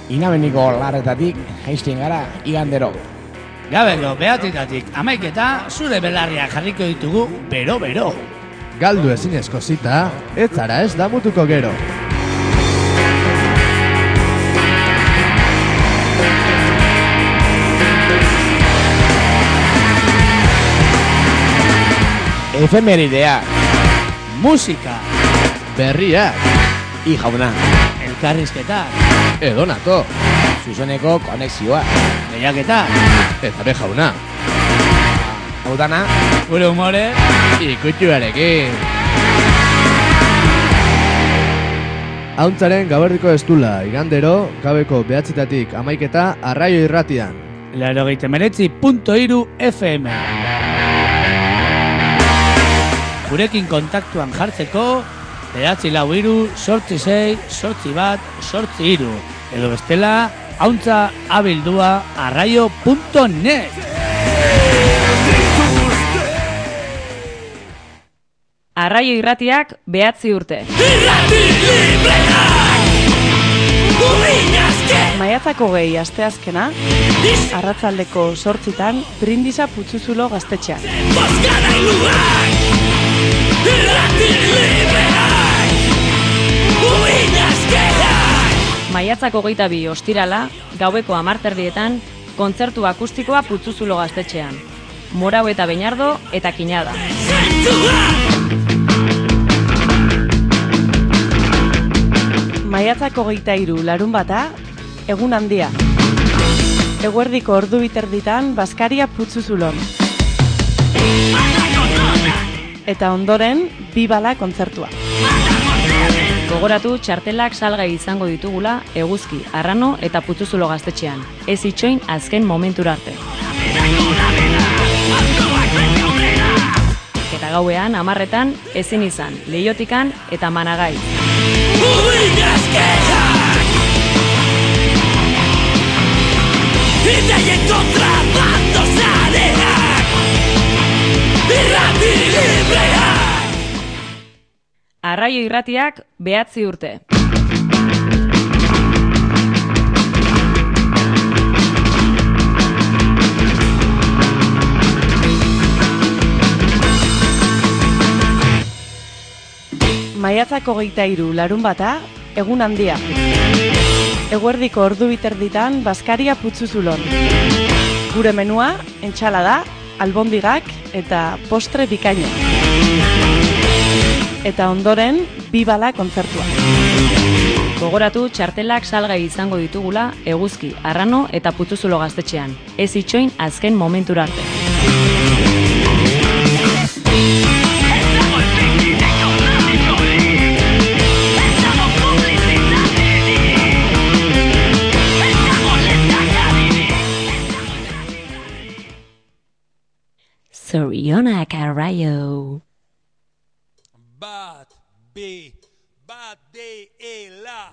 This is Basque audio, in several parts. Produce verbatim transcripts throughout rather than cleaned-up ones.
Inabeniko larretatik jaisten gara igandero. Gabeko behatitatik amaiketa zure belarriak jarriko ditugu bero-bero. Galdu ezinezko zita, ez zara ez damutuko gero. Efemeridea, Musika, Berriak, i jauna, elkarrizketa, edonato, zuzeneko konexioa, lehiaketa, eta be jauna, hau dana, gure humore, ikutxuarekin. Hauntzaren gaberdiko estula, igandero, gabeko behatzitatik amaiketa arraio irratian. laurogeita hemeretzi puntu hiru F M. Gurekin kontaktuan jartzeko, behatzi lau hiru, sortzi sei, sortzi bat, sortzi hiru. Edo bestela, hauntza abildua arraio punto net. Arraio irratiak behatzi urte. Irrati libreak, uinazke. Maiatzako gehi asteazkena, arratzaldeko sortzitan, Brindisa Putzuzulo gaztetxean. Bozkada iluak, irrati libreak, uinazkeak. Maiatzako geita bi ostirala, gaueko hamarterdietan, kontzertu akustikoa Putzuzulo gaztetxean. Morau eta Beñardo eta Kinada. Maiatzako geita hiru larun bata, egun handia. Eguerdiko ordu biterditan, Baskaria Putzuzulon. Eta ondoren, Bibala kontzertua. Gogoratu txartelak salgai izango ditugula Eguzki, Arrano eta Putzuzulo gaztetxean. Ez itxoin azken momentura arte. Eta gauean, amarretan, ezin izan, Leiotikan eta Managai. Uinazkeak, ideien kontra bando zareak, irrati libreak. Arraio irratiak behatzi urte. Maiatzako geita hiru larun bata, egun handia. Eguerdiko ordu biterditan, Baskaria Putzuzulon. Gure menua, entxalada, albondigak eta postre bikaino. Eta ondoren, Bibala kontzertua. Gogoratu txartelak salgai izango ditugula Eguzki, Arrano eta Putzuzulo gaztetxean. Ez itxoin azken momentura arte. Zorionak arraio. Bat, bi, bat, de, e, la.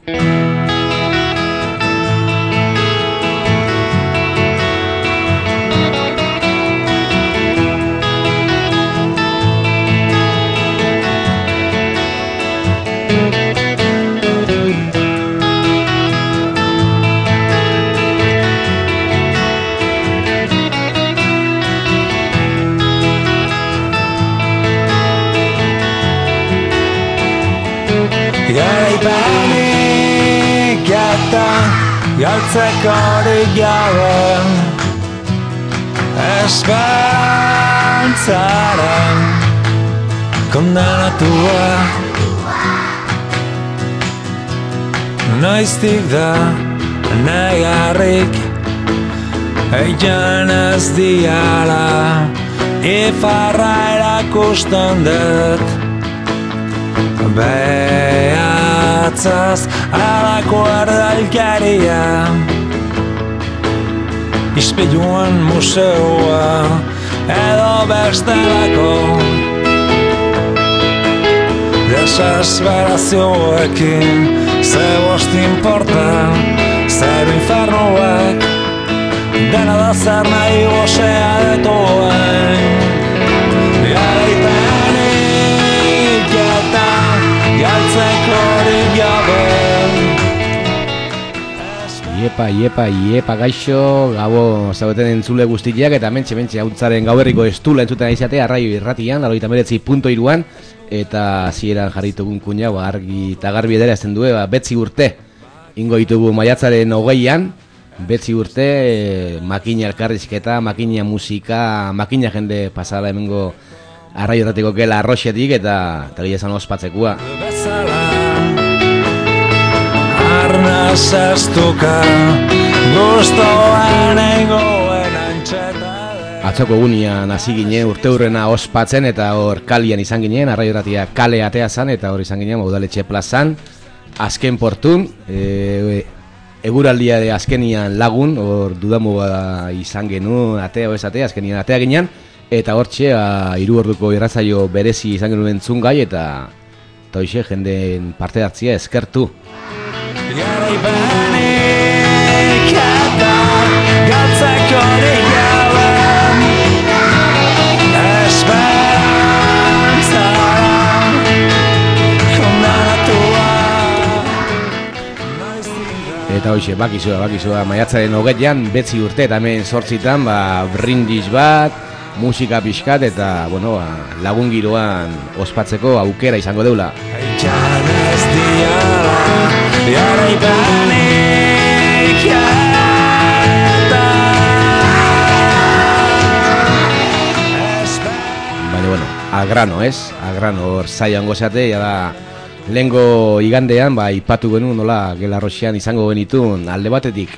Garaipanik eta galtzekorik gabe esperantzaren kondenatua noiztik da negarrik egin ez diala ifarra erakusten dut behatzaz alako erdalkeria ispiluen museoa edo bestelako desesperazioekin ze bost importa zer infernuek dena da zer nahi gozea detuen garaipenik eta galtzeko hori gabe Iepa, iepa, iepa gaixo, gabo zaudeten entzule guztiak eta mentxe, mentxe, hautzaren gauberriko estula entzuten aizatea, arraio irratian, laurogeita hemeretzi puntu hiruan, eta zieran jarritugun kuina, ba, argi eta garbi edera ezten du, ba, betzi urte, ingo ditugu maiatzaren hogeian, betzi urte, e, makina elkarrizketa, makina musika, makina jende pasala hemengo arraio irratiko gela arroxetik, eta eta gila esan ospatzekoa. Arna zaztuka, guztoan egoen antxeta. Atzoko egunean hasi ginen urte hurrena ospatzen eta hor kalian izan ginen, arraio irratia kale atea zan eta hor izan ginen Udaletxe plazan, azken portun, e, eguraldia de azkenian lagun, hor dudamuga izan genu, atea o ez atea, azkenian atea ginen, eta hortxe hiru orduko irratsaio berezi izan genuen entzungai eta eta hoxe jendeen parte hartzia eskertu. Garaipanik eta galtzeko digalan esperantzara kondanatua. Eta hoxe, bakizua, bakizua, maiatzaren hogeian, betzi urte eta hemen sortzitan, ba, brindis bat, musika pixkat eta, bueno, ba, lagun giroan ospatzeko aukera izango deula. Aitzan ez diala, garaipanik eta Baina, bueno, agrano, ez? Agrano, hor zaian gozate, ja da, lehengo igandean, ba, ipatu genuen, nola, Gelarroxean izango genitun, alde batetik,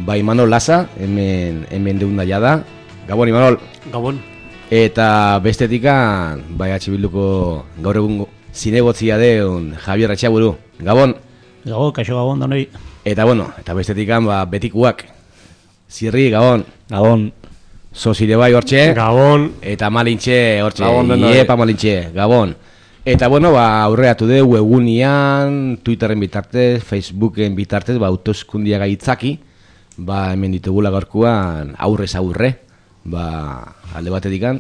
ba, Imanol Laza, hemen, hemen deunda ja da. Gabon, Imanol. Gabon. Eta bestetikan, bai, H Bilduko gaur egun zinegotzia deun Javier Etxaburu. Gabon. Gabon, kaixo gabon, donoi. Eta, bueno, eta bestetikan, ba, betikuak. Zirri, Gabon. Gabon. Zozire bai hortxe. Gabon. Eta Malintxe hortxe. Gabon, denoi. Iepa Malintxe, Gabon. Eta, bueno, ba, aurreatu de webunian, Twitterren bitartez, Facebooken bitartez, ba, autoskundia gaitzaki, ba, hemen ditugula gaurkuan aurrez aurre. Ba, alde batetikan,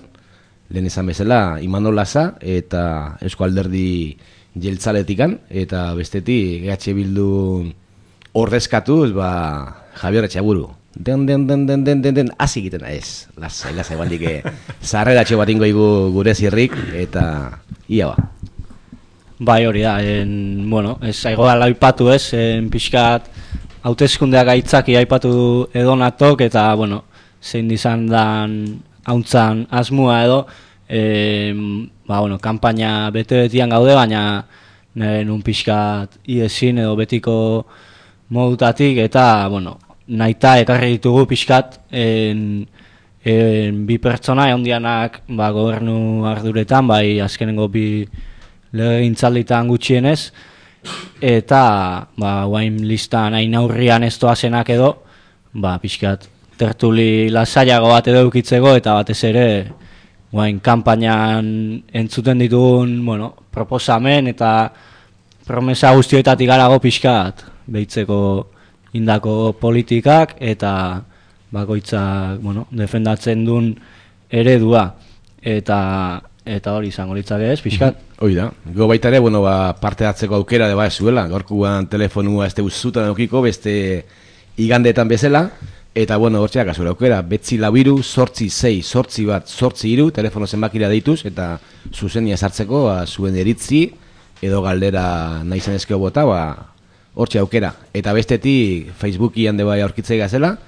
lehen esan bezala, Imanol Laza eta Eusko Alderdi jeltzaletikan, eta bestetik G H Bildu ordezkatuz, ba, Javier Etxaburu. Den, den, den, den, den, den, den, hasi egiten ez. Lasai, lasai, baldik, zarreratxo bat ingo igu gure zirrik, eta ia ba. Bai, hori da, en, bueno, ez aigo da aipatu ez, en pixkat hauteskundeak aitzaki aipatu edonatok, eta, bueno, zein dizan dan hauntzan asmua edo, e, ba, bueno, kampaina bete-betian gaude, baina nun pixkat iezin edo betiko modutatik, eta, bueno, nahita ekarri ditugu pixkat en, en, bi pertsona ondianak ba, gobernu arduretan, bai azkenengo bi legegintzalditan gutxienez, eta ba, guain listan hain aurrian ez doazenak edo, ba, pixkat tertuli lasaiago bat edo eukitzeko, eta batez ere guain kanpainan entzuten ditugun, bueno, proposamen eta promesa guztioetatik garago pixkat behitzeko indako politikak eta bakoitzak, bueno, defendatzen duen eredua eta eta hori izango litzake ez, pixkat. Hoi da, go baita ere, bueno, ba, parte hartzeko aukera de ba zuela, gaurkuan telefonua ez deuzutan eukiko, beste igandeetan bezala, eta bueno, hortxeak azura aukera, betzi labiru, sortzi sei, sortzi bat, sortzi iru, telefono zenbakira deituz, eta zuzenia sartzeko, ba, zuen eritzi, edo galdera nahi zenezkeo bota, ba, hortxe aukera. Eta bestetik Facebookian de bai aurkitzei gazela,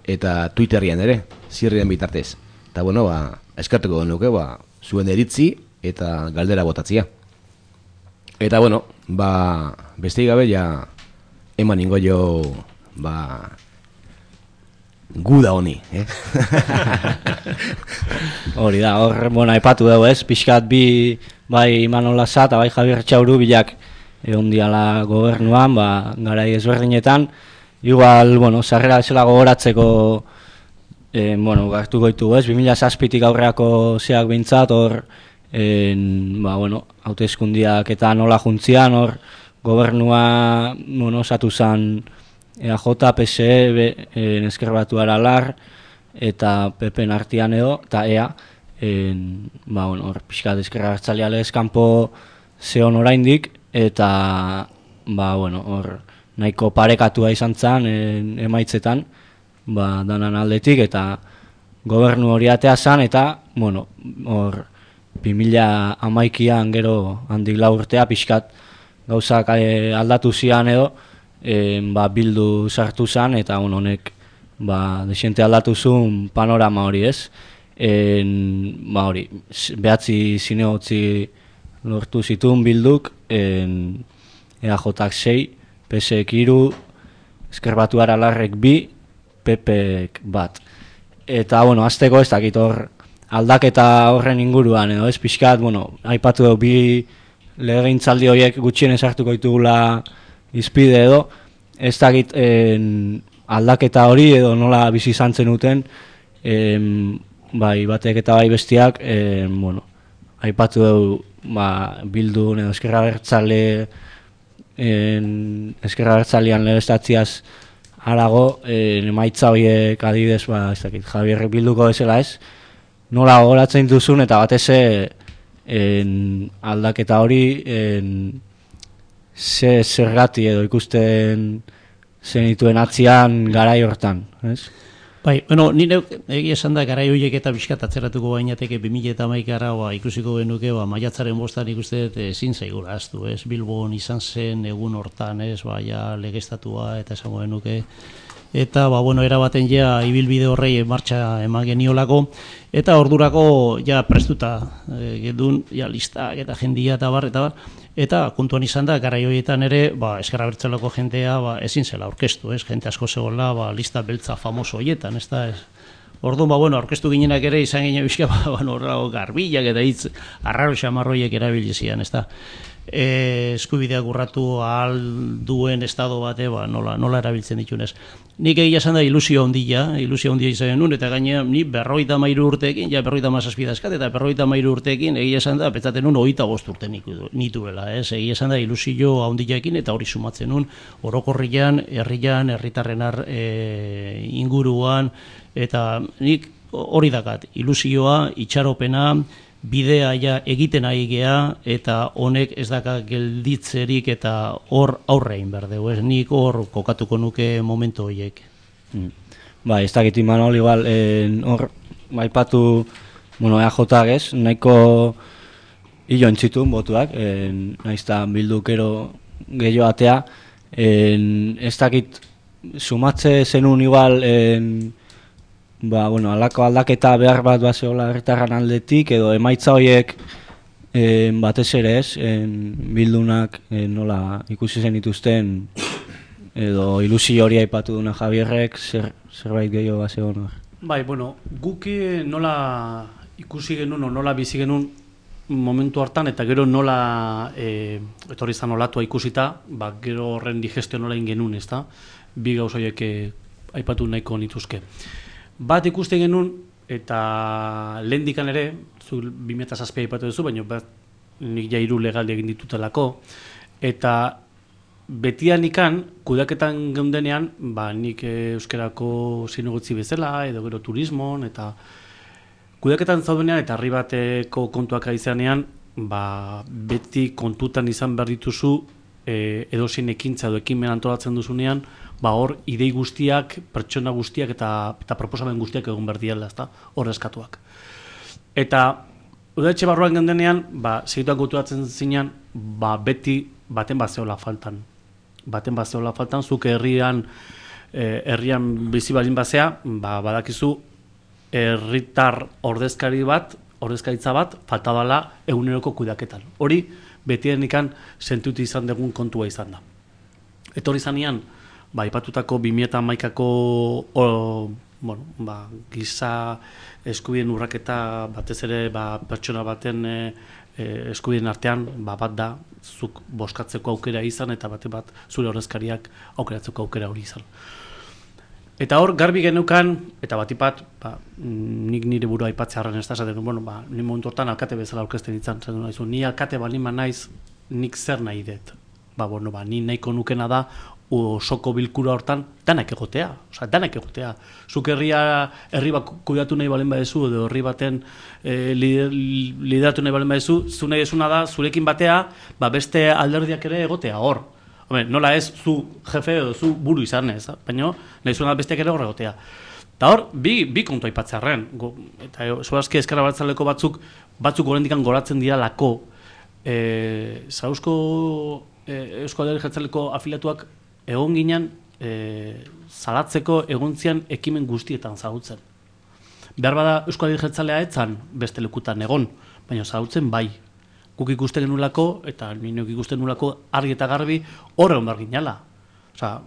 eta Twitterian ere, zirrien bitartez. Eta bueno, ba, eskartuko genuke, ba, zuen eritzi eta galdera botatzia. Eta bueno, ba, besteik gabe ja eman ingo jo, ba, guda honi, eh? Hori da, hor, bueno, aipatu dugu ez, pixkat bi, bai Imanol Laza eta bai Javier Etxaburu bilak egon diala gobernuan, ba, garai ezberdinetan, igual, bueno, sarrera bezala gogoratzeko, eh, bueno, gartu goitugu ez, bi mila zazpitik aurreako zeak bintzat, hor, en, ba, bueno, hauteskundiak eta nola juntzian, hor, gobernua, bueno, osatu zan E A J, P S E, en Ezker Batua Aralar, eta P P-en artian edo, eta E A, en, ba, bueno, hor, pixkat ezkerra hartzaliale eskampo zeon oraindik, eta, ba, bueno, hor, nahiko parekatua izan zen emaitzetan, ba, danan aldetik, eta gobernu hori atea zen, eta, bueno, hor, bi mila hamaikian gero handik lau urtea, pixkat gauzak e, aldatu zian edo, e, ba, bildu sartu zen, eta bueno, honek ba, desente aldatu zuen panorama hori ez. En, ba, hori, behatzi zinegotzi lortu zituen bilduk, en, E A Jak sei, P S ek hiru, Ezker Batuar Alarrek bi, P Pek bat. Eta, bueno, azteko ez dakit hor aldaketa horren inguruan, edo ez pixkat, bueno, aipatu dugu bi legegintzaldi horiek gutxienez hartuko ditugula izpide edo, ez dakit en, aldaketa hori edo nola bizi izan zenuten, en, bai batek eta bai bestiak, en, bueno, aipatu dugu ba, Bildu edo Ezker Abertzale Ezker Abertzalean legestatziaz harago, en, emaitza horiek adibidez, ba, ez dakit, Javier Bilduko bezala ez, nola gogoratzen duzun eta batez en, aldaketa hori en, ze zergati edo ikusten zenituen atzian garai hortan, ez? Bai, bueno, nire egia esan da garai horiek eta bizkat atzeratuko bainateke bi mila hamaikara ba, ikusiko genuke, ba, maiatzaren bostan ikuste ezin zaigula aztu, ez? Bilbon izan zen egun hortan, ez? Ba, ja legestatua eta esango genuke. Eta, ba, bueno, erabaten ja ibilbide horrei martxa eman geniolako, eta ordurako ja prestuta e, gedun, ja listak eta jendia eta bar, eta bar, eta kontuan izan da, garai horietan ere, ba, Ezker Abertzaleko jentea ba, ezin zela aurkeztu, ez, jente asko zegoela, ba, lista beltza famoso horietan, ez da, ez. Orduan, ba, bueno, aurkeztu ginenak ere, izan ginen bizka, ba, bueno, garbilak eta hitz, arraro xamarroiek erabilizian, ez da. E, eskubideak urratu ahal duen estado bate, ba, nola, nola erabiltzen ditunez. Nik egia esan da ilusio handia, ilusio handia izan nun, eta gaina ni berroita mairu urteekin, ja berroita mazazpidazkat, eta berroita mairu urteekin, egia esan da, petzaten nun, hogeita bost urte nituela, ez? Egia esan da ilusio handiaekin, eta hori sumatzen nun, orokorrian, herrian, herritarren e, inguruan, eta nik hori dakat, ilusioa, itxaropena, bidea ja egiten ari gea, eta honek ez daka gelditzerik eta hor aurrein berdeu, ez nik hor kokatuko nuke momentu horiek. Mm. Ba, ez dakit Imanol, igual, hor, baipatu, bueno, E A Jak ez, nahiko hilo entzitun botuak, en, naizta bildukero gehiago atea, en, ez dakit sumatze zenun igual, en, ba, bueno, alako aldaketa behar bat bazeola herritarran aldetik, edo emaitza horiek en, batez ere ez, en, Bildunak en, nola ikusi zen dituzten, edo ilusio hori aipatu duna Javierrek, zer, zerbait gehiago bazeon hor. Bai, bueno, guk nola ikusi genuen, nola bizi genuen momentu hartan, eta gero nola e, etorri izan olatua ikusita, ba, gero horren digestio nola ingenuen, ez da? Bi gauz horiek aipatu nahiko nituzke. Bat ikusten genuen, eta lehendikan ere, zu bi mila zazpia aipatu duzu, baina bat nik ja hiru legaldi egin ditutelako, eta betian ikan, kudeaketan geundenean, ba, nik euskerako zinegotzi bezala, edo gero turismon, eta kudeaketan zaudenean, eta herri bateko kontuak aizanean, ba, beti kontutan izan behar dituzu, e, edozein ekintza edo ekinmen antolatzen duzunean, ba hor idei guztiak, pertsona guztiak eta eta proposamen guztiak egon behar diela, ezta? Hor eskatuak. Eta udaletxe barruan gendenean, ba segituan kontuatzen zinean, ba beti baten bazeola faltan. Baten bazeola faltan, zuk herrian eh, herrian bizi balin bazea, ba badakizu herritar ordezkari bat, ordezkaritza bat falta dela eguneroko kudeaketan. Hori betienikan sentutu izan dugun kontua izan da. Etorri zanean, ba, ipatutako bi mila hamaikako o, bueno, ba, giza eskubideen urraketa batez ere ba, pertsona baten e, e, eskubideen artean ba, bat da zuk boskatzeko aukera izan eta bate bat zure ordezkariak aukeratzeko aukera hori izan. Eta hor, garbi genukan, eta batipat, ba, nik nire burua aipatzearen ez da, zaten, bueno, ba, ni momentu hortan alkate bezala aurkezten ditzan, zaten, naizu, ni alkate balima naiz, nik zer nahi dut. Ba, bueno, ba, ni nahiko nukena da, osoko bilkura hortan, danak egotea, oza, danak egotea. Zuk herria, herri bat kudeatu nahi balen badezu, edo herri baten e, lideratu nahi balen badezu, zu nahi esuna da, zurekin batea, ba, beste alderdiak ere egotea, hor. Hombre, nola ez zu jefe edo zu buru izan ez, baina nahi zuena besteak ere horregotea. Eta hor, bi, bi kontu aipatzearren, eta zuazki ezkerra bertzaleko batzuk, batzuk gorendikan goratzen dira lako, e, Zauzko e, Eusko Alderdi Jeltzaleko afiliatuak egon ginen e, zalatzeko egontzian ekimen guztietan zagutzen. Behar bada Eusko Alderdi Jeltzalea etzan beste lekutan egon, baina zagutzen bai. Guk ikusten genulako, eta nineok ikusten nulako argi eta garbi horregon behar ginala. Osa,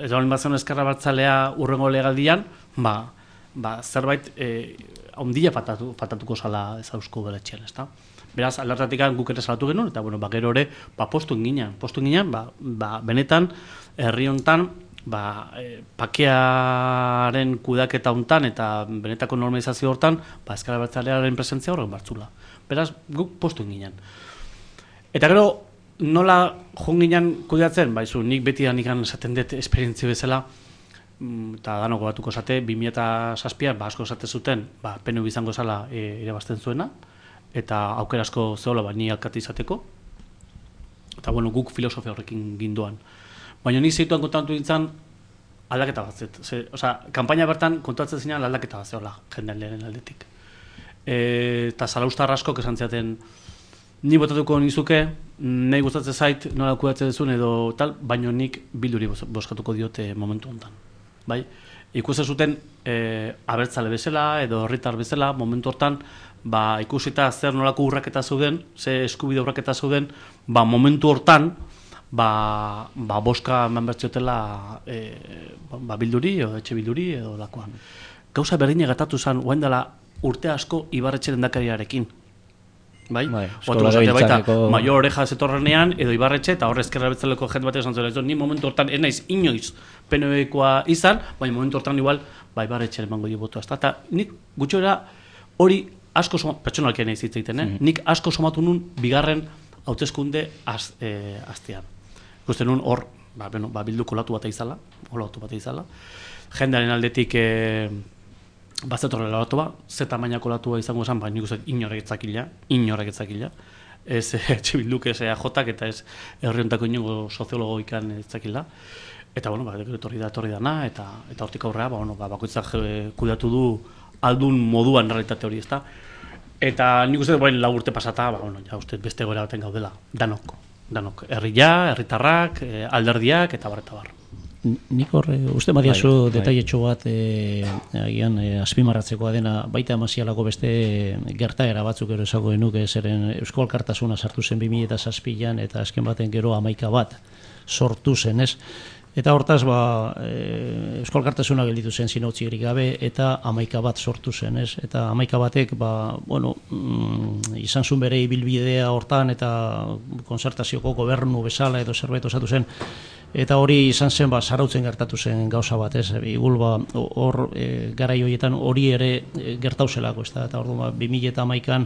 ez da bat zen ezkerra bertzalea urrengo legaldian, ba, ba zerbait e, ondila fatatu, fatatuko zala Zauzko beletxean, ezta? Beraz, alertatik guk ere salatu genuen, eta bueno, ba, gero ere, ba, postu inginen, postu inginen, ba, ba, benetan, herri hontan, ba, e, pakearen kudaketa hontan, eta benetako normalizazio hortan, ba, ezkerra bertzalearen presentzia horren bartzula. Beraz, guk postu inginen. Eta gero, nola jonginen kudeatzen? Baizu, nik beti da nikan esaten dut esperientzia bezala, eta dano gogatuko esate, bi mila zazpian, ba, asko esate zuten, ba, P N V izango zala e, ere bazten zuena, eta aukera asko zehola, ba, ni alkate izateko. Eta, bueno, guk filosofia horrekin ginduan. Baina nik zeituan kontatu dintzen, aldaketa bat zet. Ze, oza, kampaina bertan kontatzen zinean aldaketa bat zehola, jendean lehen aldetik. E, eta zalaustar asko esan ziaten, ni botatuko nizuke, nahi gustatzen zait, nola kudatzen duzun edo tal, baino nik Bilduri boskatuko diote momentu honetan. Bai? Ikusten zuten e, abertzale bezala edo herritar bezala, momentu hortan, ba, ikusita zer nolako urraketa zeuden, ze eskubide urraketa zeuden, ba, momentu hortan, ba, ba boska eman bertziotela e, ba, Bilduri edo etxe Bilduri edo lakoan. Gauza berdina gertatu zen, guain dela urte asko Ibarretxe lehendakariarekin. Bai? Bai, baita, Maio Oreja zetorrenean, edo Ibarretxe, eta horre ezkerra betzaleko jende bat esan zela, ni momentu hortan, ez naiz inoiz P N V-koa izan, baina momentu hortan igual, ba, Ibarretxe emango dio botua. Eta nik gutxora hori asko somatu, pertsonalkia nahi zitzaiten, eh? Mm-hmm. Nik asko somatu nun bigarren hauteskunde az, e, aztean. Ikusten nun hor, ba, bueno, ba, Bildu kolatu bat izala, kolatu bat izala, jendearen aldetik e, bazetorre loratu ba, ze tamainako latua izango esan, baina nik uste inorek etzakila, inorek etzakila, ez etxe Bilduk, ez E A J eta ez herriontako inongo soziologo ikan etzakila. Eta, bueno, ba, etorri da, etorri dana, eta, eta hortik aurrea, ba, bueno, ba, bakoitzak kudeatu du aldun moduan realitate hori, ezta. Eta nik uste, bain lau urte pasata, ba, bueno, ja uste beste goera baten gaudela, danok, danok, herria, herritarrak, alderdiak, eta bar, eta bar. Nik horre, uste badiazu detailetxo bat e, agian e, azpimarratzekoa dena, baita amazialako beste gertaera batzuk ero esago genuke, zeren Eusko Alkartasuna sartu zen bi mila zazpian eta azken baten gero hamaika bat sortu zen, ez? Eta hortaz, ba, e, Eusko Alkartasuna gelditu zen zinautzirik gabe eta hamaika bat sortu zen, ez? Eta hamaika batek, ba, bueno, mm, izan zuen bere ibilbidea hortan eta konzertazioko gobernu bezala edo zerbait osatu zen. Eta hori izan zen, ba, Zarautzen gertatu zen gauza bat, ez? Igul, ba, hor, e, garai horietan hori ere e, gertauzelako, ez da? Eta hor, ba, bi mila hamaikan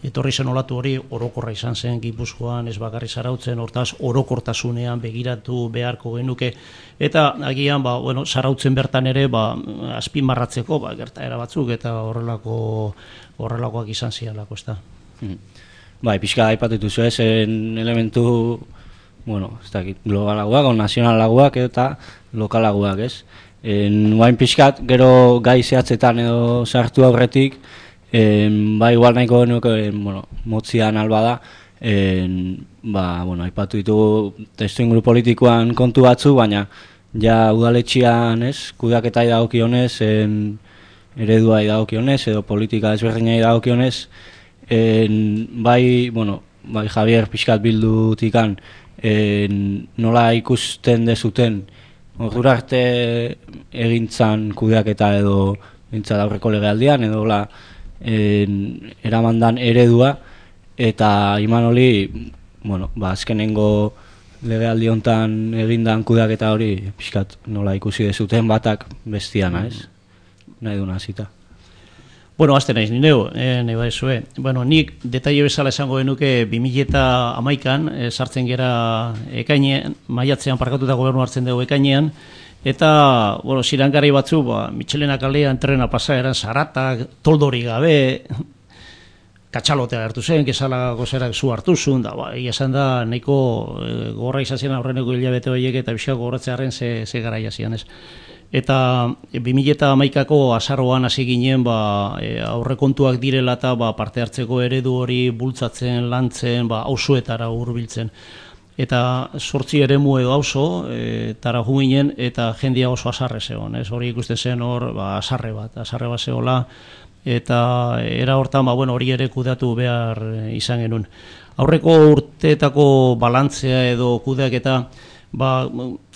etorri zen olatu hori orokorra izan zen Gipuzkoan, ez bakarri Zarautzen, hortaz orokortasunean begiratu beharko genuke. Eta agian, ba, bueno, Zarautzen bertan ere, ba, azpimarratzeko, ba, gertaera batzuk, eta horrelako, horrelakoak izan zialako, ez da? Hmm. Bai, pixka aipatu dituzu ezen elementu, bueno, ez dakit, globalagoak, o nazionalagoak eta lokalagoak, ez? Nuain pixkat, gero gai zehatzetan edo sartu aurretik, en, ba, igual nahiko genuke, bueno, motzian alba da, en, ba, bueno, aipatu ditugu testu inguru politikoan kontu batzu, baina ja udaletxian, ez, kudeaketai dagokionez, en, eredua dagokionez, edo politika ezberdinai dagokionez, en, bai, bueno, bai Javier pixkat bildutikan, En, nola ikusten dezuten ordura arte egintzan kudeaketa edo gintzat aurreko legealdian edo la, en, eramandan eredua eta iman hori, bueno, ba, azkenengo legealdi hontan egindan kudeaketa hori pixkat nola ikusi dezuten batak bestiana, ez? Nahi duna zita. Bueno, azte naiz, nineu, eh, nahi baizue. Bueno, nik detaile bezala esango genuke bi mila hamaikan, eh, sartzen gera ekainean, maiatzean parkatuta gobernu hartzen dugu ekainean, eta, bueno, zirangarri batzu, ba, Mitxelena kalean trena pasa eran zaratak, toldori gabe, katxalotea hartu zen, gezala gozerak zu hartu zuen, da, ba, esan da, nahiko e, gorra izazien aurreneko hilabete horiek eta bizka gorratzearen ze, ze gara jazian, ez. Eta bi mila hamaikako azaroan hasi ginen ba, e, aurrekontuak direla eta ba, parte hartzeko eredu hori bultzatzen, lantzen, ba, auzoetara hurbiltzen. Eta sortzi eremu edo auzo e, tara ju ginen eta jendia oso azarre zegoen, ez hori ikusten zen hor ba, azarre bat, azarre bat zegoela, eta era hortan ba, bueno, hori ere kudeatu behar izan genuen. Aurreko urteetako balantzea edo kudeaketa ba,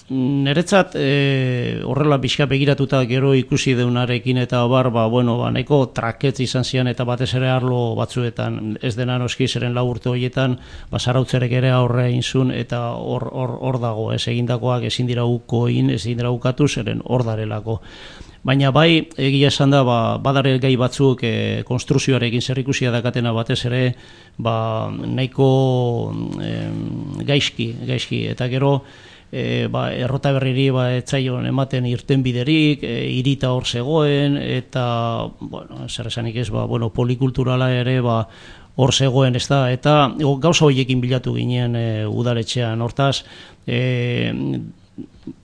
niretzat e, horrela pixka begiratuta gero ikusi deunarekin eta bar, ba, bueno, ba, nahiko traketz izan zian eta batez ere arlo batzuetan, ez dena noski zeren lau urte horietan, ba, zarautzerek ere aurre egin zuen eta hor, hor, hor dago, ez egindakoak ezin dira uko egin, ezin dira ukatu zeren hor darelako. Baina bai, egia esan da, ba, badare gai batzuk e, konstruzioarekin zerrikusia dakatena batez ere, ba, nahiko e, gaizki, gaizki, eta gero, E, ba, errota berriri ba, etzaion ematen irten biderik, e, irita hor zegoen, eta, bueno, zer esanik ez, ba, bueno, polikulturala ere, ba, hor zegoen, ez da, eta gauza horiekin bilatu ginen e, udaletxean, hortaz, e,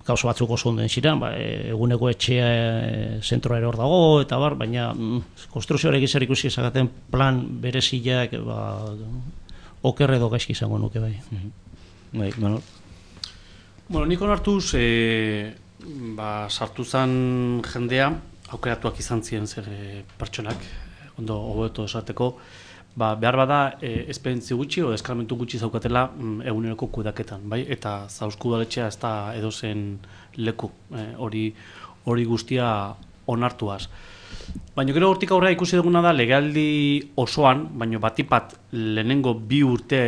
gauza batzuk oso onden ziren, ba, e, eguneko etxea e, zentroa ere hor dago, eta bar, baina mm, konstruzioarekin zer ikusi ezagaten plan bereziak, ba, oker edo gaizki izango nuke bai. Bai, bueno, Bueno, nik onartuz, e, ba, sartu zen jendea, aukeratuak izan ziren zer e, pertsonak, ondo hobeto esateko, ba, behar bada e, esperientzi gutxi o eskarmentu gutxi zaukatela mm, eguneroko kudaketan, bai? Eta zauzku udaletxea ez da edozen leku, e, hori hori guztia onartuaz. Baina gero hortik aurrera ikusi duguna da legealdi osoan, baina batipat lehenengo bi urte,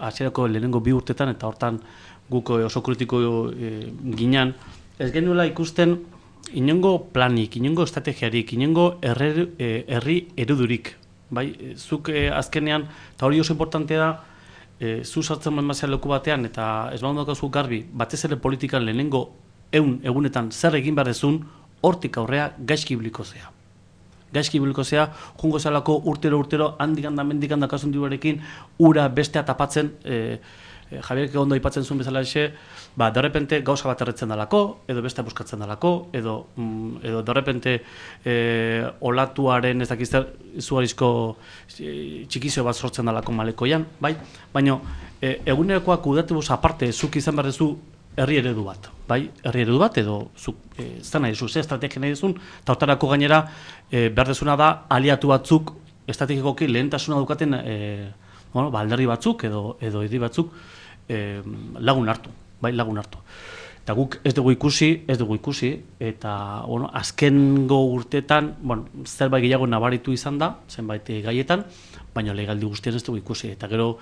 hasierako lehenengo bi urtetan, eta hortan guk oso kritiko e, ginean, ez genuela ikusten inongo planik, inongo estrategiarik, inongo herri, e, herri erudurik. Bai? Zuk e, azkenean, eta hori oso importantea da, e, zu sartzen mazia leku batean, eta ez baun daukazu garbi, batez ere politikan lehenengo egun egunetan zer egin behar dezun, hortik aurrea gaizki biliko zea. Gaizki biliko zea, jungo zelako urtero urtero, handik handa mendik handa kasun diruarekin, ura bestea tapatzen, e, Javierek ondo aipatzen zuen bezala exe, ba, derrepente gauza bat erretzen dalako, edo beste buskatzen dalako, edo, mm, edo derrepente e, olatuaren ez dakizter izugarizko e, txikizio bat sortzen dalako malekoian, bai? Baina e, egunerokoak kudatibuz aparte zuk izan behar duzu herri eredu bat, bai? Herri eredu bat, edo zuk e, zena duzu, ze estrategia nahi duzun, eta hortarako gainera e, behar dezuna da aliatu batzuk estrategikoki lehentasuna dukaten e, bueno, ba, alderdi batzuk edo, edo edi batzuk e, lagun hartu, bai, lagun hartu. Eta guk ez dugu ikusi, ez dugu ikusi, eta bueno, azkengo urtetan, bueno, zerbait gehiago nabaritu izan da, zenbait gaietan, baina legaldi guztien ez dugu ikusi. Eta gero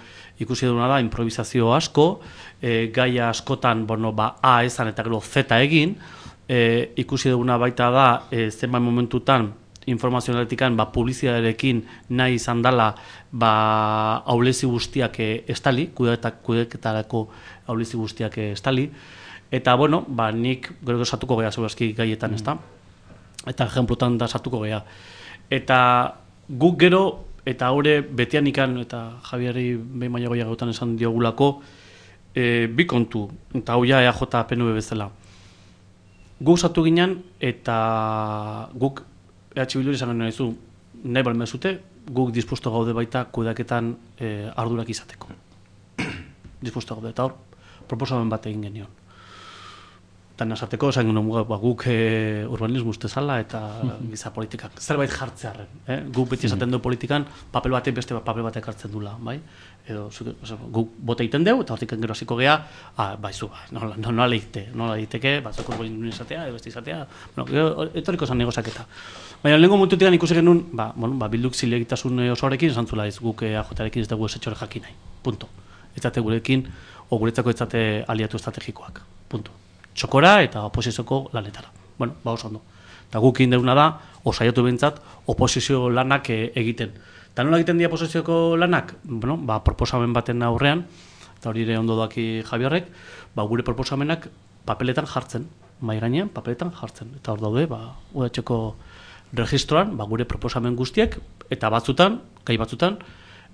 ikusi duguna da, improvisazio asko, e, gaia askotan, bueno, ba, A esan eta gero Z egin, e, ikusi duguna baita da, e, zenbait momentutan, informazionaletikan ba, publizitatearekin nahi izan dela ba, aulezi guztiak estali, kudeketarako aulezi guztiak estali, eta bueno, ba, nik gero sartuko geha zebazki gaietan, mm. ez da? Eta ejemplotan da sartuko geha. Eta guk gero, eta haure betian ikan, eta Javieri behin baina goia gautan esan diogulako, e, bi kontu, eta hau ja E A J P N V bezala. Guk sartu ginen, eta guk E H Bilduri izan nahi zu, nahi balmezute, guk dispuesto gaude baita kudeaketan e, ardurak izateko. Dispuesto gaude, eta hor, proposamen bat egin genion. Eta nasarteko, esan genuen ba, guk e, urbanismo ustezala eta giza politikak. Zerbait jartzearen. Eh? Guk beti esaten du politikan, papel batek beste papel batek hartzen dula. Bai? Edo, guk bote egiten dugu, eta hortik gero hasiko geha, ah, baizu, nola, nola leite, nola leiteke, batzuk urbanismo izatea, edo beste izatea, bueno, etoriko zan negozaketa. Baina lehenko momentutik ikusi genuen, ba, bueno, ba, bilduk zilegitasun osoarekin, esan zula ez guk E A J-arekin ez dugu esetxore jakin nahi, punto. Ez zate gurekin, o guretzako ez zate aliatu estrategikoak, punto. Txokora eta oposizioko lanetara. Bueno, ba oso ondo. Eta guk indeguna da, osaiatu behintzat, oposizio lanak e, egiten. Eta nola egiten dira oposizioko lanak? Bueno, ba, proposamen baten aurrean, eta hori ere ondo doaki Javierrek, ba, gure proposamenak papeletan jartzen, mai gainean papeletan jartzen. Eta hor daude, ba, udatxeko registroan, ba, gure proposamen guztiek, eta batzutan, gai batzutan,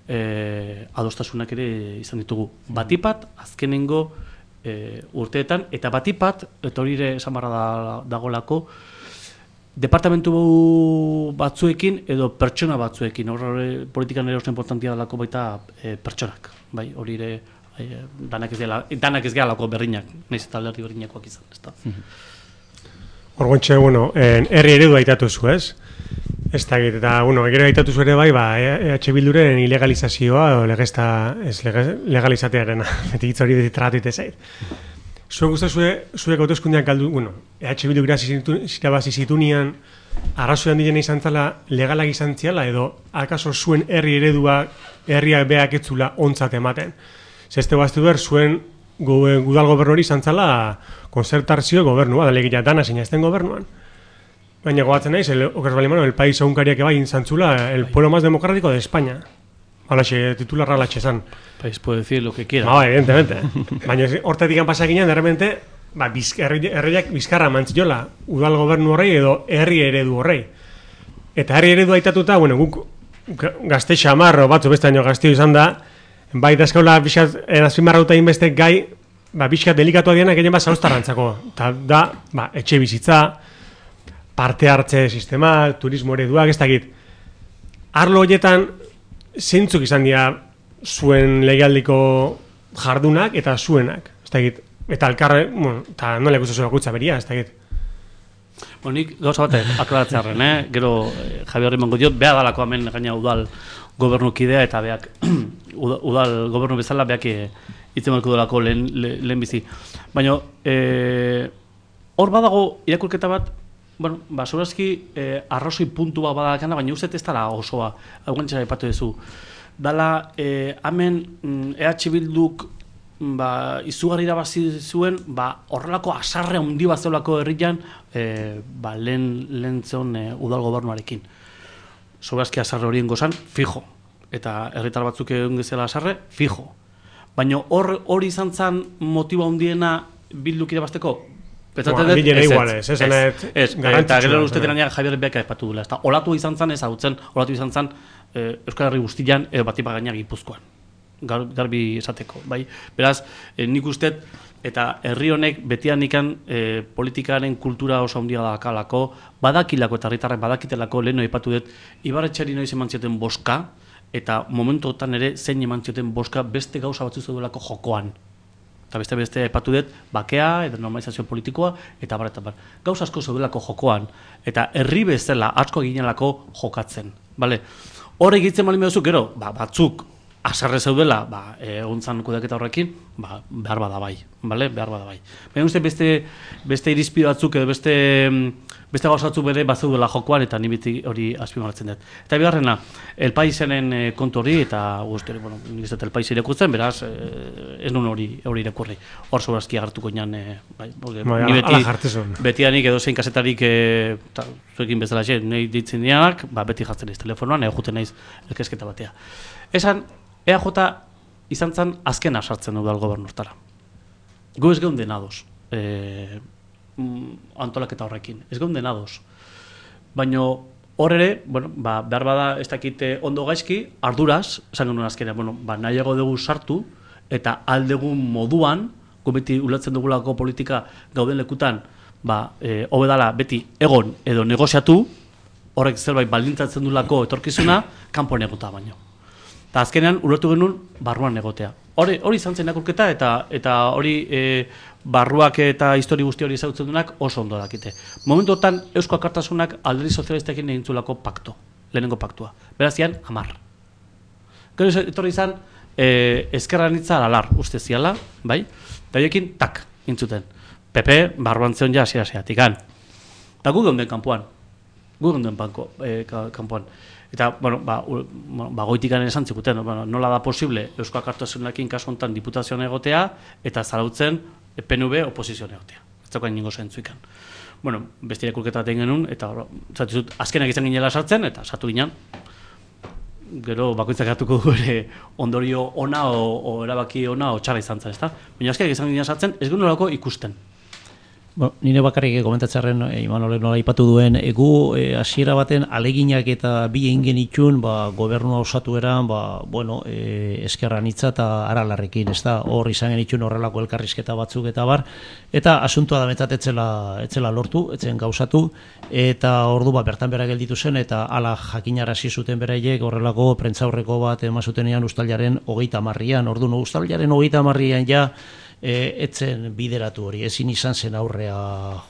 e, adostasunak ere izan ditugu. Batipat, azkenengo e, urteetan, eta batipat, eta hori ere esan barra da, dagolako, departamentu batzuekin edo pertsona batzuekin, horre politikan ere oso importantia dalako baita e, pertsonak, bai, hori ere e, danak ez gela, danak ez gehalako berrinak, nahiz eta alderdi berrinakoak izan, ez da. Orgontxe, bueno, herri eredu aitatu zu, ez? Ez da, eta, bueno, gero aitatu zu ere bai, ba, E H Bilduren ilegalizazioa, o legezta, ez legalizatearen, beti hitz hori beti tratute zait. Zuen guztu zue, zuek hauteskundean galdu, bueno, E H Bildu irabazi zitunian, arrazoian diren izan zala legalak izan ziala, edo akaso zuen herri eredua, herriak beak etzula ontzat ematen. Zeste baztu ber, zuen gudal gobernu hori izan zala konzertarzio gobernua, da legia dana sinazten gobernuan. Baina gogatzen naiz, el, okaz balimano, el país aunkariak ebai intzantzula, el pueblo más democrático de España. Halaxe, titularra halatxe zan. País puede decir lo que quiera. Ba, evidentemente. Baina hortetik pasakinean, de repente, ba, herriak bizkarra mantziola, udal gobernu horrei edo herri eredu horrei. Eta herri eredu aitatuta, bueno, guk gazte xamarro batzu beste aino gaztio izan da, bai dazkaula bizkat azpimarrauta inbeste gai, ba, bizkat delikatua diana gehien bat zauztarrantzako. Eta da, ba, etxe bizitza, parte hartze sistema, turismo ereduak, ez dakit. Arlo horietan, zeintzuk izan dira zuen legialdiko jardunak eta zuenak, ez dakit. Eta alkarre, bueno, eta nola ikusten zuen bakutza beria, ez dakit. Bueno, nik gauza bat aklaratzearen, eh? Gero eh, Javier emango diot, beha dalako hemen gaina udal gobernukidea eta beak udal gobernu bezala beak hitzen balko delako lehen, lehen bizi. Baina, eh, hor badago irakurketa bat, bueno, ba, segurazki eh, arrozoi puntu bat badakana, baina uste ez dara osoa, aguantxera ipatu duzu. Dala, eh, hemen E H Bilduk ba, izugarri irabazi zuen, ba, horrelako asarre handi bat zeulako herrian, eh, ba, lehen, lehen zeon eh, udal gobernuarekin. Segurazki asarre horien gozan, fijo. Eta herritar batzuk egon gezela asarre, fijo. Baina hor hori izan zen motiba handiena Bilduk irabazteko? Petzaten dut, ez, ez, ez, ez, eta gero uste dira Javier Beka epatu dula. Olatu izan zen, ez hautzen, olatu izan zen Euskal Herri guztian, edo batipa gainak Gipuzkoan. Garbi esateko, bai? Beraz, nik uste, eta herri honek betian ikan politikaren kultura oso handia dakalako, badakilako eta herritarrek badakitelako, leheno epatu dut, Ibarretxeri noiz eman zioten boska, eta momentotan ere zein eman zioten boska beste gauza batzu zeudolako jokoan. Eta beste beste epatu dut, bakea, edo normalizazio politikoa, eta bar, eta bar. Gauza asko zeudelako jokoan, eta herri bezala asko eginelako jokatzen. Vale? Hor egitzen malin behuzu, gero, ba, batzuk asarre zeudela, ba, egon zan kudaketa horrekin, ba, behar bada bai. Vale? Behar bada bai. Baina uste beste, beste irizpide batzuk, edo beste, beste gauza batzuk bere bat zeudela jokoan, eta ni beti hori azpimarratzen dut. Eta bigarrena, El Paisenen kontu hori, eta guzti hori, bueno, nik ez dut El Pais irakurtzen, beraz, ez nun hori hori irakurri. Hor sobrazki agartuko inan, bai, ni beti, betianik edo zein kasetarik, zuekin bezala xe, nahi ditzen dianak, ba, beti jartzen naiz telefonoan, ego juten naiz elkesketa batea. Esan, E A J izan zen azkena sartzen udal gobernurtara. Gu ez geunden ados, e, antolaketa horrekin, ez geunden ados. Baina hor ere, bueno, ba, behar bada ez dakite ondo gaizki, arduraz, esan genuen azkenean, bueno, ba, nahiago dugu sartu, eta aldegun moduan, gu beti ulatzen dugulako politika gauden lekutan, ba, e, hobedala beti egon edo negoziatu, horrek zerbait baldintzatzen dulako etorkizuna, kanpoan egotea baino. Eta azkenean ulertu genuen barruan egotea. Hori hori izan zen irakurketa eta eta hori e, barruak eta histori guzti hori ezagutzen duenak oso ondo dakite. Momentu hortan Eusko Alkartasunak alderdi sozialistekin egin zuelako pakto, lehenengo paktua. Beraz zian hamar. Gero etorri izan e, ezkerra nitza alalar uste ziala, bai? Eta horiekin tak intzuten. P P barruan zeon ja hasiera hasiatikan. Eta gu geunden kanpoan. Gu geunden banko e, kanpoan. Eta, bueno, ba, ba goitikan esan zikuten, bueno, nola da posible Eusko Alkartasunarekin kasu honetan diputazioan egotea eta zarautzen P N V oposizioan egotea. Ez daukain ningo zentzuikan. Bueno, beste irakurketa baten genuen, eta zatizut, azkenak izan ginela sartzen, eta sartu ginen, gero bakoitzak hartuko du ere ondorio ona o, o erabaki ona o txarra izan zen, ezta? Baina azkenak izan ginen sartzen, ez genuen ikusten. Bueno, nire bakarrik komentatzarren e, Imanolek nola aipatu duen, egu hasiera baten aleginak eta bi egin genitxun, ba, gobernua osatu eran, ba, bueno, e, eskerran hitza eta aralarrekin, ez da, hor izan genitxun horrelako elkarrizketa batzuk eta bar, eta asuntua da betzat etzela, etzela lortu, etzen gauzatu, eta ordu ba, bertan bera gelditu zen, eta ala jakinarazi zuten beraiek horrelako prentzaurreko bat emazutenean ustailaren hogeita marrian, ordu no, ustailaren hogeita marrian ja, E, etzen bideratu hori, ezin izan zen aurrea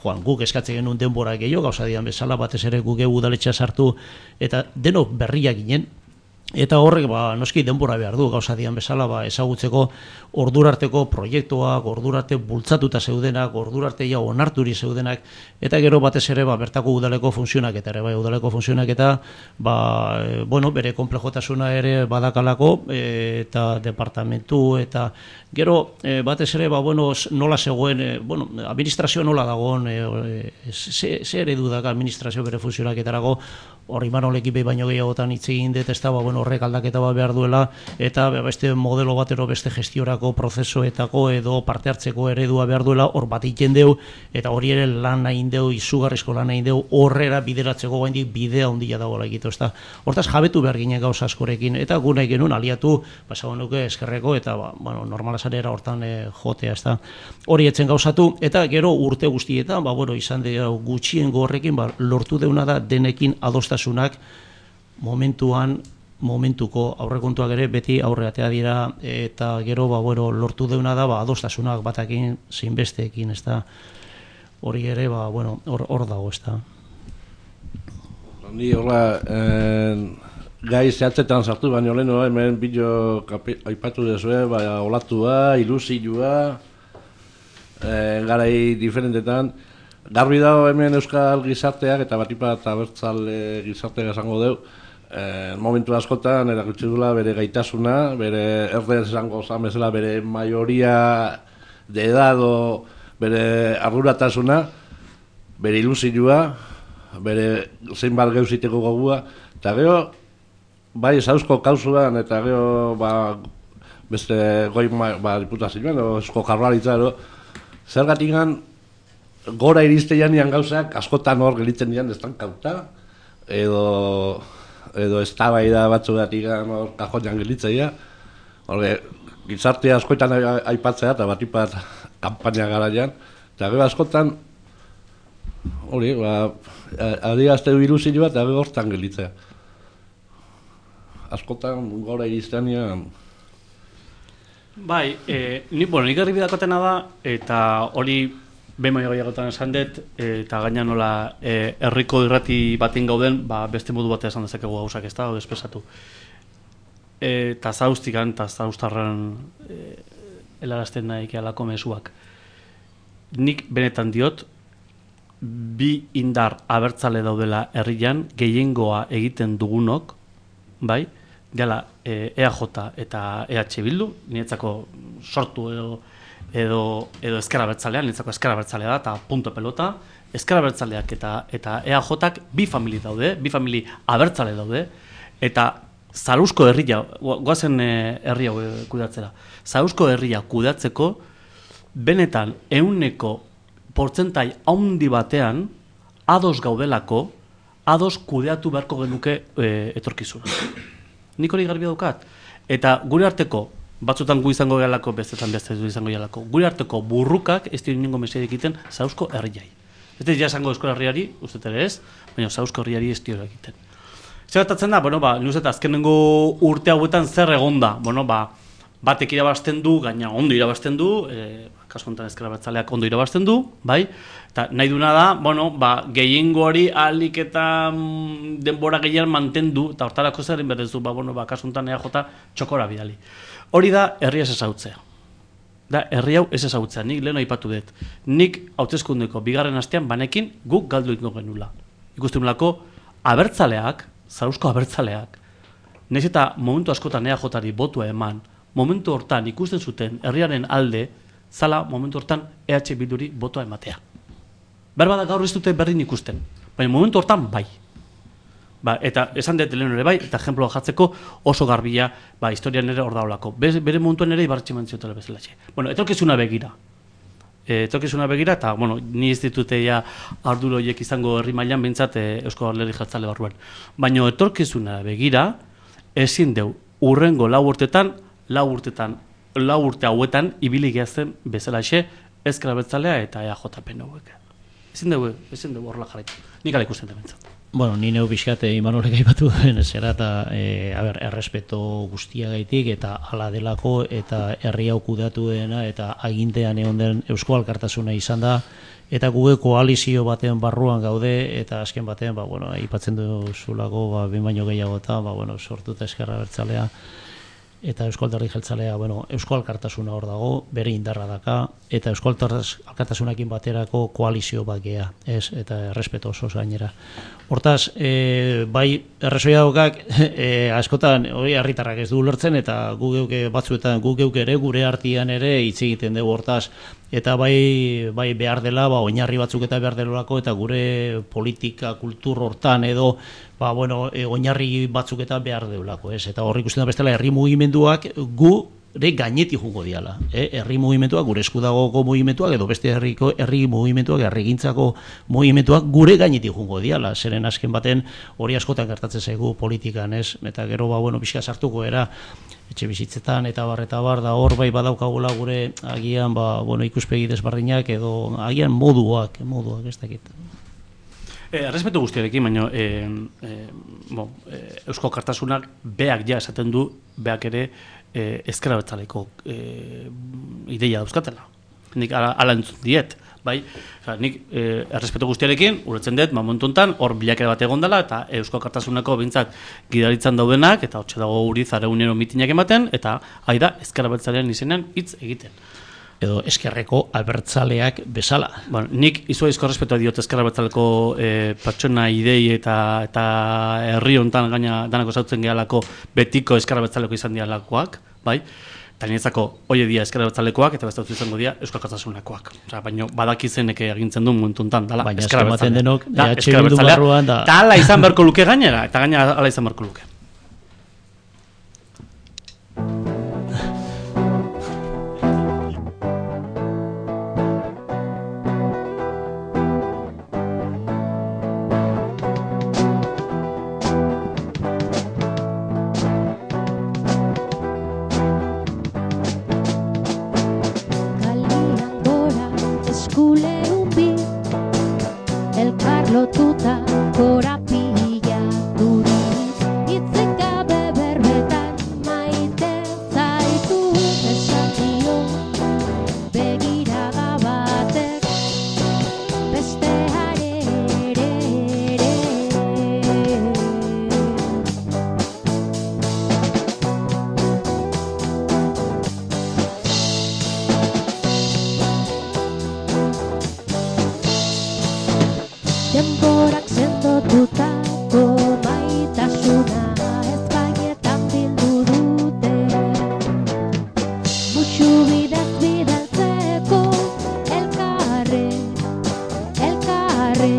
joan, guk eskatzen genuen denbora gehiago, gauza dian bezala, batez ere guk udaletxea sartu, eta denok berriak ginen, eta horrek ba, noski denbora behar du, gauza dian bezala, ba, ezagutzeko ordurarteko proiektuak, ordurarte bultzatuta zeudenak, ordurarte ja onarturi zeudenak, eta gero batez ere ba, bertako udaleko funtzionak eta ere bai udaleko funtzionak eta ba, e, bueno, bere komplejotasuna ere badakalako e, eta departamentu eta gero e, batez ere ba, bueno, nola zegoen, e, bueno, administrazio nola dagoen, e, e, ze, ze eredu dago administrazio bere funtzionak etarako, hor Imanolekin behi baino gehiagotan hitz egin dut, ez da, ba, bueno, horrek aldaketa bat behar duela, eta beste modelo batero beste gestiorako prozesuetako edo parte hartzeko eredua behar duela, hor bat egiten deu, eta hori ere lan nahi deu, izugarrizko lan nahi deu, horrera bideratzeko gaindik bidea ondila dagoela egitu, ez da. Hortaz jabetu behar ginen gauza askorekin, eta gu nahi genuen aliatu, pasago nuke eskerreko, eta ba, bueno, normala zanera hortan e, jotea, ez da. Hori etzen gauzatu, eta gero urte guztietan, ba, bueno, izan de gutxien gorrekin, ba, lortu deuna da denekin adostasunak momentuan, momentuko aurrekontuak ere beti aurreatea dira, eta gero ba, bueno, lortu deuna da ba, adostasunak batakin zeinbesteekin, ez da, hori ere ba, bueno, hor, hor dago, ez da. Ni horra, eh, gai zehatzetan sartu, baina leheno hemen bideo aipatu dezue, ba, olatua, ilusioa, eh, garai diferentetan, garbi dago hemen euskal gizarteak eta batipat abertzale gizarteak esango deu, eh, momentu askotan erakutsi dula bere gaitasuna, bere erder esango zamezela bere maioria de edado, bere arduratasuna, bere ilusioa, bere zeinbat geuziteko gogua, eta gero, bai zauzko kauzuan, eta gero, ba, beste goi ba, diputazioan, eusko jarraritza, zergatik gora iristeian nian gauzak askotan hor gelitzen dian estankauta edo edo eztabaida batzuegatik hor kajoian gelitzaia. Horre gizartea askotan aipatzea eta batipat kanpaina garaian eta gero askotan hori, ba adierazte ilusioa eta gero hortan gelitzea. Askotan gora iristean bai, eh, ni bueno, nik garbi dakotena da eta hori behin baino gehiagotan esan dut, eta gaina nola e, herriko irrati batin gauden, ba, beste modu batea esan dezakegu gauzak ez da, o espesatu. Eta zauztikan, eta zauztarran e, helarazten nahi alako mezuak. Nik benetan diot, bi indar abertzale daudela herrian, gehiengoa egiten dugunok, bai, dela e, E A J eta E H Bildu, niretzako sortu edo edo edo ezker abertzalea, nintzako ezker abertzalea da, eta punto pelota, ezker abertzaleak eta eta E A Jak bi famili daude, bi famili abertzale daude, eta Zarausko herria, goazen herria kudatzera, Zarausko herria kudatzeko, benetan ehuneko portzentai haundi batean, ados gaudelako, ados kudeatu beharko genuke e, etorkizuna. Nik hori garbi daukat. Eta gure arteko, batzutan gu izango gehalako, bestetan beste du izango gehalako. Gure arteko burrukak ez dira ningo mesedik egiten Zarausko herriai. Ez dira esango Euskal Herriari, uste ere ez, baina Zarausko herriari ez dira egiten. Zertatzen da, bueno, ba, nuzet azkenengo urte hauetan zer egonda, bueno, ba, batek irabazten du, gaina ondo irabazten du, e, kasu honetan ezker abertzaleak ondo irabazten du, bai, eta nahi duna da, bueno, ba, gehiengo hori ahalik eta mm, denbora gehien mantendu, eta hortarako zerin berdezu, ba, bueno, ba, kasu honetan E A J txokora bidali. Hori da, herria ez ezautzea. Da, herri hau ez ezautzea, nik lehen aipatu dut. Nik hauteskundeko bigarren astean banekin guk galdu ingo genula. Ikusten nolako, abertzaleak, Zarausko abertzaleak, nahiz eta momentu askotan E A Jari botua eman, momentu hortan ikusten zuten herriaren alde, zala momentu hortan E H Bilduri botua ematea. Berbada gaur ez dute berdin ikusten, baina momentu hortan bai. Ba, eta esan dut lehen ere bai, eta ejemploa jartzeko oso garbila, ba, historian ere hor daulako. Bere momentuan ere ibarretxe mantziotela bezala. Bueno, etorkizuna begira. etorkizuna begira, eta, bueno, ni ez ditute ja arduro horiek izango herri mailan behintzat e, Eusko Alderdi Jeltzale barruan. Baina etorkizuna begira, ezin deu, urrengo lau urtetan, lau urtetan, lau urte hauetan, ibili gehazen bezalaxe, Ezker Abertzalea eta E A J P N hauek. Ezin deu, ezin deu horrela jarraitu. Nik ala ikusten da behintzat. Bueno, ni neu pixkat Imanolek aipatu duen zera eta e, a ber, errespeto guztiagaitik eta hala delako eta herri hau kudeatuena eta agintean egon den Eusko Alkartasuna izan da eta guge koalizio baten barruan gaude eta azken batean ba, bueno, aipatzen duzulako ba, behin baino gehiago eta ba, bueno, sortuta Ezker Abertzalea eta Eusko Alderdi Jeltzalea, bueno, Eusko Alkartasuna hor dago, bere indarra daka, eta Eusko Alkartasunakin baterako koalizio bat gea, ez, eta errespeto oso gainera. Hortaz, e, bai, errezoia daukak, e, askotan, hori herritarrak ez du ulertzen, eta gu geuke batzuetan, gu geuke ere, gure artean ere, hitz egiten dugu hortaz, eta bai, bai behar dela, ba, oinarri batzuk eta behar delako, eta gure politika, kultur hortan edo, ba, bueno, e, oinarri batzuk eta behar deulako, ez? Eta horrik ikusten da bestela, herri mugimenduak gu re gaineti jungo diala. Eh? Herri mugimenduak, gure eskudagoko mugimenduak, edo beste herriko herri mugimenduak, herrigintzako mugimenduak gure gaineti jungo diala. Zeren azken baten hori askotan gertatzen zaigu politikan, ez? Eta gero, ba, bueno, pixka sartuko era, etxe bizitzetan eta bar eta bar da hor bai badaukagula gure agian, ba, bueno, ikuspegi desberdinak edo agian moduak, moduak ez dakit. Eh, Errespetu guztiarekin, baina eh, eh, bon, eh, Eusko Alkartasunak beak ja esaten du, beak ere eh, Ezker Abertzaleko eh, ideia dauzkatela. Nik ala, ala entzun diet, bai? Osa, nik eh, errespetu guztiarekin, uretzen dut, momentu honetan, hor bilakera bat egon dela, eta Eusko Alkartasunako bintzat gidaritzan daudenak, eta hortxe dago guri zareunero mitinak ematen, eta haida Ezker Abertzalean izenean hitz egiten. Edo eskerreko abertzaleak bezala. Bueno, nik izuaizko respetua diot Ezker Abertzaleko e, pertsona idei eta eta herri hontan gaina danako zautzen gehalako betiko Ezker Abertzaleko izan dialakoak, bai? Eta niretzako hoie dia Ezker Abertzalekoak eta beste izango dira Eusko Alkartasunakoak. Osea, baina badakizenek agintzen du momentu hontan dala Ezker Abertzalea. Da, Ezker Abertzalea. Da, hala izan beharko luke gainera, eta gainera hala izan beharko luke. Lotuta korapila duriz Itzik gabe berbetan maite zaitu Esan dio begiraga batek Besteare ere ere Denborak sendotutako maitasuna ez baietan bildu dute Mutxu bidez bidaltzeko elkarre, elkarre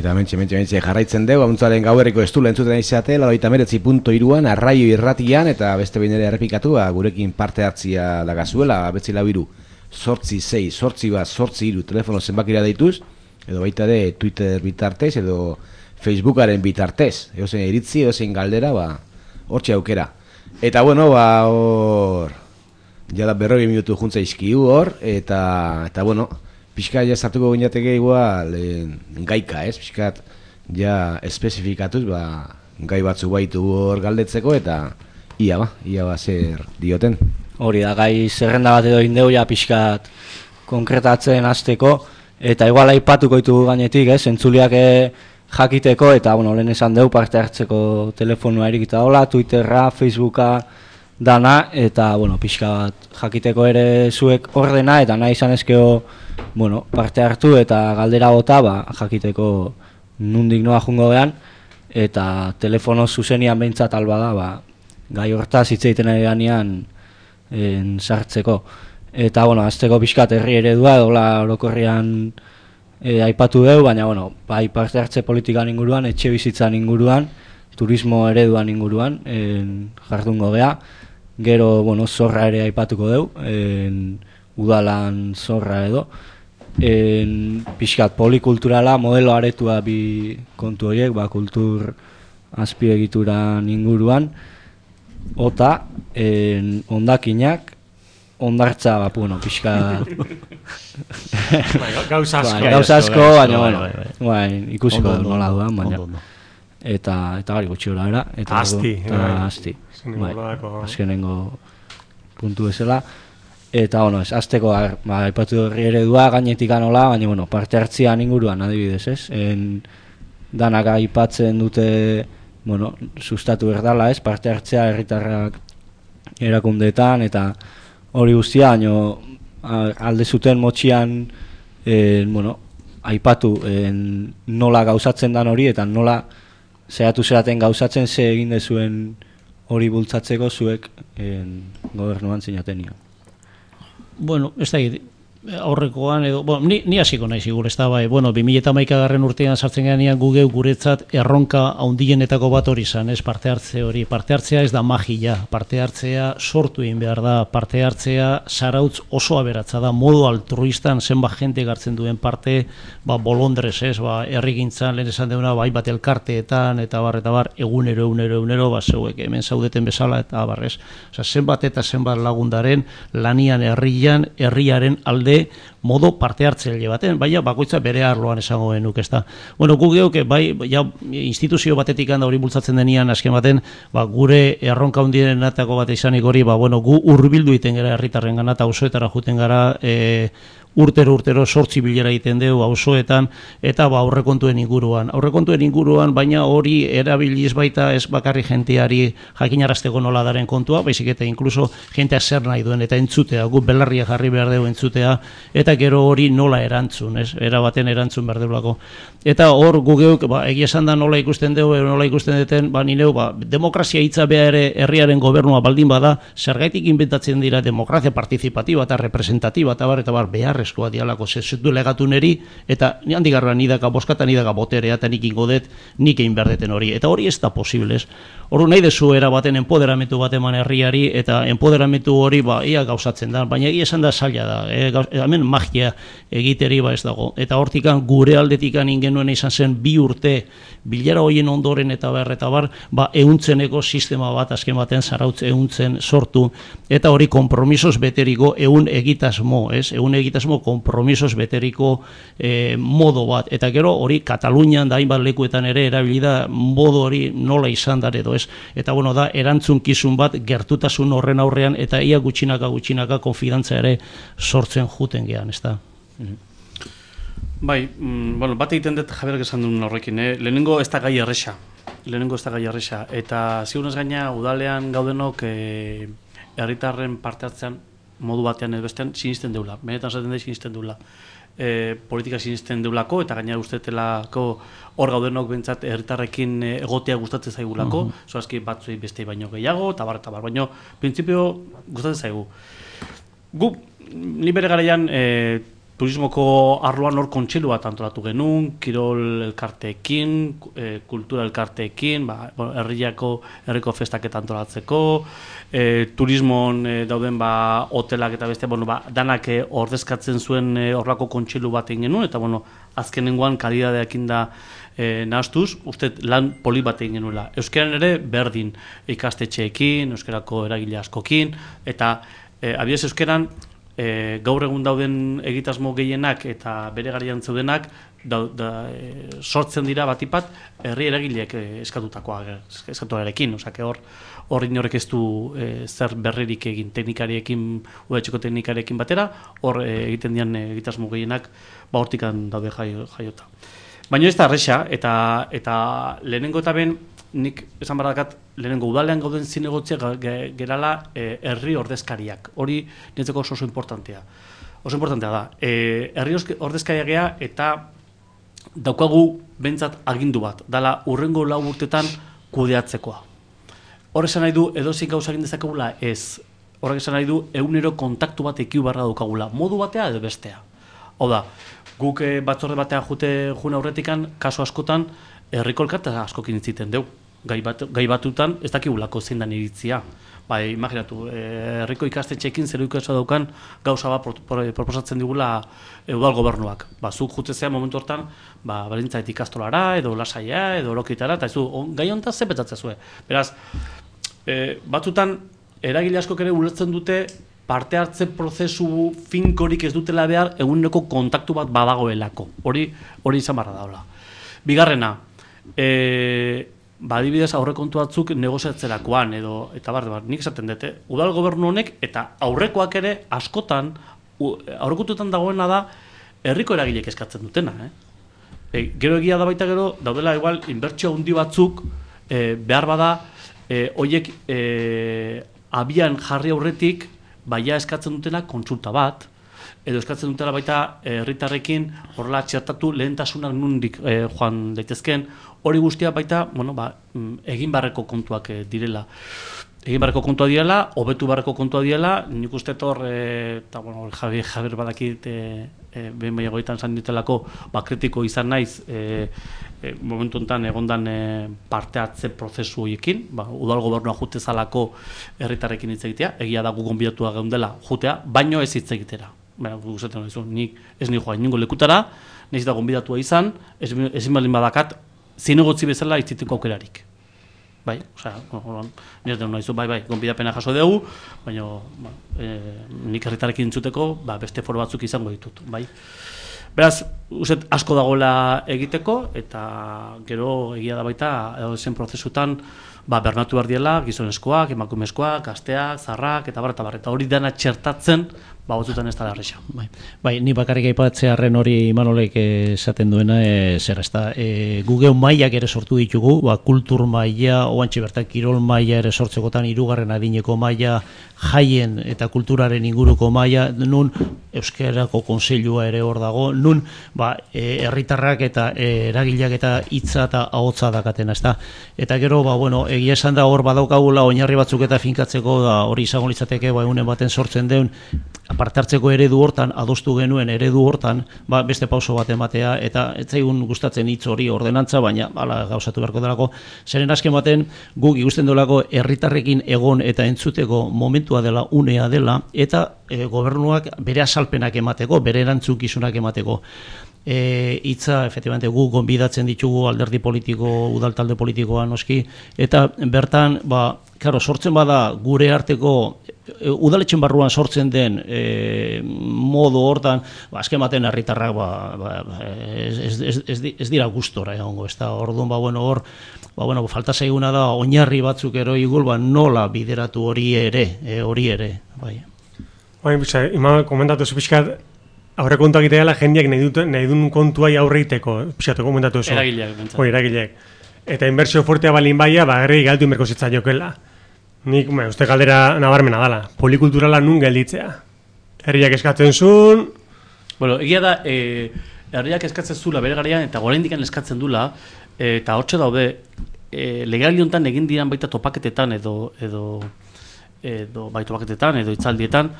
Eta mentxe, mentxe, mentxe jarraitzen dugu, amuntzaren gauerriko estula entzuten izate, laurogeita hemeretzi puntu hiruan, arraio irratian, eta beste behin ere errepikatu, gurekin parte hartzia dagazuela, betzi lau hiru, sortzi sei, sortzi bat, sortzi hiru, telefono zenbakira deituz, edo baita ere Twitter bitartez, edo Facebookaren bitartez, edo zein iritzi, edo zein galdera, ba, hortxe aukera. Eta bueno, ba, hor, jada berrogei minutu juntza izkiu hor, eta, eta bueno, pixka ja sartuko gineateke igual en, gaika, ez? Pixkat ja espezifikatuz, ba, gai batzu baitu hor galdetzeko, eta ia ba, ia ba zer dioten. Hori da, gai zerrenda bat edo indeu ja pixkat konkretatzen hasteko, eta igual aipatuko ditugu gainetik, ez? Entzuliak jakiteko, eta bueno, lehen esan deu parte hartzeko telefonua erikita dola, Twitterra, Facebooka, dana, eta bueno, pixka bat jakiteko ere zuek ordena, eta nahi izan ezkeo bueno, parte hartu eta galdera bota, ba, jakiteko nundik noa jungo behan, eta telefono zuzenian behintzat alba da, ba, gai hortaz hitz egiten ari ganean en, sartzeko. Eta, bueno, azteko pixkat herri eredua, dola orokorrian e, aipatu dugu, baina, bueno, bai parte hartze politikan inguruan, etxe bizitzan inguruan, turismo ereduan inguruan, en, jardungo gea, gero, bueno, zorra ere aipatuko dugu, en, udalan zorra edo, en, pixkat polikulturala, modelo aretua bi kontu horiek, ba, kultur azpiegituran inguruan, ota, en, ondakinak, ondartza, ba, bueno, pixka... Gauza asko. Gauza asko, baina, bueno, bai, ikusiko nola duan, baina. Eta, eta gari gutxi gora, era. Eta asti. Eta asti. Bai, azkenengo puntu bezala. Eta, bueno, ez, azteko, ba, aipatu horri eredua, gainetik anola, baina, bueno, parte hartzian inguruan, adibidez, ez? En, danak aipatzen dute, bueno, sustatu berdala, ez? Parte hartzea herritarrak erakundeetan, eta hori guztia, baina alde zuten motxian, en, bueno, aipatu en, nola gauzatzen dan hori, eta nola zehatu zeraten gauzatzen ze egin dezuen hori bultzatzeko zuek en, gobernuan zinaten nio. Bueno, ez da, aurrekoan edo, bueno, ni, ni hasiko naiz igur, ez da, bai, bueno, bi mila hamaika garren urtean sartzen ganean gu geu guretzat erronka handienetako bat hori izan, ez, parte hartze hori, parte hartzea ez da magia, parte hartzea sortu egin behar da, parte hartzea zarautz oso aberatza da, modu altruistan zenbat jente gartzen duen parte, ba, bolondrez, ez, ba, herrigintzan, lehen esan deuna, bai, bat elkarteetan, eta bar, eta bar, egunero, egunero, egunero, ba, zeuek, hemen zaudeten bezala, eta bar, ez, oza, zenbat eta zenbat lagundaren, lanian herrian, herriaren alde modo parte hartzaile baten, baina bakoitza bere arloan esango genuk, ezta. Bueno, gu geuk bai ja instituzio batetik handa hori bultzatzen denean azken baten, ba, gure erronka hundienetako bat izanik hori, ba, bueno, gu hurbildu egiten gara herritarrengana eta auzoetara joeten gara, e, urtero urtero sortzi bilera egiten dugu auzoetan eta ba aurrekontuen inguruan. Aurrekontuen inguruan, baina hori erabiliz baita ez bakarri jenteari jakinarazteko nola daren kontua, baizik eta inkluso jentea zer nahi duen eta entzutea, gu belarria jarri behar dugu entzutea, eta gero hori nola erantzun, ez? Era baten erantzun behar deulako. Eta hor gu geuk, ba, egia esan da nola ikusten dugu, nola ikusten duten, ba, nineu, ba, demokrazia hitza beha ere herriaren gobernua baldin bada, zergaitik inventatzen dira demokrazia partizipatiba eta representatiba eta bar, eta bar, beharrezkoa dialako, zezutu legatu neri, eta handik garra nidaka boskata nidaka boterea, eta nik ingo dut, nik egin behar deten hori. Eta hori ez da posibles. Hor nahi dezu era baten empoderamentu bat eman herriari, eta empoderamentu hori ba, ia gauzatzen da, baina egia esan da zaila da, e, gauz, hemen magia egiteri ba ez dago. Eta hortikan gure aldetikan ingenuen izan zen bi urte bilara hoien ondoren eta bar, eta bar, ba, ehuntzeneko sistema bat azken baten zarautz ehuntzen sortu, eta hori kompromisos beteriko ehun egitasmo, ez? Ehun egitasmo kompromisos beteriko eh, modo bat, eta gero hori Katalunian da hainbat lekuetan ere erabilida modo hori nola izan da edo ez, eta bueno da erantzunkizun bat gertutasun horren aurrean eta ia gutxinaka gutxinaka konfidantza ere sortzen juten gean, ez da? Bai, mm, bueno, bat egiten dut Javier esan duen horrekin, eh? Lehenengo ez da gai erresa, lehenengo ez da gai erresa, eta zigunez gaina udalean gaudenok eh, herritarren parte hartzean modu batean edo bestean sinisten deula, benetan zaten da sinisten deula. E, politika sinisten deulako eta gainera ustetelako hor gaudenok bentsat herritarrekin egotea gustatzen zaigulako, uh -huh. Zoazki batzuei beste baino gehiago, eta bar, eta bar, baino printzipio gustatzen zaigu. Gu, ni bere garaian, e, turismoko arloan hor kontseilu bat antolatu genuen, kirol elkarteekin, e, kultura elkarteekin, ba, bueno, herriako, herriko festaketa antolatzeko, e, turismon e, dauden ba, hotelak eta beste, bueno, ba, danak e, ordezkatzen zuen e, horrako kontseilu bat egin genuen, eta bueno, azkenengoan kalidadeakin da e, nahastuz, uste lan poli bat egin genuela. Euskaran ere berdin ikastetxeekin, euskarako eragile askokin, eta e, abiez euskaran e, gaur egun dauden egitasmo gehienak eta bere garaian zeudenak da, da, e, sortzen dira batipat herri eragileek e, eskatutakoa eskatuarekin, osea hor hor inorek ez du e, zer berririk egin teknikariekin, udaletxeko teknikariekin batera, hor e, egiten dian e, egitasmo gehienak ba hortikan daude jaio, jaiota. Baina ez da erresa, eta, eta lehenengo eta ben, nik esan baradakat, lehenengo udalean gauden zinegotzea gerala e, herri ordezkariak. Hori nintzeko oso oso importantea. Oso importantea da. E, herri ordezkariak gea eta daukagu bentsat agindu bat. Dala urrengo lau urtetan kudeatzekoa. Hor esan nahi du edozik gauza egin dezakegula ez. Horrek esan nahi du egunero kontaktu bat ekiu barra daukagula. Modu batea edo bestea. Hau da, guk e, batzorde batean jute juna aurretikan, kasu askotan, herriko elkartea askokin itziten deu. Gai, bat, gai batutan ez dakigulako zein da iritzia. Bai, imaginatu, herriko ikastetxeekin zer ikastea daukan gauza bat proposatzen digula udal gobernuak. Ba, zuk jutezea momentu hortan, ba, balintzait ikastolara, edo lasaia, edo lokitara, eta ez du, gai honetan ze petzatzea zuen. Beraz, e, batzutan, eragile askok ere ulertzen dute parte hartze prozesu finkorik ez dutela behar eguneko kontaktu bat badagoelako. Hori hori izan barra daula. Bigarrena, e, ba, adibidez aurrekontu batzuk negoziatzerakoan edo eta bar, bar, nik esaten dute, udal gobernu honek eta aurrekoak ere askotan aurrekontuetan dagoena da herriko eragileek eskatzen dutena, eh? E, gero egia da baita gero daudela igual inbertsio handi batzuk e, behar bada e, hoiek e, abian jarri aurretik baia eskatzen dutena kontsulta bat, edo eskatzen dutela baita herritarrekin horrela txertatu lehentasunak nundik e, joan daitezken, hori guztia baita, bueno, ba, egin barreko kontuak e, direla. Egin barreko kontua direla, hobetu barreko kontua direla, nik uste hor, e, eta bueno, Javier, Javier badakit, e, e, behin baina goitan zan ditelako, ba, kritiko izan naiz, e, e, momentu enten egondan e, parte hartze prozesu horiekin, ba, udal gobernua jute zalako herritarrekin hitz egitea, egia da gu gonbidatua geundela jutea, baino ez hitz egitera. Baina, gustatzen hori nik ez ni joa inungo lekutara, nahiz da gonbidatua izan, ez, ez balin badakat, zinegotzi bezala itziteko aukerarik. Bai, osea, nire denu nahizu, bai, bai, gonbidapena jaso dugu, baina ba, e, nik herritarekin entzuteko, ba, beste foro batzuk izango ditut, bai. Beraz, uset asko dagoela egiteko, eta gero egia da baita, edo zen prozesutan, ba, bernatu behar diela, gizonezkoak, emakumezkoak, gazteak, zarrak, eta bar, eta bar, eta hori dana txertatzen, ba, batzutan ez da larresa. Bai, bai, ni bakarrik aipatzearren hori Imanolek esaten duena, e, zer ez da, e, gugeu mailak ere sortu ditugu, ba, kultur maila, oantxe bertan kirol maila ere sortzekotan, hirugarren adineko maila, jaien eta kulturaren inguruko maila, nun Euskarako Kontseilua ere hor dago, nun ba, e, herritarrak eta e, eragileak eta hitza eta ahotsa dakatena, ezta. Eta gero, ba, bueno, egia esan da hor badaukagula oinarri batzuk eta finkatzeko, da hori izango litzateke, ba, egunen baten sortzen deun, aparte hartzeko eredu hortan, adostu genuen eredu hortan, ba, beste pauso bat ematea, eta ez zaigun gustatzen hitz hori ordenantza, baina hala gauzatu beharko delako, zeren azken baten guk ikusten delako herritarrekin egon eta entzuteko momentua dela, unea dela, eta e, gobernuak bere asalpenak emateko, bere erantzukizunak emateko. E, itza, efectivamente, gu gonbidatzen ditugu alderdi politiko, udal talde politikoa noski, eta bertan, ba, claro, sortzen bada gure arteko e, udaletxen barruan sortzen den e, modu hortan, ba, azken baten herritarrak ba, ba, ez, ez, ez, ez dira gustora egongo, ez da, orduan, ba, bueno, hor, ba, bueno, falta zaiguna da, oinarri batzuk ero igul, ba, nola bideratu hori ere, e, hori ere, bai. Bai, bisa, ima komentatu zu pixkat, aurre kontuak itea jendeak nahi, dut, nahi duen kontuai aurreiteko, pixatu komentatu zu. Eragileak, bentsat. Oi, eragileak. Eta inbertsio fuertea balin baia, ba, herri galtu inberko zitza jokela. Nik, ba, uste galdera nabarmena dala, polikulturala nun gelditzea. Herriak eskatzen zuen... Bueno, egia da, e, herriak eskatzen zula bere garaian, eta oraindik eskatzen dula, e, eta hortxe daude, e, legali honetan egin diran baita topaketetan, edo, edo, edo bai topaketetan, edo itzaldietan,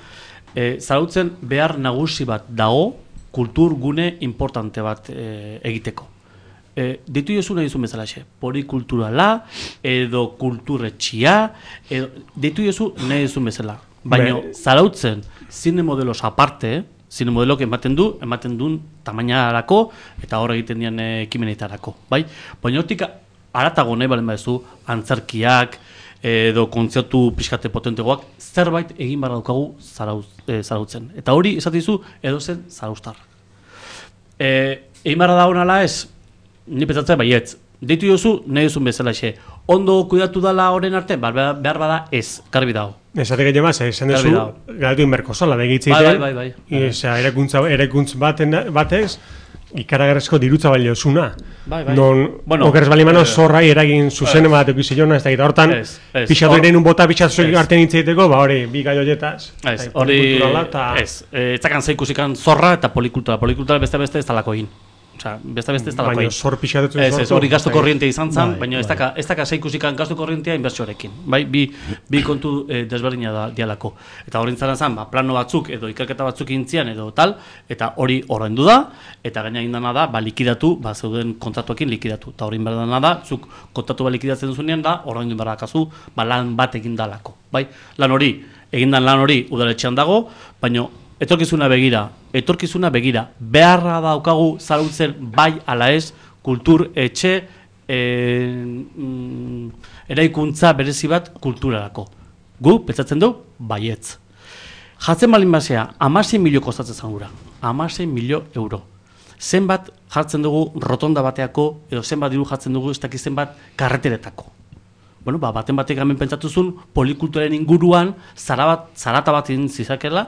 e, zarautzen behar nagusi bat dago, kulturgune importante bat e, egiteko. E, ditu jozu nahi duzun bezala xe, polikulturala, edo kulturretxia, edo, ditu jozu nahi duzun bezala. Baina, Zarautzen, zine modelos aparte, zine modelok ematen du, ematen duen tamainarako, eta hor egiten dian ekimenetarako, bai? Baina, hortik aratago nahi balen badezu, antzerkiak, edo kontzertu pixkate potentegoak, zerbait egin barra daukagu zarauz, e, Zarautzen. Eta hori, esatizu, edo zen Zarauztar. E, egin barra da honala ez, ni petzatzen baietz, deitu jozu, nahi duzun bezala xe. Ondo kuidatu dala horren arte, behar bada ez, garbi dago. Esatek egin maz, esan duzu, galatu inberko zola, begitzeite, bai, bai, bai, bai. Erakuntza, erakuntz baten, batez, ikaragarrezko dirutza balio zuna. Bai, bai. Non, bueno, okeres balimano eh, zorrai eragin zuzen bat ekizilona, ez da gita, hortan, pixatu eren un bota pixatu artean hitzeiteko, ba hori, bi gai hoietaz. Ez, hori, ez, ez zakan zeikusikan zorra eta polikultura, polikultura beste-beste ez talako egin. Osea, beste-beste ez talako egin. Baina zor pixatetzen zortu. Ez, hori gasto korrientea izan zen, baina ez daka, ez daka zeikusikan gasto korrientea inbertsioarekin. Bai, bi, bi kontu eh, desberdina da dialako. Eta hori intzaren zen, ba, plano batzuk edo ikerketa batzuk intzian edo tal, eta hori ordaindu da, eta gaina indana da, ba, likidatu, ba, zeuden kontratuekin likidatu. Eta hori inberdana da, zuk kontratu ba likidatzen duzunean da, ordaindu inberdakazu, ba, lan bat egin dalako. Bai, lan hori, egindan lan hori udaletxean dago, baina etorkizuna begira, etorkizuna begira, beharra daukagu Zarautzen bai ala ez, kultur etxe e, mm, eraikuntza berezi bat kulturarako. Gu, pentsatzen du, baietz. Jatzen balin basea, hamasei milio kostatzen zangura, hamasei milio euro. Zenbat jartzen dugu rotonda bateako, edo zenbat diru jartzen dugu ez dakiz zenbat karreteretako. Bueno, ba, baten batek hemen pentsatuzun, polikulturaren inguruan, zara bat, zarata bat egin zizakela,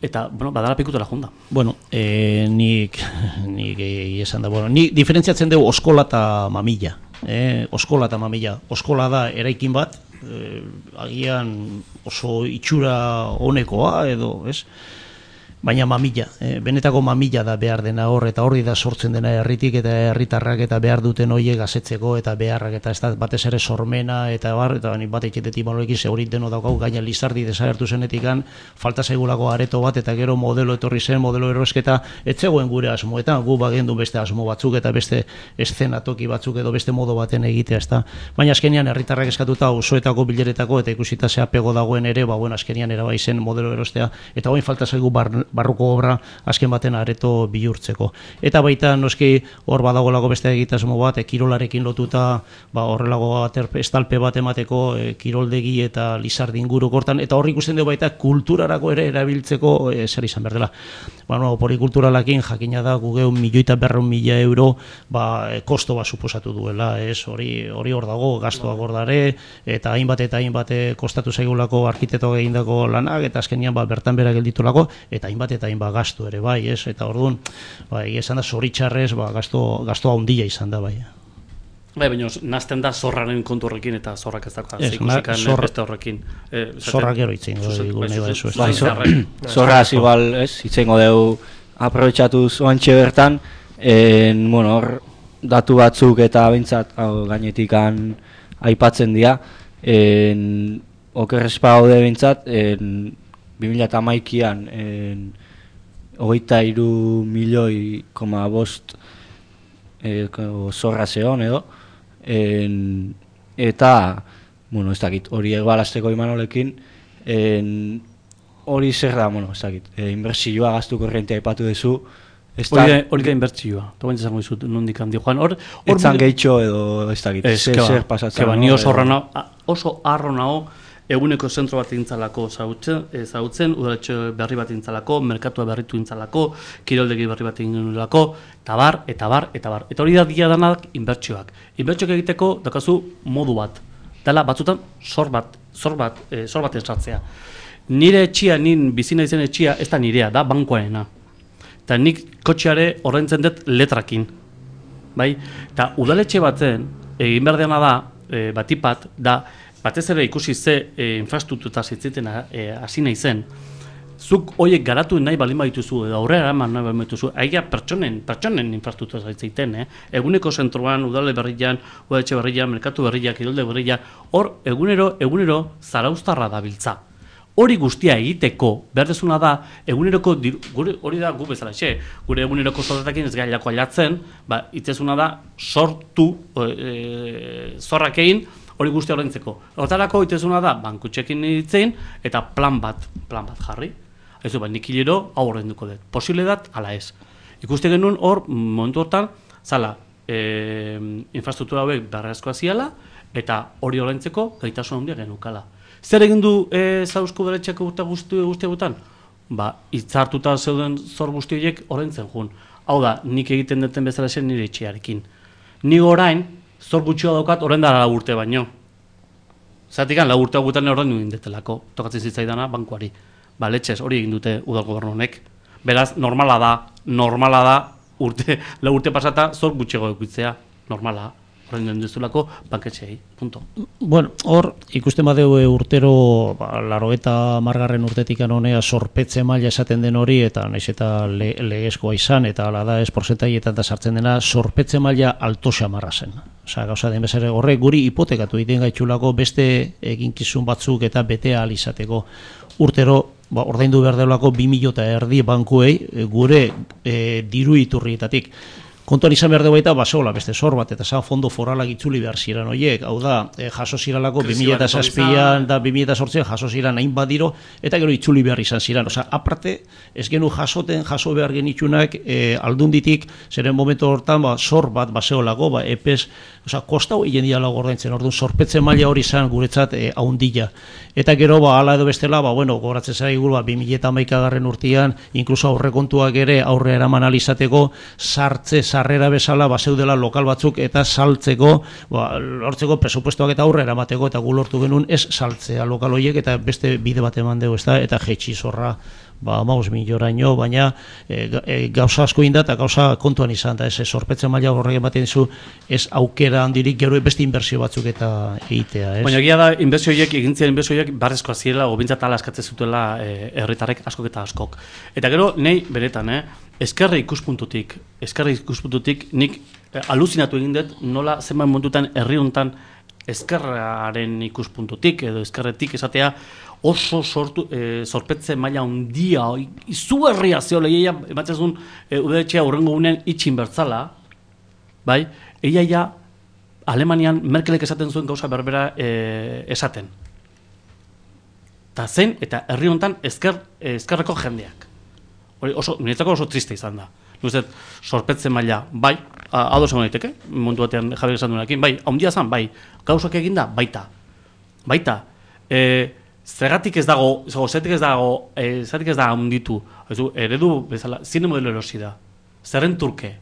eta, bueno, badala pikutela jonda. Bueno, eh, nik, nik eh, esan da, bueno, nik diferentziatzen dugu oskola eta mamila. Eh, oskola eta mamila. Oskola da eraikin bat, eh, agian oso itxura honekoa edo, ez? Baina mamila, eh, benetako mamila da behar dena hor, eta horri da sortzen dena herritik eta herritarrak eta behar duten hoiek gazetzeko eta beharrak eta ez da batez ere sormena eta bar, eta nik bat eitxetetik maloekin zehorit deno daukagu gaina Lizardi desagertu zenetikan falta zaigulako areto bat eta gero modelo etorri zen, modelo erosketa etzegoen gure asmoetan, gu bagendu beste asmo batzuk eta beste eszenatoki batzuk edo beste modo baten egitea, ez da. Baina azkenian herritarrak eskatuta osoetako bileretako eta ikusita zea pego dagoen ere, ba bueno, azkenian erabai zen modelo erostea eta hoin falta zaigu bar, barruko obra azken baten areto bihurtzeko. Eta baita noski hor badagolako beste egitasmo bat, e, kirolarekin lotuta, ba horrelago aterpe, estalpe bat emateko e, kiroldegi eta Lizardi inguru kortan, eta hor ikusten dugu baita kulturarako ere erabiltzeko e, zer izan behar dela. Ba, no, polikulturalakin jakina da gugeu milioita berreun mila euro ba, e, kosto bat suposatu duela, ez, hori hori hor dago, gastoak hor dare, eta hainbat eta hainbat kostatu zaigulako arkitektoak egindako lanak, eta azkenian ba, bertan bera gelditulako, eta hainbat eta hainbat gastu ere, bai, ez, eta orduan, bai, esan da zoritxarrez, ba, gasto, gasto handia izan da, bai. Bai, baina nazten da zorraren kontu horrekin eta zorrak ez dagoa, zeikusikan zorra, beste horrekin. Eh, zorrak gero itzen, nahi baizu. Bai, zorraz igual, ez, itzen godeu aprobetxatuz oantxe bertan, en, bueno, hor, datu batzuk eta bintzat gainetikan aipatzen dira, en, okerrezpa haude bintzat, en, bi mila hamaikaan hogeita hiru milioi koma bost e, zorra zeon edo en, eta bueno, ez dakit, hori egoalazteko Imanolekin en, hori zer da, bueno, ez dakit, e, inbertsioa gastu korrientea aipatu duzu. Hori da inbertsioa, eta baina izango dizut nondik handi joan. Etzan gehitxo edo ez dakit, zer pasatzen. Ni oso arro nago, eguneko zentro bat intzalako zautzen, udaletxe berri bat intzalako, merkatua berritu intzalako, kiroldegi berri bat intzalako, eta bar, eta bar, eta bar. Eta hori da dia danak inbertsioak. Inbertsioak egiteko daukazu modu bat. Dela batzutan zor bat, zor bat, e, zor bat esatzea. Nire etxia, nin bizina izen etxia, ez da nirea, da bankoarena. Eta nik kotxeare ordaintzen dut letrakin. Bai? Eta udaletxe baten, egin behar dena da, e, batipat, da, batez ere ikusi ze e, infrastruktura zitziten hasi nahi zen, zuk horiek garatu nahi balin badituzu, edo aurrera eman nahi balin badituzu, aia pertsonen, pertsonen infrastruktura zitzeiten, eh? Eguneko zentroan, udale berrian, udaletxe berrian, merkatu berriak, kirolde berriak, hor egunero, egunero zarauztarra dabiltza. hori guztia egiteko, behar dezuna da, eguneroko, diru, gure, hori da gu bezala, xe, gure eguneroko soldatekin ez gailako ailatzen, ba, itzezuna da, sortu, e, zorrak egin, hori guztia horrentzeko. Hortarako itzezuna da, bankutxekin itzein, eta plan bat, plan bat jarri. Ezu, ba, nik hilero, hau horrenduko dut. Posible dat, ala ez. Ikuste genuen hor, momentu hortan, zala, e, infrastruktura hauek beharrezkoa ziala, eta hori horrentzeko gaitasun handia genukala. Zer egin du e, Zauzko Udaletxeak urte guztiegutan? Ba, hitzartuta zeuden zor guzti horiek horrentzen jun. Hau da, nik egiten duten bezala zen nire etxearekin. Ni orain, zor gutxioa daukat horren dara lau urte baino. Zatik lau urte gutan horren egin detelako, tokatzen zitzaidana bankuari. Ba, letxez, hori egin dute udal gobernu honek. Beraz, normala da, normala da, urte, lau urte pasata zor gutxiago edukitzea, normala. Horren den duzulako banketxeei, punto. Bueno, hor, ikusten badeu urtero, ba, laro eta margarren urtetik honea sorpetze maila esaten den hori, eta naiz eta le, legezkoa izan, eta ala da ez porcentaietan da sartzen dena, sorpetze maila alto xamarra zen. Osa, gauza den bezare, horrek guri hipotekatu egiten gaitxulako beste eginkizun batzuk eta bete ahal izateko. Urtero, ba, ordaindu behar delako bi mila eta erdi bankuei gure e, diru iturrietatik. Kontuan izan behar dugu eta basola beste zor bat, eta zan fondo foralak itzuli behar ziren horiek, hau da, e, jaso ziralako bi mila zazpian da bi mila zortzian jaso ziren hain badiro, eta gero itzuli behar izan ziren. Osa, aparte, ez genu jasoten, jaso behar genitxunak e, aldunditik, zeren momentu hortan, ba, zor bat baseolako, ba, epez, osa, kostau egin dialago ordaintzen, orduan, sorpetze maila hori izan guretzat e, haundila. Eta gero, ba, ala edo bestela, ba, bueno, goratzen zaigu, ba, bi mila eta hamaikagarren urtean, inkluso aurrekontuak ere aurre eraman alizateko, sartze, sarrera bezala, ba, zeudela lokal batzuk eta saltzeko, ba, lortzeko presupuestoak eta aurre eramateko, eta gu lortu genuen ez saltzea lokal horiek, eta beste bide bat eman dugu, ez da, eta jetxi zorra, ba, maus milioraino, baina e, e, gauza asko inda eta gauza kontuan izan da, ez sorpetzen maila horrek ematen dizu, ez aukera handirik gero beste inbertsio batzuk eta egitea, ez? Baina egia da, inbertsio horiek, egintzia inbertsio horiek barrezkoa zirela, o bintzat ala askatzen zutela e, herritarrek askok eta askok. Eta gero, nei beretan, eh, eskerre ikuspuntutik, eskerre ikuspuntutik, nik e, aluzinatu egin dut, nola zenbait momentutan herri hontan eskerraren ikuspuntutik, edo eskerretik esatea, oso sortu, e, sorpetze maila handia, izugarria zeo lehiaia, ematzen zuen, e, udaletxea hurrengo gunean itxin bertzala, bai, eia ja, Alemanian Merkelek esaten zuen gauza berbera e, esaten. Ta zen, eta herri hontan ezker, ezkerreko jendeak. Hori oso, niretzako oso triste izan da. Nuzet, sorpetze maila, bai, ados egon daiteke, mundu batean Javier esan duenekin, bai, handia zan, bai, gauzak eginda, baita. Baita, e, zergatik ez dago, zergatik ez dago, e, zergatik ez da handitu, eredu bezala, zine modelo erosi da, zerren turke,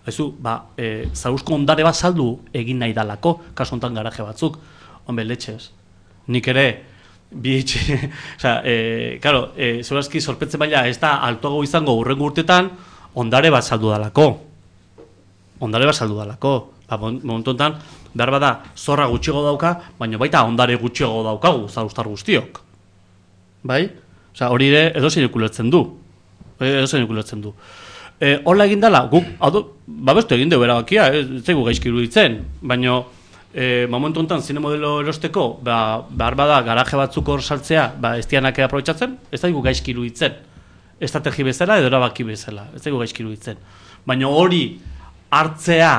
Ezu, ba, e, Zauzko ondare bat saldu egin nahi dalako, kasu honetan garaje batzuk, honbe, letxez. Nik ere, bi etxe, oza, e, karo, e, zeurazki sorpetze maila ez da altuago izango hurrengo urtetan, ondare bat saldu dalako. Ondare bat saldu dalako. Ba, momentu honetan, behar bada, zorra gutxiago dauka, baina baita ondare gutxiago daukagu, zauztar guztiok. Bai? Oza, hori ere, edo zein ikuletzen du. Edo zein ikuletzen du. E, Hola egin dela, guk, babestu egin dugu erabakia, ez zaigu gaizki iruditzen, baina e, momentu honetan zine modelo erosteko, ba, behar bada garaje batzuk hor saltzea, ba, ez dianak aprobetxatzen, ez zaigu gaizki iruditzen, estrategi bezala edo erabaki bezala, ez zaigu gaizki iruditzen. Baina hori hartzea,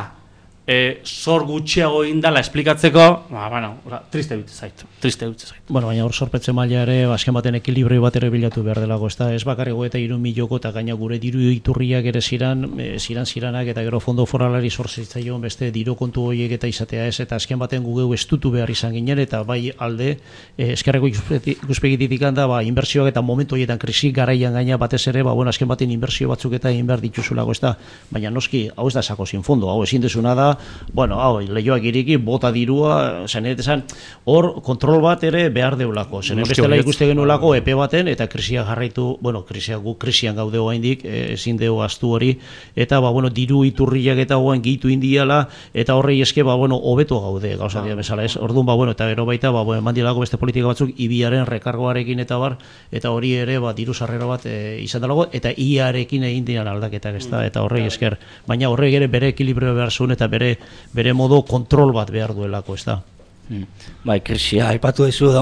e, zor gutxiago egin dela esplikatzeko, ba, bueno, triste dut zait, triste dut zait. Bueno, baina hor sorpetze maila ere, azken baten ekilibrio bat ere bilatu behar delako, ez da, ez bakarrego eta hiru miloko eta gaina gure diru iturriak ere ziran, e, ziran ziranak eta gero fondo foralari sortzitzaion beste diru kontu horiek eta izatea ez, eta azken baten gugeu estutu behar izan ginen, eta bai alde, e, eskerreko ikuspegitik handa, ba, inbertsioak eta momentu horietan krisi garaian gaina batez ere, ba, bueno, azken baten inbertsio batzuk eta egin behar dituzulako, ez da, baina noski, hau ez da sako sin fondo, hau ezin desuna da, bueno, hau, lehioak iriki, bota dirua, zenet esan, hor kontrol bat ere behar deulako, zenet bestela ikuste genuelako epe baten, eta krisia jarraitu, bueno, krisia gu krisian gaude oraindik, ezin deu astu hori, eta, ba, bueno, diru iturriak eta hoan gehitu indiala, eta horrei eske, ba, bueno, hobeto gaude, gauza dira bezala, ez, orduan, ba, bueno, eta gero baita, ba, bueno, mandilako beste politika batzuk, ibiaren rekargoarekin eta bar, eta hori ere, ba, diru sarrera bat e, izan dalago, eta iarekin egin dian aldaketak, ez da, eta horrei esker, baina horrei ere bere ekilibrio behar zuen, eta bere bere modo kontrol bat behar duelako, ez da. Hmm. Bai, krisia aipatu dezu da,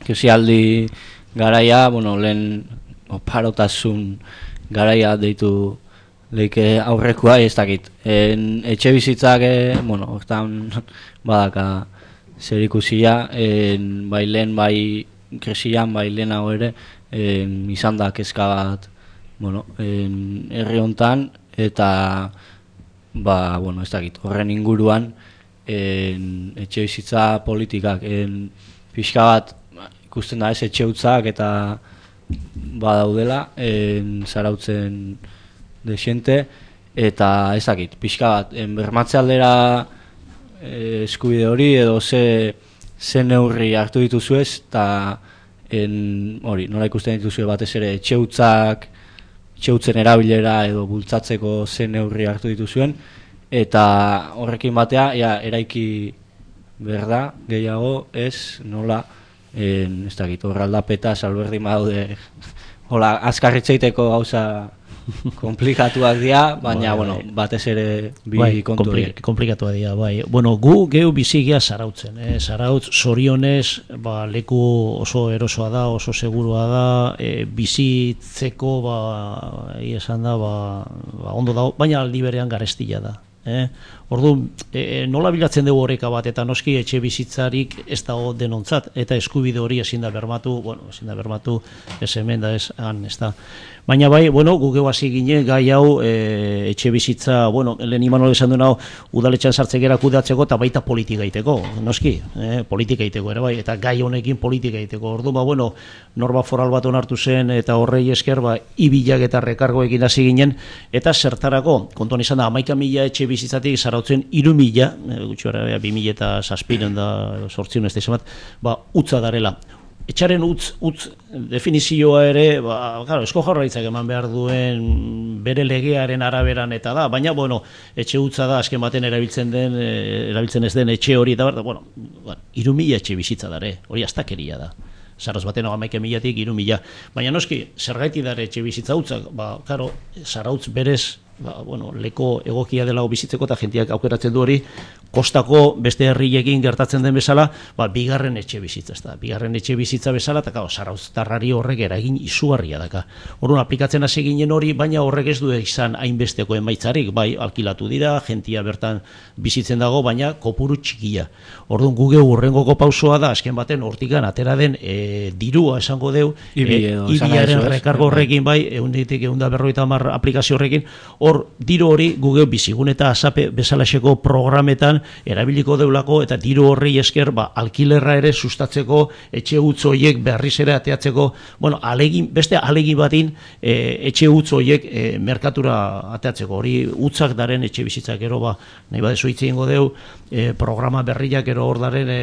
krisialdi garaia, bueno, lehen oparotasun garaia deitu leike aurrekoa, ez dakit. En, etxe bizitzak, e, bueno, hortan badaka zer ikusia, en, bai lehen, bai kresian, bai lehenago ere, en, izan da kezka bat, bueno, en, herri hontan, eta, ba, bueno, ez dakit, horren inguruan, en, etxe bizitza politikak, en, pixka bat, ikusten da ez etxe hutzak eta badaudela, en, zarautzen desente, eta ezakit, pixka bat, en, bermatze aldera e, eskubide hori edo ze, ze neurri hartu dituzuez, eta hori, nola ikusten dituzue batez ere etxe hutzak, etxe hutzen erabilera edo bultzatzeko ze neurri hartu dituzuen, eta horrekin batea, ja, eraiki berda, gehiago, ez, nola, en, ez dakit, horra aldapeta, salberdin badaude, hola, azkarritzeiteko gauza komplikatuak dira, baina, bai, bueno, batez ere bi bai, kontu kompli komplikatuak dira, bai. Bueno, gu geu bizigia Zarautzen, eh? Zarautz zorionez, ba, leku oso erosoa da, oso segurua da, e, bizitzeko, ba, esan da, ba, ba, ondo dago, baina aldi berean garestila da. Eh? Ordu, e, nola bilatzen dugu horreka bat, eta noski etxe bizitzarik ez dago denontzat, eta eskubide hori ezin da bermatu, bueno, ezin da bermatu, ez hemen da ez, han, ez da. Baina bai, bueno, gugeu hasi ginen gai hau e, etxe bizitza, bueno, lehen Imanol esan duen hau, udaletxean sartzekera kudeatzeko eta baita politika egiteko, noski, eh, politika egiteko ere bai, eta gai honekin politika egiteko. Ordu, ba, bueno, norba foral bat onartu zen, eta horrei esker, ba, ibilak eta rekargoekin hasi ginen, eta zertarako, kontuan izan da, hamaika mila etxe bizitzatik zarautzen iru mila, e, gutxi gara, bi mila eta zazpiren da, sortzion ez da izan bat, ba, utza darela. Etxaren utz, utz definizioa ere, ba, claro, Eusko Jaurlaritzak eman behar duen bere legearen araberan eta da, baina, bueno, etxe utza da, azken baten erabiltzen den, erabiltzen ez den etxe hori, eta bar, bueno, iru mila etxe bizitza dare, hori astakeria da. Zarauz baten hamaika milatik iru mila. Baina noski, zergaiti dare etxe bizitza utzak, ba, claro, Zarautz berez, ba, bueno, leko egokia dela bizitzeko eta jentiak aukeratzen du hori, kostako beste herriekin gertatzen den bezala, ba, bigarren etxe bizitza, ez da, bigarren etxe bizitza bezala, eta claro, Zarauztarrari horrek eragin izugarria daka. Orduan aplikatzen hasi ginen hori, baina horrek ez du izan hainbesteko emaitzarik, bai, alkilatu dira, jentia bertan bizitzen dago, baina kopuru txikia. Orduan guge urrengoko pausoa da, azken baten hortikan atera den e, dirua esango deu, ibiaren rekargo horrekin, bai, eunditik eunda berroita hamar aplikazio horrekin, hor diru hori guge bizigun eta asape bezalaxeko programetan erabiliko deulako eta diru horri esker ba, alkilerra ere sustatzeko etxe utz horiek berriz ere ateatzeko, bueno, alegin, beste alegin batin e, etxe utz horiek e, merkatura ateatzeko, hori utzak daren etxe bizitzak ero, ba, nahi badezu hitz egingo deu, e, programa berriak ero hor daren e,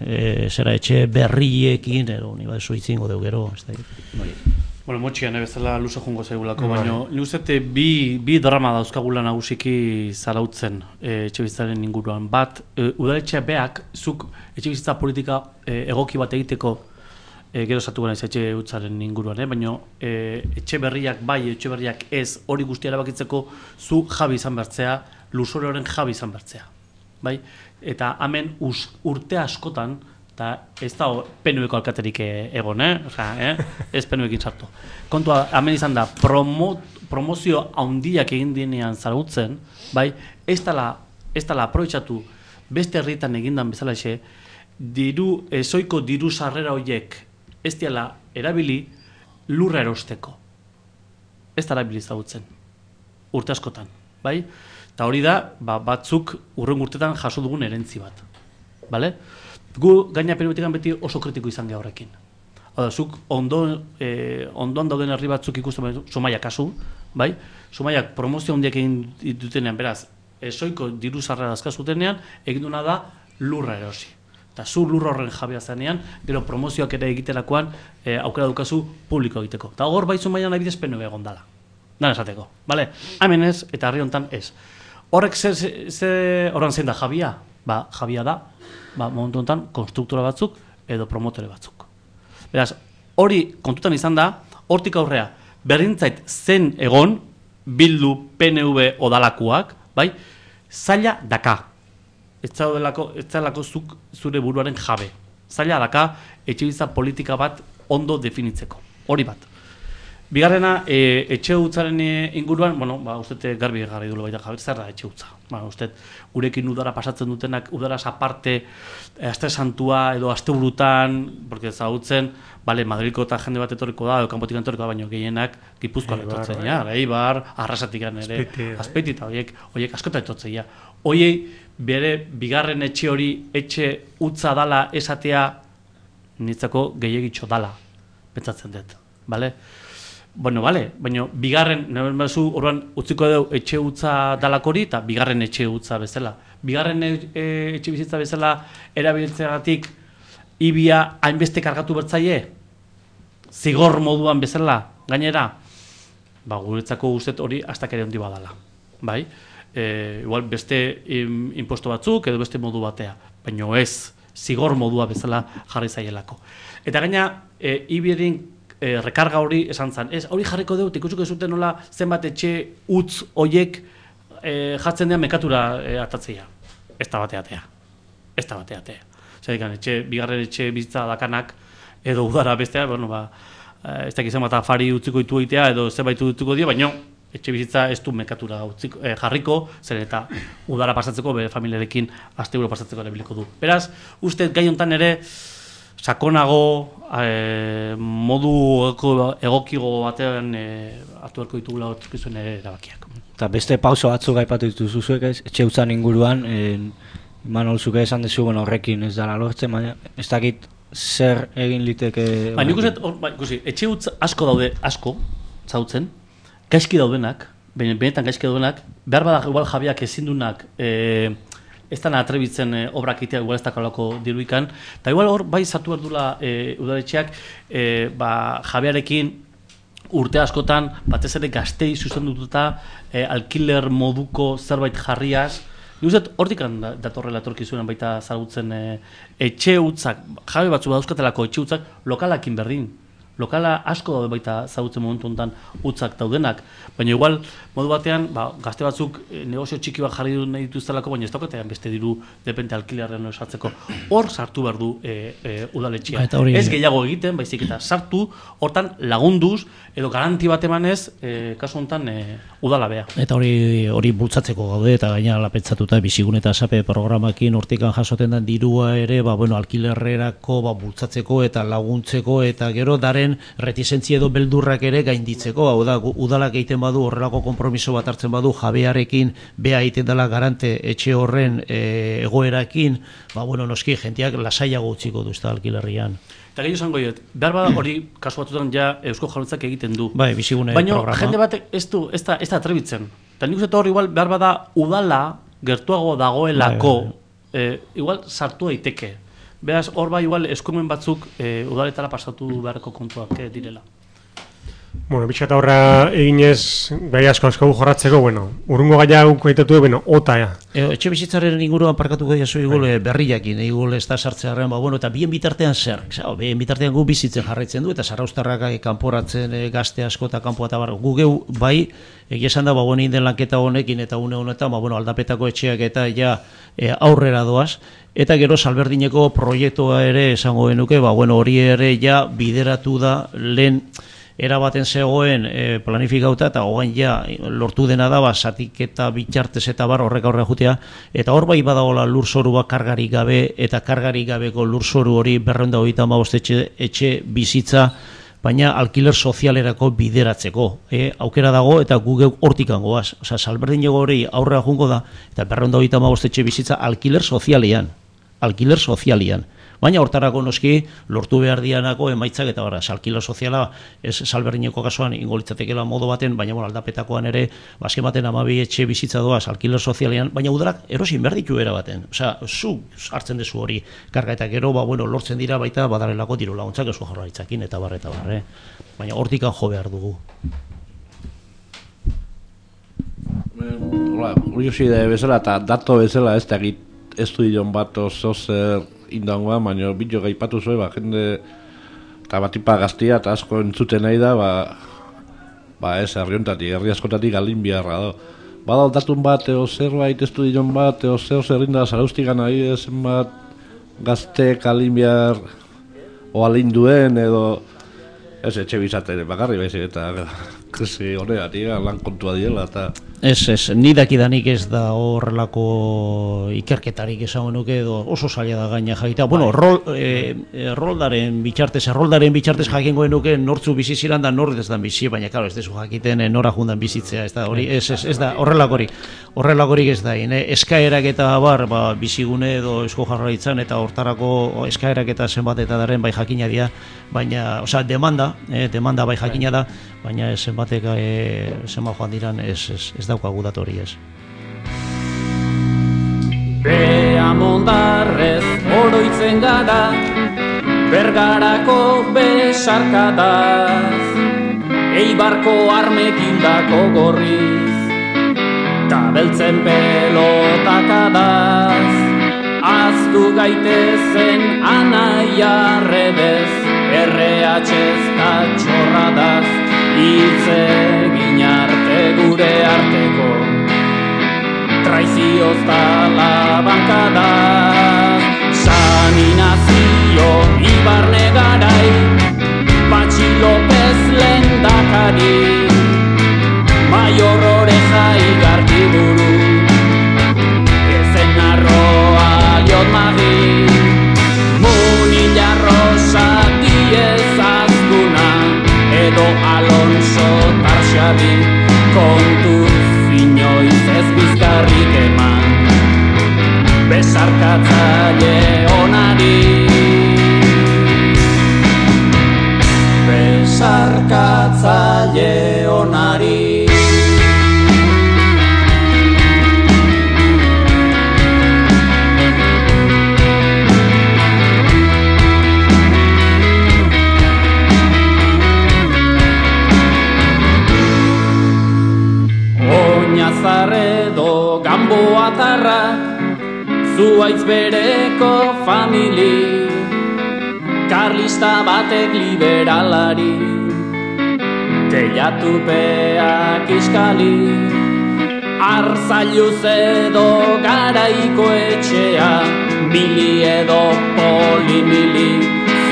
e, zera etxe berriekin, ero, nahi badezu hitz egingo deu gero, ez da. Bueno, motxian, bezala luze jongo zaigulako, baina luzete bi, bi drama dauzkagula nagusiki Zarautzen e, etxebizitzaren inguruan. Bat, e, udaletxea beak, zuk etxebizitza politika e, egoki bat egiteko e, gero zatu gana etxe utzaren inguruan, eh? Baina e, etxe berriak bai, etxe berriak ez, hori guztia erabakitzeko zu jabi izan bertzea, luzore horren jabi izan bertzea. Bai? Eta hemen us, urte askotan, eta ez da P N V-ko alkaterik egon, eh? Osa, eh? Ez P N V-ekin sartu. Kontua, hemen izan da, promo, promozio handiak egin dienean Zarautzen, bai, ez dala, ez dala aprobetxatu beste herrietan egindan bezala xe, diru, ezoiko diru sarrera horiek ez diala erabili lurra erosteko. Ez da erabili Zarautzen, urte askotan, bai? Eta hori da, ba, batzuk urren urtetan jaso dugun erentzi bat, bale? Gu gaina P N V-tikan beti oso kritiko izan geha horrekin. Hau da, zuk ondo, eh, ondoan dauden herri batzuk ikusten, Zumaia kasu, bai? Zumaiak promozio handiak egin dutenean, beraz, ezoiko diru sarrera azkazutenean, egin duna da lurra erosi. Eta zu lurra horren jabea zenean, gero promozioak ere egiterakoan eh, aukera dukazu publiko egiteko. Eta hor bai Zumaian abidez P N V egon dala. Dan esateko, bale? Hemen ez, eta herri hontan ez. Horrek ze, ze, horren zein da jabia? Ba, jabia da, ba, momentu honetan, konstruktora batzuk edo promotore batzuk. Beraz, hori kontutan izan da, hortik aurrea, berdintzait zen egon, bildu P N V odalakuak, bai, zaila daka. Ez zaudelako, ez zaudelako zuk zure buruaren jabe. Zaila daka, etxebizitza politika bat ondo definitzeko. Hori bat. Bigarrena, e, etxe hutsaren inguruan, bueno, ba, uste garbi garri dulu baita Javier, zer da etxe hutsa. Ba, uste gurekin udara pasatzen dutenak, udaraz aparte, aste santua edo aste burutan, porque zautzen, bale, Madrilko eta jende bat etorriko da, edo kanpotik etorriko da, baino gehienak Gipuzkoan etortzen, ja, Eibar, Arrasatikan ere, Azpeiti eta horiek, horiek askotan etortzen, ja. Hoiei, bere bigarren etxe hori, etxe hutsa dala esatea, nitzako gehiagitxo dala, pentsatzen dut, bale? Bueno, vale, baina bigarren, nahi bazu, orduan utziko dugu etxe hutsa dalakori eta bigarren etxe hutsa bezala. Bigarren e, etxe bizitza bezala erabiltzeagatik ibia hainbeste kargatu bertzaie? Zigor moduan bezala, gainera? Ba, guretzako guztet hori hastak ere handi badala. Bai? E, igual beste im, imposto batzuk edo beste modu batea, baina ez zigor modua bezala jarri zaielako. Eta gaina, e, ibierin E, rekarga hori esan zen. Ez, hori jarriko dut, ikusiko zuten nola zenbat etxe utz hoiek e, jartzen dean mekatura e, atatzea. Ez da bateatea. Ez da bateatea. Zerikan, etxe, bigarren etxe bizitza dakanak edo udara bestea, bueno, ba, ez da gizan bat afari utziko ditu egitea edo zerbait utziko dio, baina etxe bizitza ez du mekatura utziko, e, jarriko, zer eta udara pasatzeko, bere familiarekin asteburu pasatzeko ere biliko du. Beraz, uste gai hontan ere, sakonago, e, modu egokigo batean e, hartu beharko ditugula hortzukizuen erabakiak. Eta beste pauso batzuk aipatu dituzu zuek ez, etxe hutzan inguruan, e, Manol zuke esan dezu, bueno, horrekin ez dara lortzen, baina ez dakit zer egin liteke... Ba, nik uste, ba, ikusi, etxe hutz asko daude, asko, zautzen, gaizki daudenak, benetan gaizki daudenak, behar bada igual jabiak ezindunak, e, ez dana atrebitzen e, obrak itea, igual ez dakalako diruikan, eta igual hor bai sartu behar dula e, udaletxeak e, ba, jabearekin urte askotan, batez ere gaztei zuzendututa e, alkiler moduko zerbait jarriaz, nik uste hortik datorrela etorkizunen baita zagutzen e, etxe hutzak, jabe batzu badauzkatelako etxe hutzak lokalakin berdin. Lokala asko daude baita zagutzen momentu honetan hutzak daudenak, baina igual modu batean ba, gazte batzuk e, negozio txiki bat jarri nahi dituztelako, baina ez daukatean beste diru depende alkilerren osatzeko. Hor sartu behar du e, e, udaletxea. Hori... Ez gehiago egiten, baizik eta sartu, hortan lagunduz edo garanti bat emanez, e, kasu honetan e, udalabea. Eta hori hori bultzatzeko gaude eta gaina lapentzatuta bizigun eta sape programakin hortikan jasoten den dirua ere, ba, bueno, alkilerrerako ba, bultzatzeko eta laguntzeko eta gero daren retizentzia edo beldurrak ere gainditzeko, hau da, udalak egiten badu horrelako konpromiso bat hartzen badu jabearekin, bea egiten dela garante etxe horren e, egoerakin, ba, bueno, noski, jentiak lasaiago utziko du, ez da, alkilerrian. Eta gehiago zango diet, behar bada hori kasu batutan ja Eusko Jaurlaritzak egiten du. Bai, bizigune programa. Baina jende batek ez du, ez da, ez da atrebitzen. Eta nik uste hori igual behar bada udala gertuago dagoelako, bai, bai. E, igual sartu daiteke. Beraz, hor bai igual eskumen batzuk e, udaletara pasatu beharreko kontuak e, direla. Bueno, bitxat aurra eginez, gai asko asko jorratzeko, bueno, urrungo gaia gauko aitatu, bueno, ota, ja. E, etxe bizitzaren inguruan parkatuko dira zu igul berriakin, igul ez da sartzearen, ba, bueno, eta bien bitartean zer, Zau, bien bitartean gu bizitzen jarraitzen du, eta Zarauztarrak kanporatzen e, gazte asko eta kanpoa eta bar, gu geu bai, egia esan da, ba, bueno, inden lanketa honekin eta une honetan, ba, bueno, aldapetako etxeak eta ja e, aurrera doaz, eta gero Salberdineko proiektua ere esango genuke, ba, bueno, hori ere ja bideratu da lehen erabaten zegoen e, planifikauta eta hogain ja lortu dena da ba, zatik eta bitxartez eta bar horrek aurrera jutea, eta hor bai badagoela lurzoru bat kargarik gabe eta kargarik gabeko lurzoru hori berrehun eta hogeita hamabost etxe, etxe bizitza, baina alkiler sozialerako bideratzeko. E, aukera dago eta gu geu hortikan goaz. Osa, Salberdineko hori aurrera jungo da, eta berrehun eta hogeita hamabost etxe bizitza alkiler sozialean. Alkiler sozialean. Baina hortarako noski lortu behar dianako emaitzak eta barra, alkiler soziala ez Salberdineko kasuan ingolitzatekela modu baten, baina bueno, aldapetakoan ere bazken baten amabi etxe bizitza doaz alkiler sozialean, baina udalak erosin behar ditu era baten. Osea, zu hartzen dezu hori karga eta gero, ba, bueno, lortzen dira baita badarelako diru laguntzak Eusko Jaurlaritzakin eta barre eta barre. Baina hortikan jo behar dugu. Hola, hori da bezala eta dato bezala ez da egit ez du dion bat oso zer indangoa, baina bideo gaipatu zuen, ba, jende eta batipa gaztia eta asko entzuten nahi da, ba, ba ez, herriontatik, herri askotatik galin biharra da. Bada datun bat, eo zerbait ez du dion bat, eo zer zerrin da Zarauztikan nahi, zen bat gazte galin bihar o alin duen, edo Ez etxe bizaten bakarri baizik eta krisi honegatik lan kontua diela eta Ez, ez, ni dakidanik ez da horrelako ikerketarik esango nuke edo oso zaila da gaina jakita. Bueno, rol, e, e, roldaren bitxartez, roldaren bitxartez jakingo nuke nortzu bizi ziran da nor ez da bizi, baina claro, ez dezu jakiten e, nora jundan bizitzea, ez da hori, ez, ez, ez da horrelakorik. Horrelakorik ez da, ne? Eskaerak eta bar, ba, bizigune edo Eusko Jaurlaritzan eta hortarako eskaerak eta zenbat eta daren bai jakina dira, baina, osea, demanda, eh, demanda bai jakina da, baina zenbatek eh, zenbat joan diran ez, ez, ez daukagu datu hori ez. Bea mondarrez oroitzen gara, Bergarako besarkadaz, Eibarko armekin dako gorriz, ta beltzen pelotakadaz, aztu gaitezen anaia redez, erre hatxez ta txorradaz, hitzegin arte gure arteko, traizioz tala bankadaz, Saninazio Ibarne garai, Patxi López lehendakari, Maior Oreja Igartiburu, Ezen arroa Liotmagi, Munilla Rosa Diez Azkuna, edo Alonso Tarxabi, kontuz inoiz ez bizkarrik eman, besarkatzaile onari, besarkatzaile onari. Oñazarredo Gamboatarrak, Zuaitz bereko famili, Karlista batek liberalari, Teilatupeak iskali, Arzailuz edo Garaiko etxea, Mili edo polimili,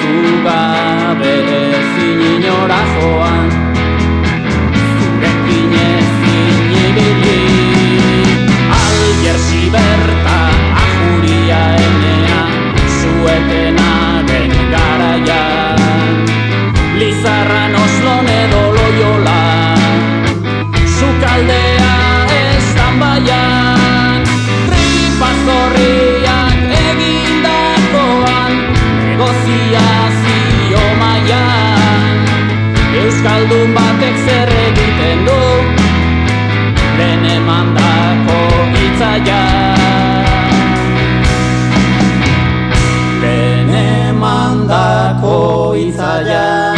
Zugabe ezin inora joan, Zurekin ezin ibili, Algersi berta ajuria enea, Zuetenaren garaian, Lizarran Oslon edo Loiola, Sukaldea estan baian, Tripazorriak egindakoan, negoziazio maian, Euskaldun batek zer egiten du, lehen emandako hitzaia, lehen emandako hitzaia.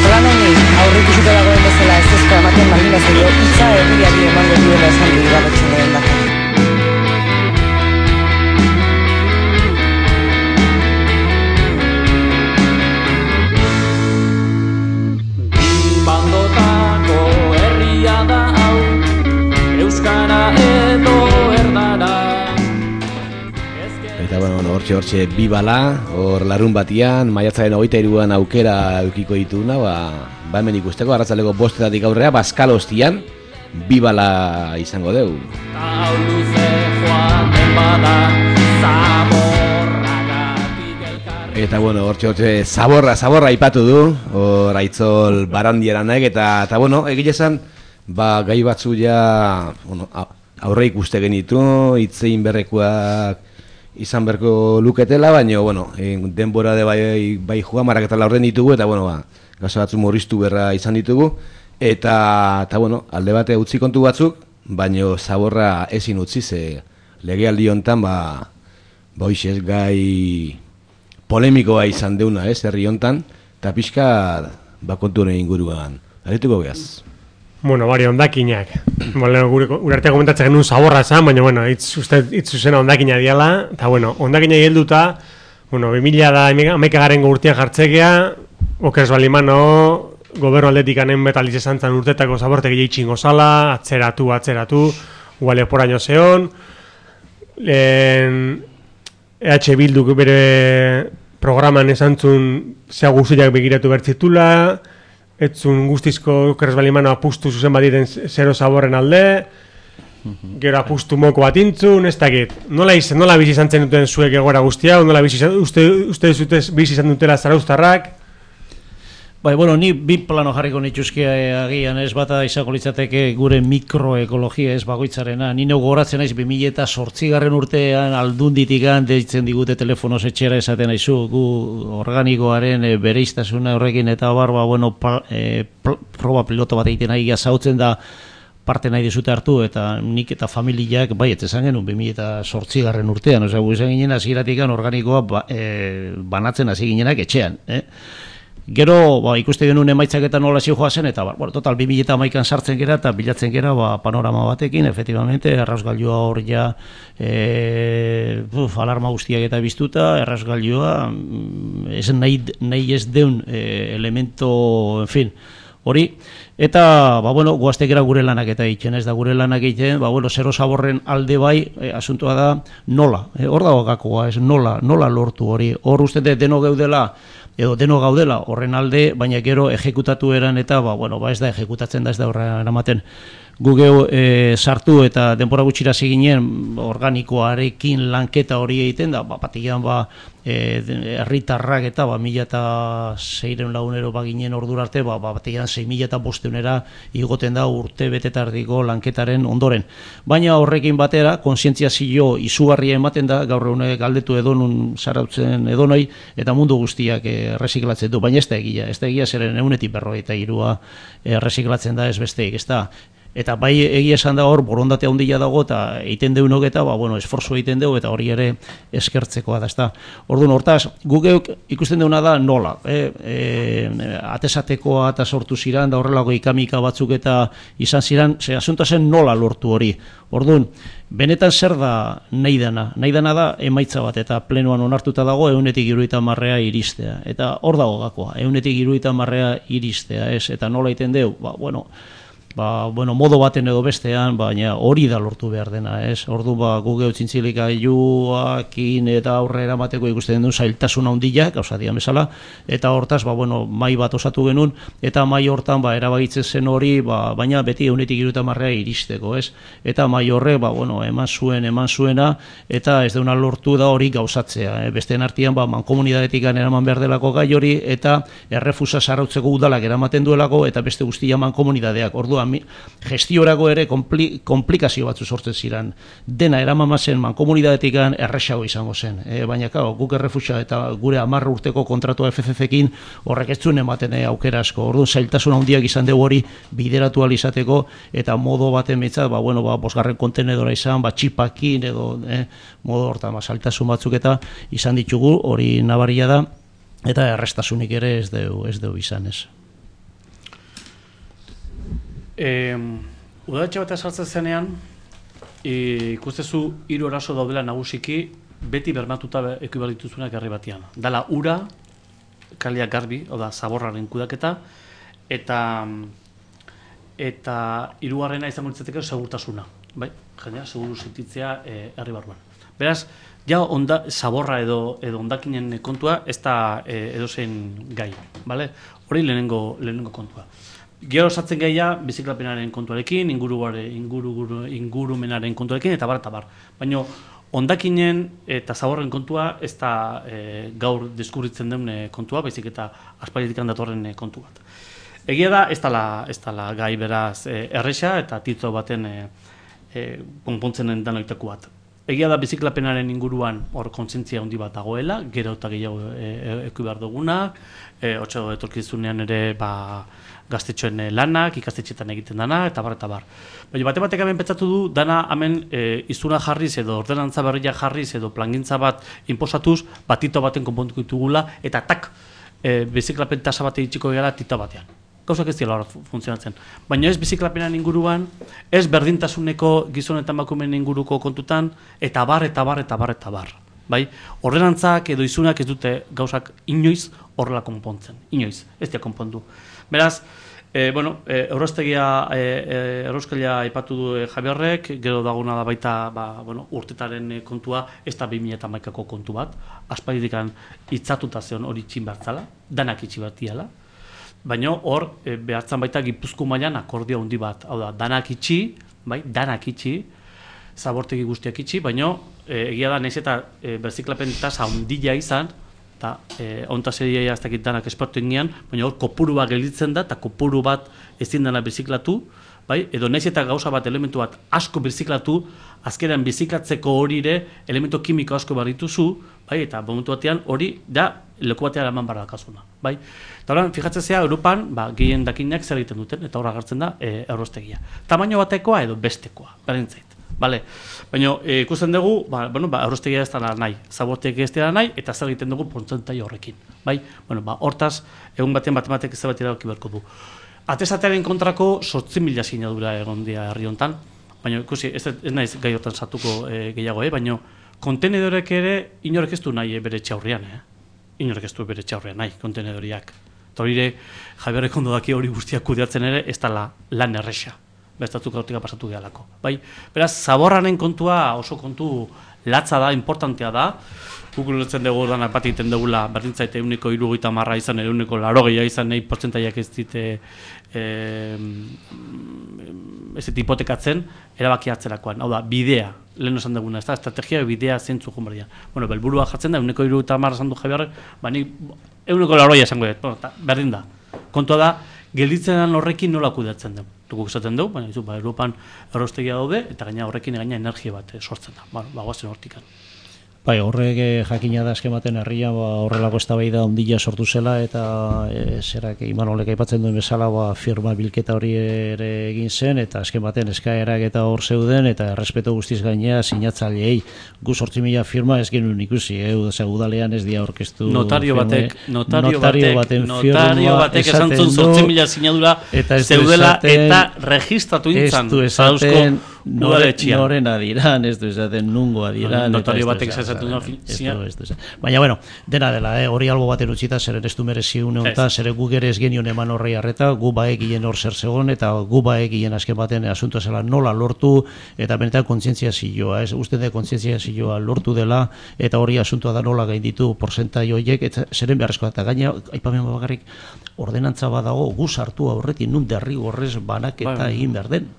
Plan honi, aurrikusiko dagoen bezala ez ezko ematen baldin bazaio, hitza herriari emango duela esan du Ibarretxe lehendakari. Bandotako herria da hau, euskara edo erdara. Eta bueno, bueno, hortxe hortxe bibala, hor larun batian, maiatzaren hogeita hiruan aukera eukiko dituna, ba, ba hemen ikusteko, arratzaleko bostetatik aurrera, Baskal Hostian, bibala izango deu. Hau luze joaten bada, zaborragatik elkarri. Eta bueno, hortxe hortxe zaborra, zaborra aipatu du, hor Aitzol Barandiaranek, eta, eta bueno, egile esan, ba, gai batzu ja, bueno, aurre ikuste genitu, hitzein berrekoak izan berko luketela, baina, bueno, denbora de bai, bai joan, maraketa horren ditugu, eta, bueno, ba, gaso batzu murriztu berra izan ditugu, eta, eta bueno, alde bate utzi kontu batzuk, baina zaborra ezin utzi, ze legealdi hontan, ba, ba hoixez gai polemikoa izan deuna, ez, herri hontan, eta pixka, ba, kontu honen inguruan. Arituko behaz? Bueno, bari, ondakinak. Bueno, gure, gure artean komentatzen genuen zaborra esan, baina, bueno, itz, uste, itz zuzena ondakina diala, eta, bueno, ondakina helduta, bueno, bi mila da hamaikagarengo urtean jartzekea, okeres balimano, gobernu aldetik anen betaliz esan zan urtetako zabortegi jeitxingo zala, atzeratu, atzeratu, guale poraino zeon, lehen E H Bilduk bere programan esan zun zea guztiak begiratu bertzitula, etzun guztizko okerrez balimano apustu zuzen baditen zero zaborren alde, gero apustu moko bat intzun, ez dakit. Nola, iz, nola bizi izan zen duten zuek egoera guztia, nola bizi izan, uste, uste zute bizi izan dutela zarauztarrak? Bai, bueno, ni bi plano jarriko nituzke agian ez bata izango litzateke gure mikroekologia ez bagoitzarena. Ni neu gogoratzen naiz bi mila zortzigarren urtean aldunditikan deitzen digute telefonoz etxera esaten aizu gu organikoaren e, bereiztasuna horrekin eta barba, bueno, pa, e, proba piloto bat egiten nahi zautzen da parte nahi dizute hartu eta nik eta familiak bai ez esan genuen bi mila zortzigarren urtean, osea, gu izan ginen hasieratik organikoa ba, e, banatzen hasi ginenak etxean, eh? Gero, ba, ikuste genuen emaitzak eta nola zijoa zen, eta, ba, bueno, total, bi mila hamaikan sartzen gera, eta bilatzen gera, ba, panorama batekin, efectivamente, errasgailua hor ja, e, uf, alarma guztiak eta biztuta, errasgailua, ez nahi, nahi ez deun e, elemento, en fin, hori, eta, ba, bueno, guaztek era gure lanak eta egiten, ez da gure lanak egiten, ba, bueno, zero zaborren alde bai, e, asuntua da, nola, e, hor dago gakoa, ez, nola, nola lortu hori, hor uste deno geudela, edo deno gaudela horren alde, baina gero ejekutatu eran eta, ba, bueno, ba ez da ejekutatzen da, ez da horren eramaten. Gu geu e, sartu eta denbora gutxira ginen organikoarekin lanketa hori egiten da, ba, batian ba, herritarrak eta ba, mila eta seiren lagunero baginen ordura arte, ba, batian sei mila eta bosteunera igoten da urte betetardiko lanketaren ondoren. Baina horrekin batera, konsientziazio izugarria ematen da, gaur egunek galdetu edonun zarautzen edonoi, eta mundu guztiak erreziklatzen du, baina ez da egia, ez da egia zeren eunetik berroi eta irua erreziklatzen da ez besteik, ez da. Eta bai egia esan da hor borondate handia dago eta egiten deunok eta ba, bueno, esforzo egiten dugu eta hori ere eskertzekoa da, ezta. Orduan hortaz, guk geuk ikusten deuna da nola, eh, e, atesatekoa eta sortu ziran da horrelako ikamika batzuk eta izan ziran, ze asuntoa zen nola lortu hori. Orduan, benetan zer da nahi dana? Nahi dana da emaitza bat eta plenoan onartuta dago ehunetik hirurogeita hamarrea iristea. Eta hor dago gakoa, ehunetik hirurogeita hamarrea iristea, ez? Eta nola egiten deu? Ba, bueno, Ba, bueno, modo baten edo bestean, baina hori da lortu behar dena, ez? Ordu ba, gu geutzintzilika juakin eta aurrera mateko ikusten duen zailtasun handiak, gauza dian bezala, eta hortaz, ba, bueno, mai bat osatu genuen, eta mai hortan, ba, erabagitzen zen hori, ba, baina beti eunetik iruta marrea iristeko, ez? Eta mai horre, ba, bueno, eman zuen, eman zuena, eta ez deuna lortu da hori gauzatzea, eh? Besteen artean, ba, mankomunidadetik eraman behar delako gai hori, eta errefusa sarautzeko udalak eramaten duelako, eta beste guztia mankomunidadeak, orduan, gestiorako ere kompli, komplikazio batzu sortzen ziren. Dena eramamazen mankomunidadetik erresago izango zen. E, baina kao, guk errefusa eta gure hamar urteko kontratua F F F-ekin horrek ez zuen ematen e, aukera asko. Orduan zailtasun handiak izan dugu hori bideratu alizateko eta modo baten behintzat, ba, bueno, ba, bosgarren kontenedora izan, ba, txipakin edo e, modo hortan, ba, zailtasun batzuk eta izan ditugu, hori nabaria da, eta errestasunik ere ez dugu ez dugu izan ez. E, udaletxe bat esartzen zenean, e, ikustezu hiru eraso daudela nagusiki, beti bermatuta eki behar dituzunak herri batean. Dala ura, kalia garbi, oda zaborraren kudaketa, eta eta hirugarrena izango litzateke segurtasuna, bai? Jendea seguru sentitzea e, herri barruan. Beraz, ja onda, zaborra edo edo hondakinen kontua ez da e, edozein gai, bale? Hori lehenengo lehenengo kontua. Gero sartzen gaia biziklapenaren kontuarekin, inguru, inguru, ingurumenaren kontuarekin, eta bar, eta bar. Baina hondakinen eta zaborren kontua ez da e, gaur deskubritzen den kontua, baizik eta aspalditik datorren kontu bat. Egia da, ez dala, ez dala gai beraz e, erresa eta titzo baten e, e, konpontzen den oiteko bat. Egia da biziklapenaren inguruan hor kontzientzia handi bat dagoela, gero eta gehiago e, eku behar duguna, e, otxo etorkizunean ere ba, gaztetxoen lanak, ikastetxetan egiten dana, eta bar, eta bar. Baina bate batek hemen pentsatu du, dana hemen e, izuna jarriz edo ordenantza berria jarriz edo plangintza bat inposatuz, batito baten konpontuko ditugula, eta tak, e, biziklapen tasa bat egitxiko gara tita batean. Gauzak ez dira funtzionatzen. Baina ez biziklapenan inguruan, ez berdintasuneko gizon eta emakumeen inguruko kontutan, eta bar, eta bar, eta bar, eta bar. Bai? Ordenantzak edo izunak ez dute gauzak inoiz horrela konpontzen. Inoiz, ez dira konpondu. Beraz, e, bueno, e, Eurostegia, e, e, Euroskalia aipatu du e, Javierrek, gero daguna da baita ba, bueno, urtetaren kontua, ez da bi mila hamaikako kontu bat, aspaldikan hitzatuta zeon hori itxin bertzala, danak itxi bat diala. baina hor e, behartzen baita Gipuzko mailan akordio handi bat. Hau da, danak itxi, bai, danak itxi, zabortegi guztiak itxi, baina e, egia da, nahiz eta e, berziklapen tasa handia izan, eta e, onta seria ez dakit danak espertu ingian, baina hor kopuru bat gelditzen da, eta kopuru bat ezin dena berziklatu, bai, edo nahiz eta gauza bat, elementu bat asko berziklatu, azkenean berziklatzeko hori ere, elementu kimiko asko barrituzu, bai, eta momentu batean hori da leku batean eman barra dakazuna, bai. Eta horren, fijatzen zea, Europan, ba, gehien dakinak zer egiten duten, eta hor agertzen da e, errostegia. Tamaino batekoa edo bestekoa, berdintzait. Vale. Baina e, ikusten dugu, ba, bueno, ba, errostegia ez dela nahi, zaborteak ez dela nahi, eta zer egiten dugu portzentai horrekin. Bai? Bueno, ba, hortaz, egun batean matematik ez bat erabaki beharko du. Atesatearen kontrako sortzi mila sinadura egon dira herri hontan, baina ikusi, ez, ez naiz gai hortan sartuko e, gehiago, eh? Baina kontenedorek ere inorek ez du nahi bere etxaurrean, eh? Inorek ez du bere etxaurrean nahi, kontenedoriak. Eta hori ere, Javier ondo daki hori guztiak kudeatzen ere, ez da la, lan erresa. Bestatzuk hortika pasatu gehalako. Bai? Beraz, zaborranen kontua oso kontu latza da, importantea da. Guk ulertzen dugu danak bat egiten dugula, berdintzaite eguneko hirurogeita hamar izan, eguneko laurogei izan, nahi portzentaiak ez dite e, ez dite hipotekatzen, erabaki hartzerakoan. Hau da, bidea, lehen esan duguna, ez da, estrategia bidea zentzu jumbaria. Bueno, belburua jartzen da, eguneko hirurogeita hamar esan du Javier, ba ni eguneko laurogei esango dut, bueno, berdin da. Kontua da, gelditzen horrekin nola kudeatzen dugu. Dukuk esaten dugu, baina izu, ba, Europan errostegia daude, eta gaina horrekin gaina energia bat eh, sortzen da, ba, bagoazen hortikan. Bai, horrek eh, jakina da eskematen herria, ba, horrelako eztabaida handia sortu zela, eta e, zerak Imanolek aipatzen duen bezala, ba, firma bilketa hori ere egin zen, eta eskematen eskaerak eta hor zeuden, eta errespeto guztiz gainea sinatzaileei gu zortzi mila firma ez genuen ikusi, eh, udalean ez dia orkestu notario batek, notario, notario batek, notario batek esan zuen zortzi mila sinadura zeudela eta registratu intzan. Ez du esaten noren adiran, ez du esaten nungo adiran. Notario batek esaten baina, bueno, dena dela, eh, hori albo baten utzita, zeren ez du merezi une honetan, zeren gu ere ez genion eman horrei arreta, gu baekien hor zer zegoen, eta gu baekien azken baten asuntoa zela nola lortu, eta benetan kontzientzia zilloa, ez, uste de kontzientzia zilloa lortu dela, eta hori asuntoa da nola gainditu porzentai horiek, eta zeren beharrezkoa, eta gaina, aipamen bakarrik, ordenantza badago, gu sartu aurretik nun derrigorrez banaketa egin behar den.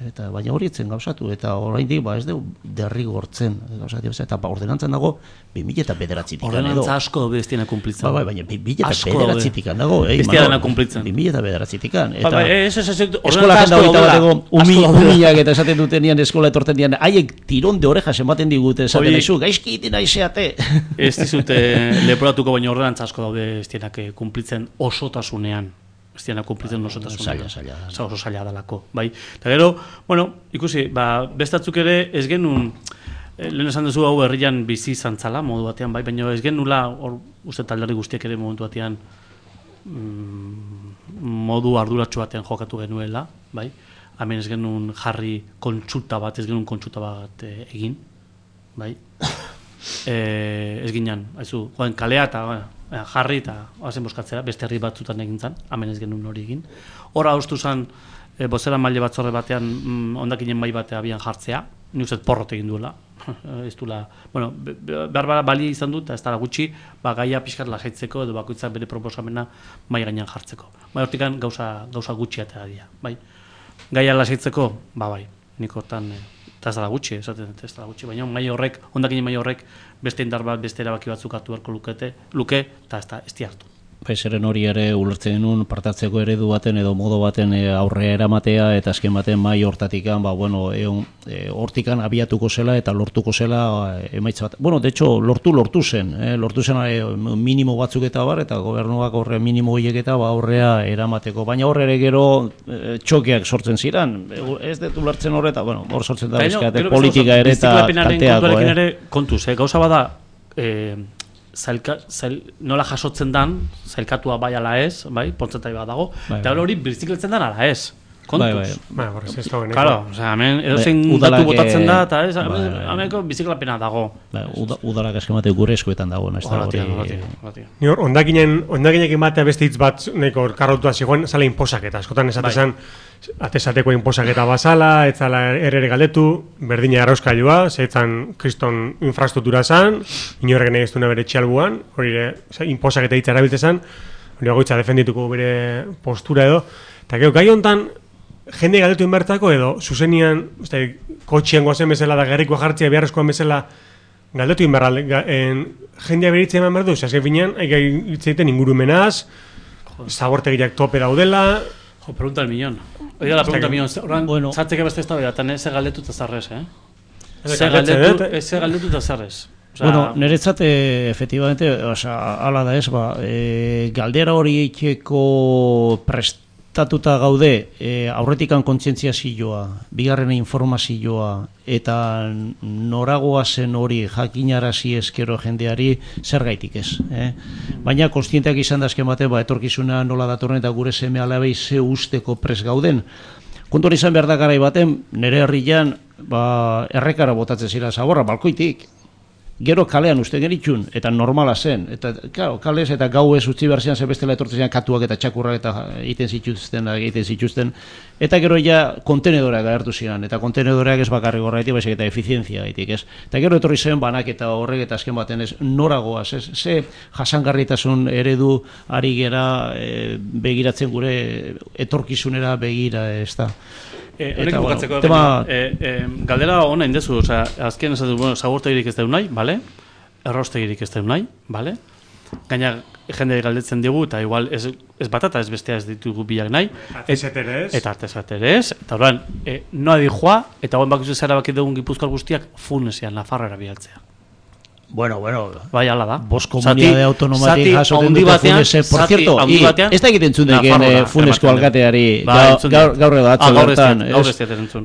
Eta baina hori etzen gauzatu, eta oraindik ba ez du derrigortzen gauzatu, eta ba, ordenantzan dago bi mila bederatzitik edo. Ordenantza asko dago bestiena kumplitzen. Ba, ba, baina bi mila bederatzitik dago, eh, bestiena kumplitzen. bi mila bederatzitik eta ba, ez ez ez eskola jenda bateko umilak eta esaten dutenean eskola etortzen dian, haiek tiron de orejas ematen digute, esaten naizu, gaizki egiten naizeate. Ez dizute leporatuko, baina ordenantza asko daude bestienak kumplitzen osotasunean. Ez diana kumplitzen osotasunean. Zaila, zaila. Oso zaila dalako, bai. Eta gero, bueno, ikusi, ba, bestatzuk ere ez genuen, lehen esan duzu hau herrian bizi zantzala modu batean, bai, baina ez genuela, hor uste talderri guztiak ere momentu batean mm, modu arduratsu batean jokatu genuela, bai. Hemen ez genuen jarri kontsulta bat, ez genuen kontsulta bat e, egin, bai. E, ez ginen, haizu, joan kalea eta, bueno, jarri eta hazen boskatzera, beste herri batzutan egin zen, hemen ez genuen hori egin. Hora haustu zen, e, bozera maile batzorre batean, mm, ondakinen mai batea abian jartzea, ni uste porrot egin duela. Ez duela, bueno, behar bara balia izan dut, eta ez dara gutxi, ba, gaia pixkat lasaitzeko, edo bakoitzak bere proposamena mai gainean jartzeko. Bai, hortikan gauza, gauza gutxi atea dira, bai. Gaia lasaitzeko, ba, bai, nik hortan, eta ez dara gutxi, esaten ez dara gutxi, baina mai horrek, ondakinen mai horrek, beste indar bat, beste erabaki batzuk hartu beharko lukete, luke, eta ez da, ez di hartu. Zeren hori ere ulertzen genuen partatzeko eredu baten edo modo baten e, aurrea eramatea eta azken baten mai hortatikan, ba, bueno, e, e, hortikan abiatuko zela eta lortuko zela e, emaitza bat. Bueno, de hecho, lortu lortu zen, eh? lortu zen e, minimo batzuk eta bar, eta gobernuak horre minimo horiek eta ba, aurrea eramateko. Baina horre ere gero e, txokeak sortzen ziren, ez dut ulertzen horreta, bueno, hor sortzen da bizkate politika ere eta kalteako. Eh? Kontuz, eh? gauza bada, eh, Zailka, zail, nola jasotzen dan, zailkatua bai ala ez, bai, portzentai bat dago, bai, eta hori bizikletzen dan ala ez. Kontuz. Bai, horrez ez da Claro, o sea, hemen edozein datu botatzen da, eta ez, hemenko biziklapena dago. Udalak eskemate gure eskuetan dago, ez da hori. Ni hor, ondakinen, ondakinekin batea beste hitz bat, neko karrotua zigoen, zala inposaketa, askotan esatezan, atesateko inposaketa bazala, etzala errere galdetu, berdina arrauskailua, zeitzan kriston infrastruktura zan, inorrek nahi ez duna bere txalbuan, hori inposaketa hitz erabiltzezan, hori agoitza defendituko bere postura edo, eta gero, gai hontan, jende galdetu inbertako edo, zuzenian, uste, kotxean goazen bezala da gerrikoa jartzea beharrezkoan bezala, galdetu inberra, jendea beritzen eman behar du, azken finean, aigai hitzeiten ingurumenaz, zabortegiak tope daudela. Jo, pregunta el millón. Oiga, la pregunta el millón. Oran, bueno. Zatzeke beste ez da bedatan, ez galdetu eta zarrez, eh? Ez galdetu eta zarrez. O sea, bueno, niretzat, eh, efectivamente, o sea, ala da ez, ba, eh, galdera hori eiteko prestatuta gaude, eh, aurretikan kontzientziazioa, bigarren informazioa, eta noragoa zen hori jakinarazi eskero jendeari zergaitik ez. Eh? Baina konstienteak izan da azken bate, ba, etorkizuna nola datorren eta gure seme alabei ze usteko pres gauden. Kontuan izan behar da garai baten, nire herrian, ba, errekara botatzen zira zaborra, balkoitik. Gero kalean uste geritxun, eta normala zen. Eta, claro, kalez eta gau ez utzi behar zian, zebestela etortzen katuak eta txakurrak eta egiten zituzten, egiten zituzten. Eta gero ja kontenedoreak agertu ziren, eta kontenedoreak ez bakarrik horretik, baizik eta efizientzia gaitik, ez. Eta gero etorri zen banak eta horrek eta azken baten ez noragoaz, ez. Ze jasangarritasun eredu ari gera e, begiratzen gure etorkizunera begira, ez da. Eh, honek bukatzeko bueno, tema... eh, eh, galdera hona indezu, osea, azken ez du, bueno, zabortegirik ez da nahi, bale? Errostegirik ez da nahi, bale? Gaina jende galdetzen digu, eta igual ez, ez batata ez bestea ez ditugu bilak nahi. Artesaterez. Eta artesaterez. Eta horren, eh, noa dijoa, eta guen bakizu zara bakit dugun Gipuzkoar guztiak funesean, Nafarroara bialtzea. Bueno, bueno, bai, ala da. Bos komunidade autonomatik jasoten dute funese. Por cierto, ez da egiten zundeken funesko alkateari gaur edo atzo bertan.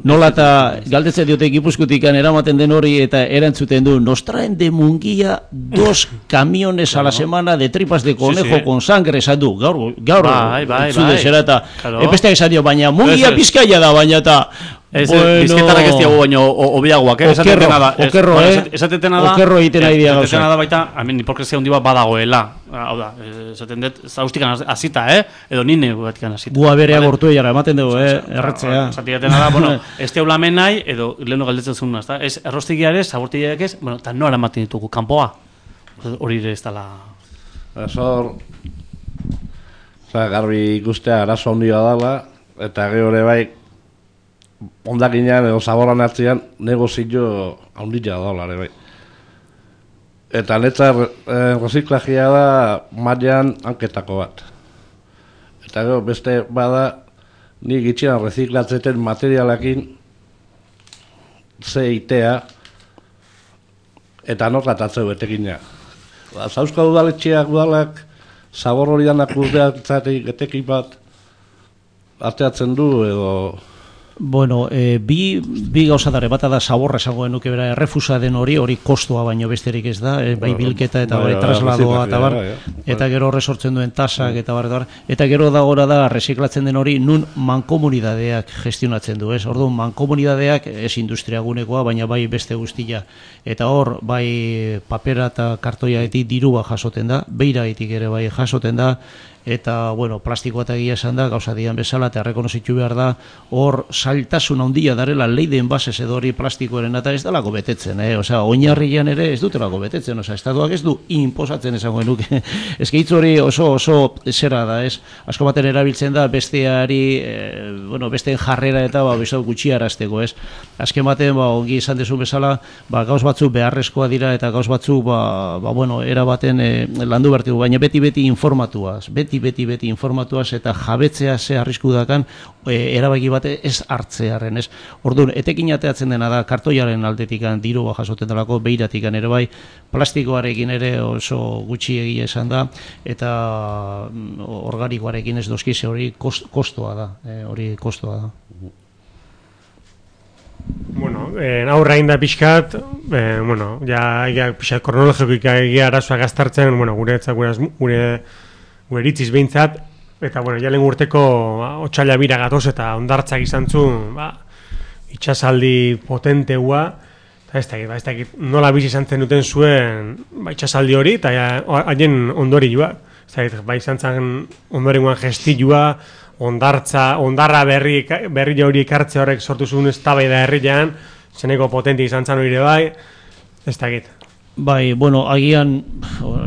Nola eta galdetzen diote Gipuzkoatikan eramaten den hori eta erantzuten du, nos traen de Munguia dos camiones a la semana de tripas de conejo con sangre, esan du, gaur entzunde zera eta epesteak esan dio, baina Munguia Bizkaia da, baina eta Ez, bizketarrak ez diago baino obiagoak, eh? Okerro, okerro, eh? Esateten da, okerro egiten nahi dia gauza. Esateten da baita, hamen, hipokresia hundi bat badagoela. Hau da, esaten dut, zaustikan azita, eh? Edo nine batikan azita. Gua berea gortu egara, ematen dugu, eh? Erratzea. Esaten da, bueno, ez teula men nahi, edo leheno galdetzen zuen, ez da? Ez errostigiare, zabortigiak ez, bueno, eta noara ematen ditugu, kanpoa. Hori ere ez dala... Azor, garbi ikustea arazo handia dala, eta gero ere bai, ondakinean edo zaborran hartzean negozio handia da ere bai. Eta netza eh, reziklajia da mailan hanketako bat. Eta gero beste bada ni gitxian reziklatzeten materialakin ze itea eta norratatzeu etekina. Zauzko udaletxeak udalak zabor hori danak urdeatzatik etekin bat arteatzen du edo... Bueno, eh, bi, bi gauza dare, bata da zaborra esango genuke bera, errefusa den hori, hori kostoa baino besterik ez da, eh, bai bilketa eta bai trasladoa eta bar, eta gero horre sortzen duen tasak eta bar, eta bar, eta gero da gora da reziklatzen den hori nun mankomunidadeak gestionatzen du, ez? Orduan mankomunidadeak ez industriagunekoa, baina bai beste guztia, eta hor bai papera eta kartoiaetik dirua jasoten da, beiraetik ere bai jasoten da, eta, bueno, plastikoa eta egia esan da, gauza dian bezala, eta rekonozitu behar da, hor zailtasun handia darela leiden basez edo hori plastikoaren eta ez dalako betetzen, eh? Osea, oinarrian ere ez dutelako betetzen, osea, estatuak ez du inposatzen esango genuke. Ez gehitz hori oso oso zera da, ez? Asko baten erabiltzen da besteari, eh, bueno, besteen jarrera eta ba, bezau gutxiarazteko, ez? Azken baten, ba, ongi izan dezu bezala, ba, gauz batzuk beharrezkoa dira eta gauz batzuk, ba, ba bueno, era baten eh, landu bertigu, baina beti-beti informatuaz, beti beti-beti informatuaz eta jabetzea ze arrisku dakan e, erabaki bate ez hartzearen, ez? Orduan, etekin ateatzen dena da kartoiaren aldetikan dirua jasoten delako, beiratikan ere bai, plastikoarekin ere oso gutxi egia esan da, eta organikoarekin ez dozkize hori kost, kostoa da, e, hori kostoa da. Bueno, eh, aurra inda pixkat, eh, bueno, ja, ja pixkat kronologikoik egia arazoa gaztartzen, bueno, gure gure, gure gure iritziz behintzat, eta, bueno, jalen urteko ba, otxaila bira gatoz eta ondartzak izan zuen, ba, itxasaldi potenteua, eta ez dakit, ba, ez dakit, nola bizi izan zen duten zuen ba, itxasaldi hori, eta haien ondori joa, ez dakit, ba, izan zen ondorengoan gestilua, ondartza, ondarra berri, berri hori ekartze horrek sortu zuen eztabaida herrian, zeneko potente izan zen hori bai, ez dakit. Bai, bueno, agian,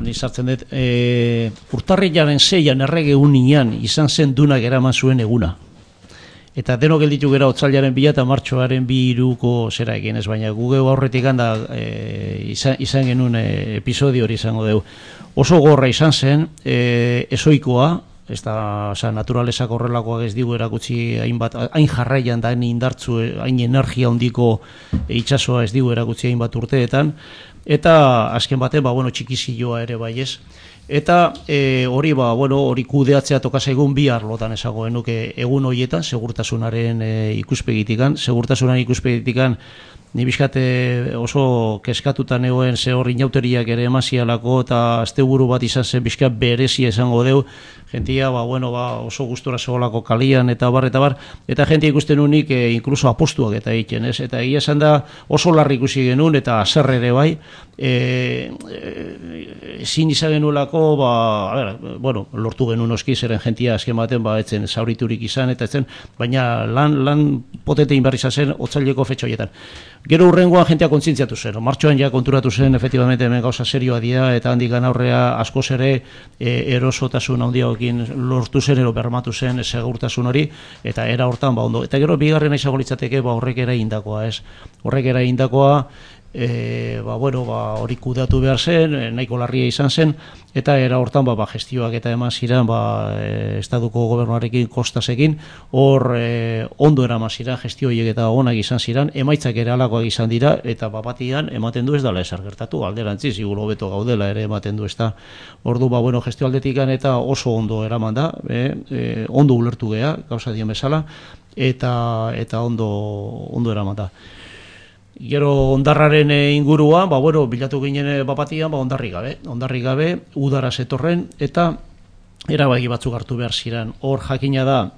ni sartzen dut, e, urtarrilaren seian errege unian izan zen dunak eraman zuen eguna. Eta denok gelditu gera otsailaren bila eta martxoaren bi iruko zera egin ez, baina gugeu aurretik handa e, izan, izan genuen e, episodio hori izango dugu. Oso gorra izan zen, e, ezoikoa, ez da, oza, naturalesak horrelakoak ez digu erakutsi hainbat, hain jarraian da hain indartzu, hain energia handiko itsasoa ez digu erakutsi hainbat urteetan, eta azken baten, ba, bueno, txikizioa ere bai ez. Eta e, hori ba, bueno, hori kudeatzea toka zaigun bi arlotan esagoen nuke egun horietan, segurtasunaren e, ikuspegitikan, segurtasunaren ikuspegitikan ni bizkate oso keskatutan egoen ze hor inauteriak ere emazialako eta asteburu bat izan zen bizkat berezia esango deu, jentia ba, bueno, ba, oso gustora zegoelako kalian eta bar eta bar, eta jentia ikusten unik e, inkluso apostuak eta egiten, ez? Eta egia esan da oso larri ikusi genuen eta zer ere bai, e, e, ezin izan genuelako, ba, a ber, bueno, lortu genuen oski zeren jentia azken baten ba, etzen zauriturik izan eta etzen, baina lan, lan potete inberri izan zen otsaileko fetxa horietan. Gero urrengoan jentea kontzientziatu zen, martxoan ja konturatu zen efectivamente hemen gauza serioa dira eta handik aurrea askoz ere e, erosotasun handiagoekin lortu zen ero bermatu zen segurtasun hori eta era hortan ba ondo. Eta gero bigarrena izango litzateke ba horrek era indakoa, ez? Horrek era indakoa E, ba, bueno, ba, hori kudeatu behar zen, e, nahiko larria izan zen, eta era hortan ba, ba, gestioak eta eman ziren ba, e, estatuko gobernuarekin kostasekin, hor e, ondo eraman ziren, gestio horiek eta onak izan ziren, emaitzak ere alakoak izan dira, eta bapatian ematen du ez dela ezer gertatu, alderantziz, igulo beto gaudela ere ematen du ez da. Ordu, ba, bueno, gestio aldetikan eta oso ondo eraman da, e, e, ondo ulertu gea, gauza dion bezala, eta, eta ondo, ondo eraman da. Gero ondarraren inguruan, ba, bueno, bilatu ginen bapatian, ba, ondarri gabe, ondarri gabe, udara zetorren, eta erabaki batzuk hartu behar ziren. Hor jakina da,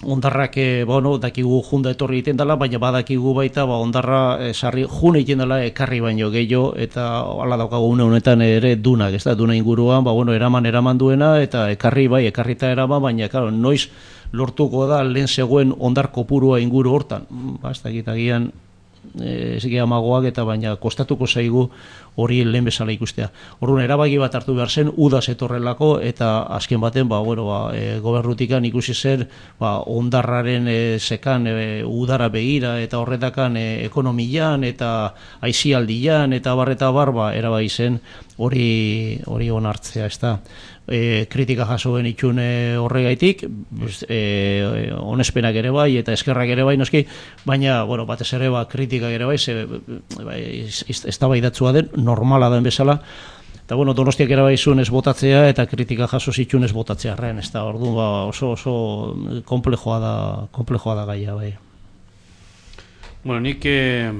ondarrak, bueno, dakigu junda etorri egiten dela, baina badakigu baita, ba, ondarra e, sarri june egiten dela ekarri baino gehiago, eta hala daukagu une honetan ere dunak, ez da, duna inguruan, ba, bueno, eraman eraman duena, eta ekarri bai, ekarrita eraman, baina, claro, noiz lortuko da lehen zegoen ondar kopurua inguru hortan, ba, ez da, gitagian, ez gira amagoak eta baina kostatuko zaigu hori lehen bezala ikustea. Orduan erabaki bat hartu behar zen, uda zetorrelako eta azken baten ba, bueno, ba, e, gobernutikan ikusi zen ba, ondarraren e, sekan e, udara begira eta horretakan e, ekonomian eta aizialdian eta barreta barba erabaki zen hori hori onartzea, ez da. E, kritika jasoen itxune horregaitik, e, onespenak ere bai eta eskerrak ere bai noski, baina bueno, batez ere ba, kritikak ere bai, ze, bai ez da bai datzua den, normala den bezala, eta bueno, Donostiak ere bai zuen ez botatzea eta kritika jaso zitxun ez botatzea arren, ez da, orduan ba, oso, oso komplejoa da, komplejoa da gaia bai. Bueno, nik eh,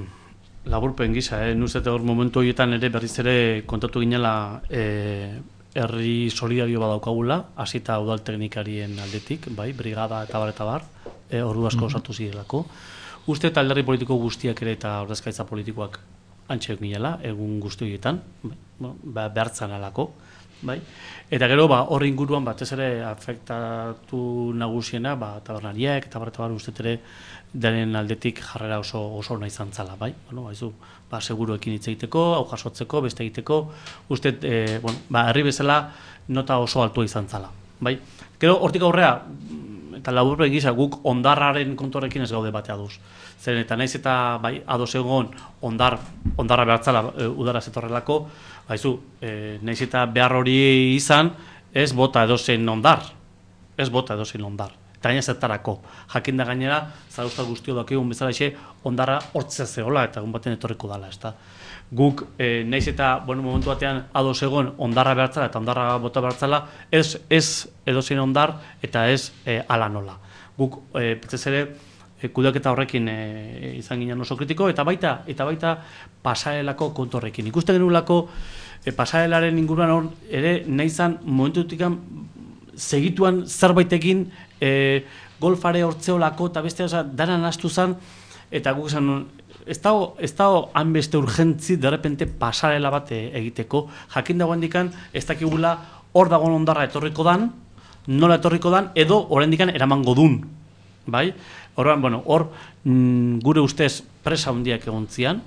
laburpen gisa, eh, nuzete hor momentu horietan ere berriz ere kontatu ginela eh, herri solidario badaukagula, hasita udal teknikarien aldetik, bai, brigada eta bar eta bar, e, ordu asko osatu zirelako. Uste eta alderdi politiko guztiak ere eta ordezkaritza politikoak antxe ginela, egun guzti horietan, bai, bueno, behartzan alako, bai. Eta gero, ba, horri inguruan batez ere afektatu nagusiena, ba, tabernariak eta bar eta bar uste ere denen aldetik jarrera oso oso ona izan zala, bai. Bueno, baizu, ba seguruekin hitz egiteko, hau jasotzeko, beste egiteko, uste eh bueno, ba herri bezala nota oso altua izan zala, bai. Gero hortik aurrea eta laburpen gisa guk ondarraren kontorekin ez gaude batea duz. Zeren eta naiz eta bai ados egon ondar ondarra behartzala e, udara zetorrelako, baizu, e, naiz eta behar hori izan, ez bota edozein ondar. Ez bota edozein ondar. Eta gaina zertarako. Jakin da gainera, zaruzta guztio dakigun bezala exe, ondarra hortzea zehola eta egun baten etorriko dala, ezta. Guk, e, naiz eta, bueno, momentu batean ados egon ondarra behartzala eta ondarra bota behartzala, ez, ez edozein ondar eta ez e, ala nola. Guk, e, petzez ere, e, kudeaketa horrekin e, izan ginen oso kritiko, eta baita, eta baita pasarelako kontorrekin. Ikusten genulako, e, pasarelaren inguruan hor, ere, nahizan momentutikan segituan zerbaitekin e, golfare hortzeolako eta beste oza, daran astu zen, eta guk esan nun, ez dago, ez dago hanbeste urgentzi derrepente pasarela bat egiteko, jakin dagoen dikan, ez dakigula hor dagoen ondarra etorriko dan, nola etorriko dan, edo oraindikan eramango dun, bai? Horban, bueno, hor mm, gure ustez presa handiak egon zian,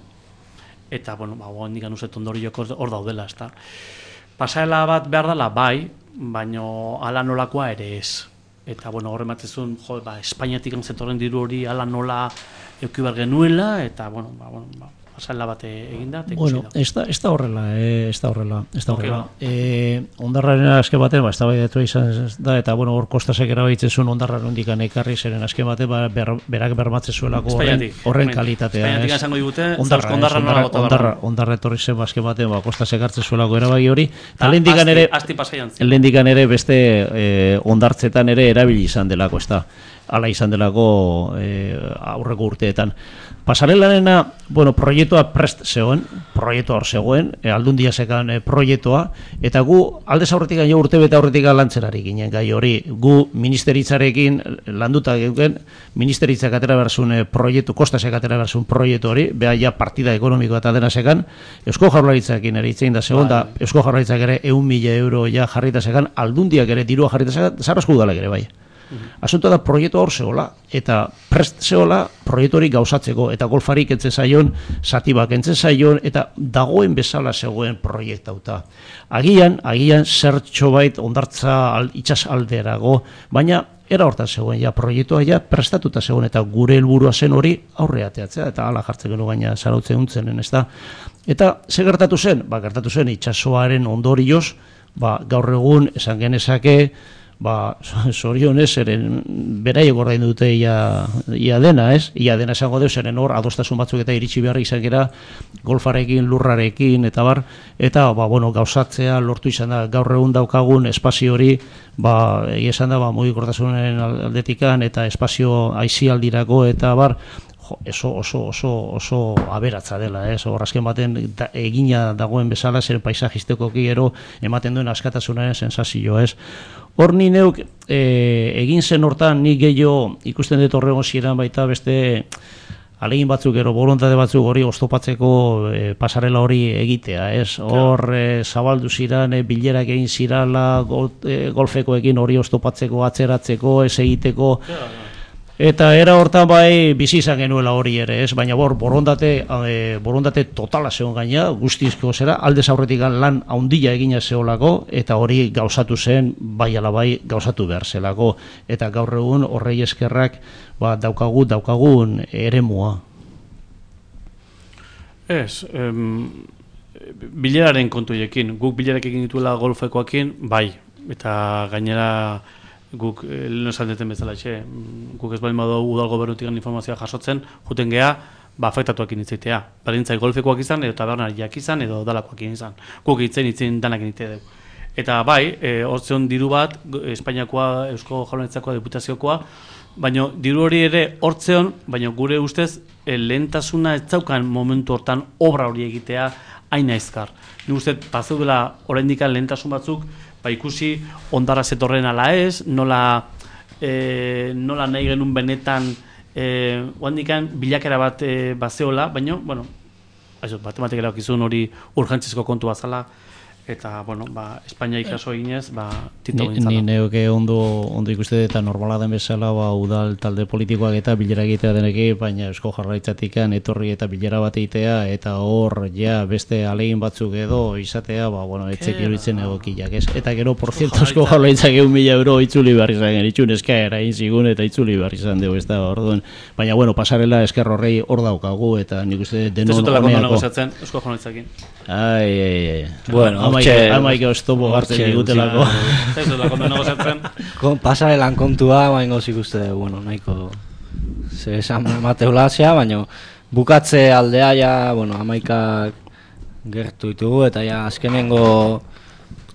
eta, bueno, ba, hondikan uzet ondoriok hor daudela, ezta. Pasaela bat behar dela, bai, baino ala nolakoa ere ez. Eta, bueno, horre matzezun, jo, ba, Espainiatik antzetorren diru hori ala nola eukibar genuela, eta, bueno, ba, bueno, ba, pasaela bat eginda, eta ikusi Bueno, da. ez da, ez da horrela, eh, ez da horrela, ez da Ok, horrela. ba. Eh, ondarraren azken batean, ba, ez da bai izan da, eta, bueno, hor kostasek erabakitzen zuen ondarra nondikan ekarri, zeren azken batean, ba, ber, berak bermatzen zuelako horren, Espainiatik, horren Espainiatik. kalitatea. Espainiatik ez? esango digute, ondarra, zauzko ondarra ez, nola bota ondarra, behar. ondarra etorri zen, ba, azken batean, ba, kostasek hartzen zuelako erabaki hori, eta Ta, lehendikan asti- ere, asti pasaian zen. lehendikan ere beste eh, ondartzetan ere erabili izan delako, ez da, ala izan delako eh, aurreko urteetan. Pasarelarena, bueno, proiektua prest zegoen, proiektua hor zegoen, e, aldundia zekan e, proiektua, eta gu aldez aurretik jo urte bete aurretik lantzerari ginen gai hori. Gu ministeritzarekin landuta geuken, ministeritzak atera berzun e, proiektu, kostasek atera berzun proiektu hori, beha ja partida ekonomikoa eta dena zekan, Eusko Jaurlaritzakin ere itzein da zegoen, da Eusko Jaurlaritzak ere eun mila euro ja jarrita zekan, aldundiak ere dirua jarrita zekan, zarrazko udalak ere bai. Asuntoa da proiektu hor zehola, eta prest zehola proiektu hori gauzatzeko, eta golfarik entzen zaion, satibak entzen zaion, eta dagoen bezala zegoen proiektauta. Agian, agian zertxo bait ondartza al, itxas alderago, baina era hortan zegoen, ja proiektua ja prestatuta zegoen, eta gure helburua zen hori aurre ateatzea, eta ala jartzen gero gaina zarautzen untzenen, ez da. Eta ze gertatu zen? Ba, gertatu zen itxasoaren ondorioz, ba, gaur egun esan genezake, ba, zorionez, eren beraiek ordain dute ia, ia dena, ez? Ia dena esango deus, eren hor, adostasun batzuk eta iritsi behar izan gera, golfarekin, lurrarekin, eta bar, eta, ba, bueno, gauzatzea lortu izan da, gaur egun daukagun espazio hori, ba, egia esan da, ba, mugikortasunen aldetikan, eta espazio aizialdirako, eta bar, jo, oso, oso, oso, oso aberatza dela, ez? Hor azken baten da, egina dagoen bezala, zer paisajistikoki gero ematen duen askatasunaren sensazio, ez? Hor ni neuk e, egin zen hortan ni gehiago ikusten dut horregon ziren baita beste alegin batzuk gero borontate batzuk hori oztopatzeko e, pasarela hori egitea, ez? Hor e, zabaldu ziren, e, bilerak egin zirala, gol, e, golfekoekin hori oztopatzeko, atzeratzeko, ez egiteko. Eta era hortan bai bizi izan genuela hori ere, ez? Baina bor, borondate, e, borondate totala zegoen gaina, guztizko zera, aldez aurretik lan haundila egina zeolako, eta hori gauzatu zen, bai ala bai gauzatu behar zelako. Eta gaur egun horrei eskerrak ba, daukagu, daukagun eremua. Ez, em, bileraren kontuekin, guk bilerak egin dituela golfekoekin, bai, eta gainera guk eh, lehen esan deten bezala etxe, guk ez baldin badu udal gobernutik informazioa jasotzen, juten geha, ba, afektatuak initzaitea. Berdintzai golfekoak izan, edo tabernariak izan, edo dalakoak izan. Guk itzen itzen danak inite dugu. Eta bai, e, hortzeon diru bat, Espainiakoa, Eusko Jaurlaritzakoa, Diputaziokoa, baina diru hori ere hortzeon, baina gure ustez, e, lehentasuna ez zaukan momentu hortan obra hori egitea hain aizkar. Ni uste, pazeudela oraindik lehentasun batzuk, ba ikusi ondarra zetorren ala ez, nola, e, nola nahi genuen benetan e, oandikan bilakera bat e, bazeola, baina, bueno, matematikera okizun hori urgentzizko kontu bazala, eta, bueno, ba, Espainia ikaso eginez, ba, tito Ni, gintzala. ni neuke ondo, ondo ikuste eta normala den bezala ba, udal talde politikoak eta bilera egitea deneki, baina Eusko Jaurlaritzatikan etorri eta bilera bat egitea, eta hor ja beste alegin batzuk edo izatea, ba, bueno, etzek iruditzen egokiak, ez? Eta gero, por cierto, Eusko Jaurlaritzak egun mila euro itzuli behar izan genitxun, eskaera egin zigun eta itzuli behar izan dugu, ez da, orduan. Baina, bueno, pasarela esker horrei hor daukagu, eta nik uste denon Tezutelako ondo honeako. negoziatzen, Eusko Jaurlaritzakin. Ai, ai, ai. Bueno, amaik, amaik oztopo gartzen digutelako. Tezutelako ondo negoziatzen. Pasarelan kontua, baina gozik uste, bueno, nahiko ze esan mateula zea, baina bukatze aldea ja, bueno, amaikak gertu ditugu, eta ja azkenengo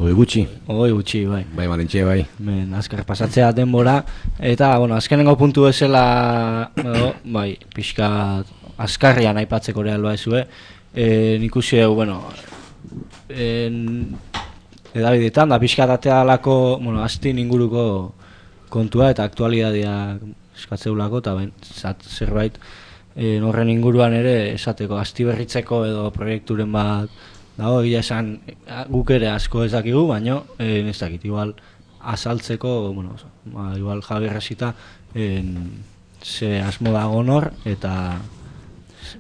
Hoi gutxi. Hoi gutxi, bai. Bai, marentxe, bai. Men, azkar pasatzea denbora, eta, bueno, azkenengo puntu ezela, edo, bai, pixka azkarrian aipatzeko real baizue, e, nik usi dugu, bueno, en, edabidetan, da pixka datea alako, bueno, astin inguruko kontua eta aktualitatea eskatzeulako, eta ben, zat, zerbait, e, horren inguruan ere esateko, asti berritzeko edo proiekturen bat, dago, egia esan, guk ere asko ez dakigu, baina, e, ez dakit, igual, azaltzeko, bueno, ba, igual Javier hasita, ze asmo dago nor, eta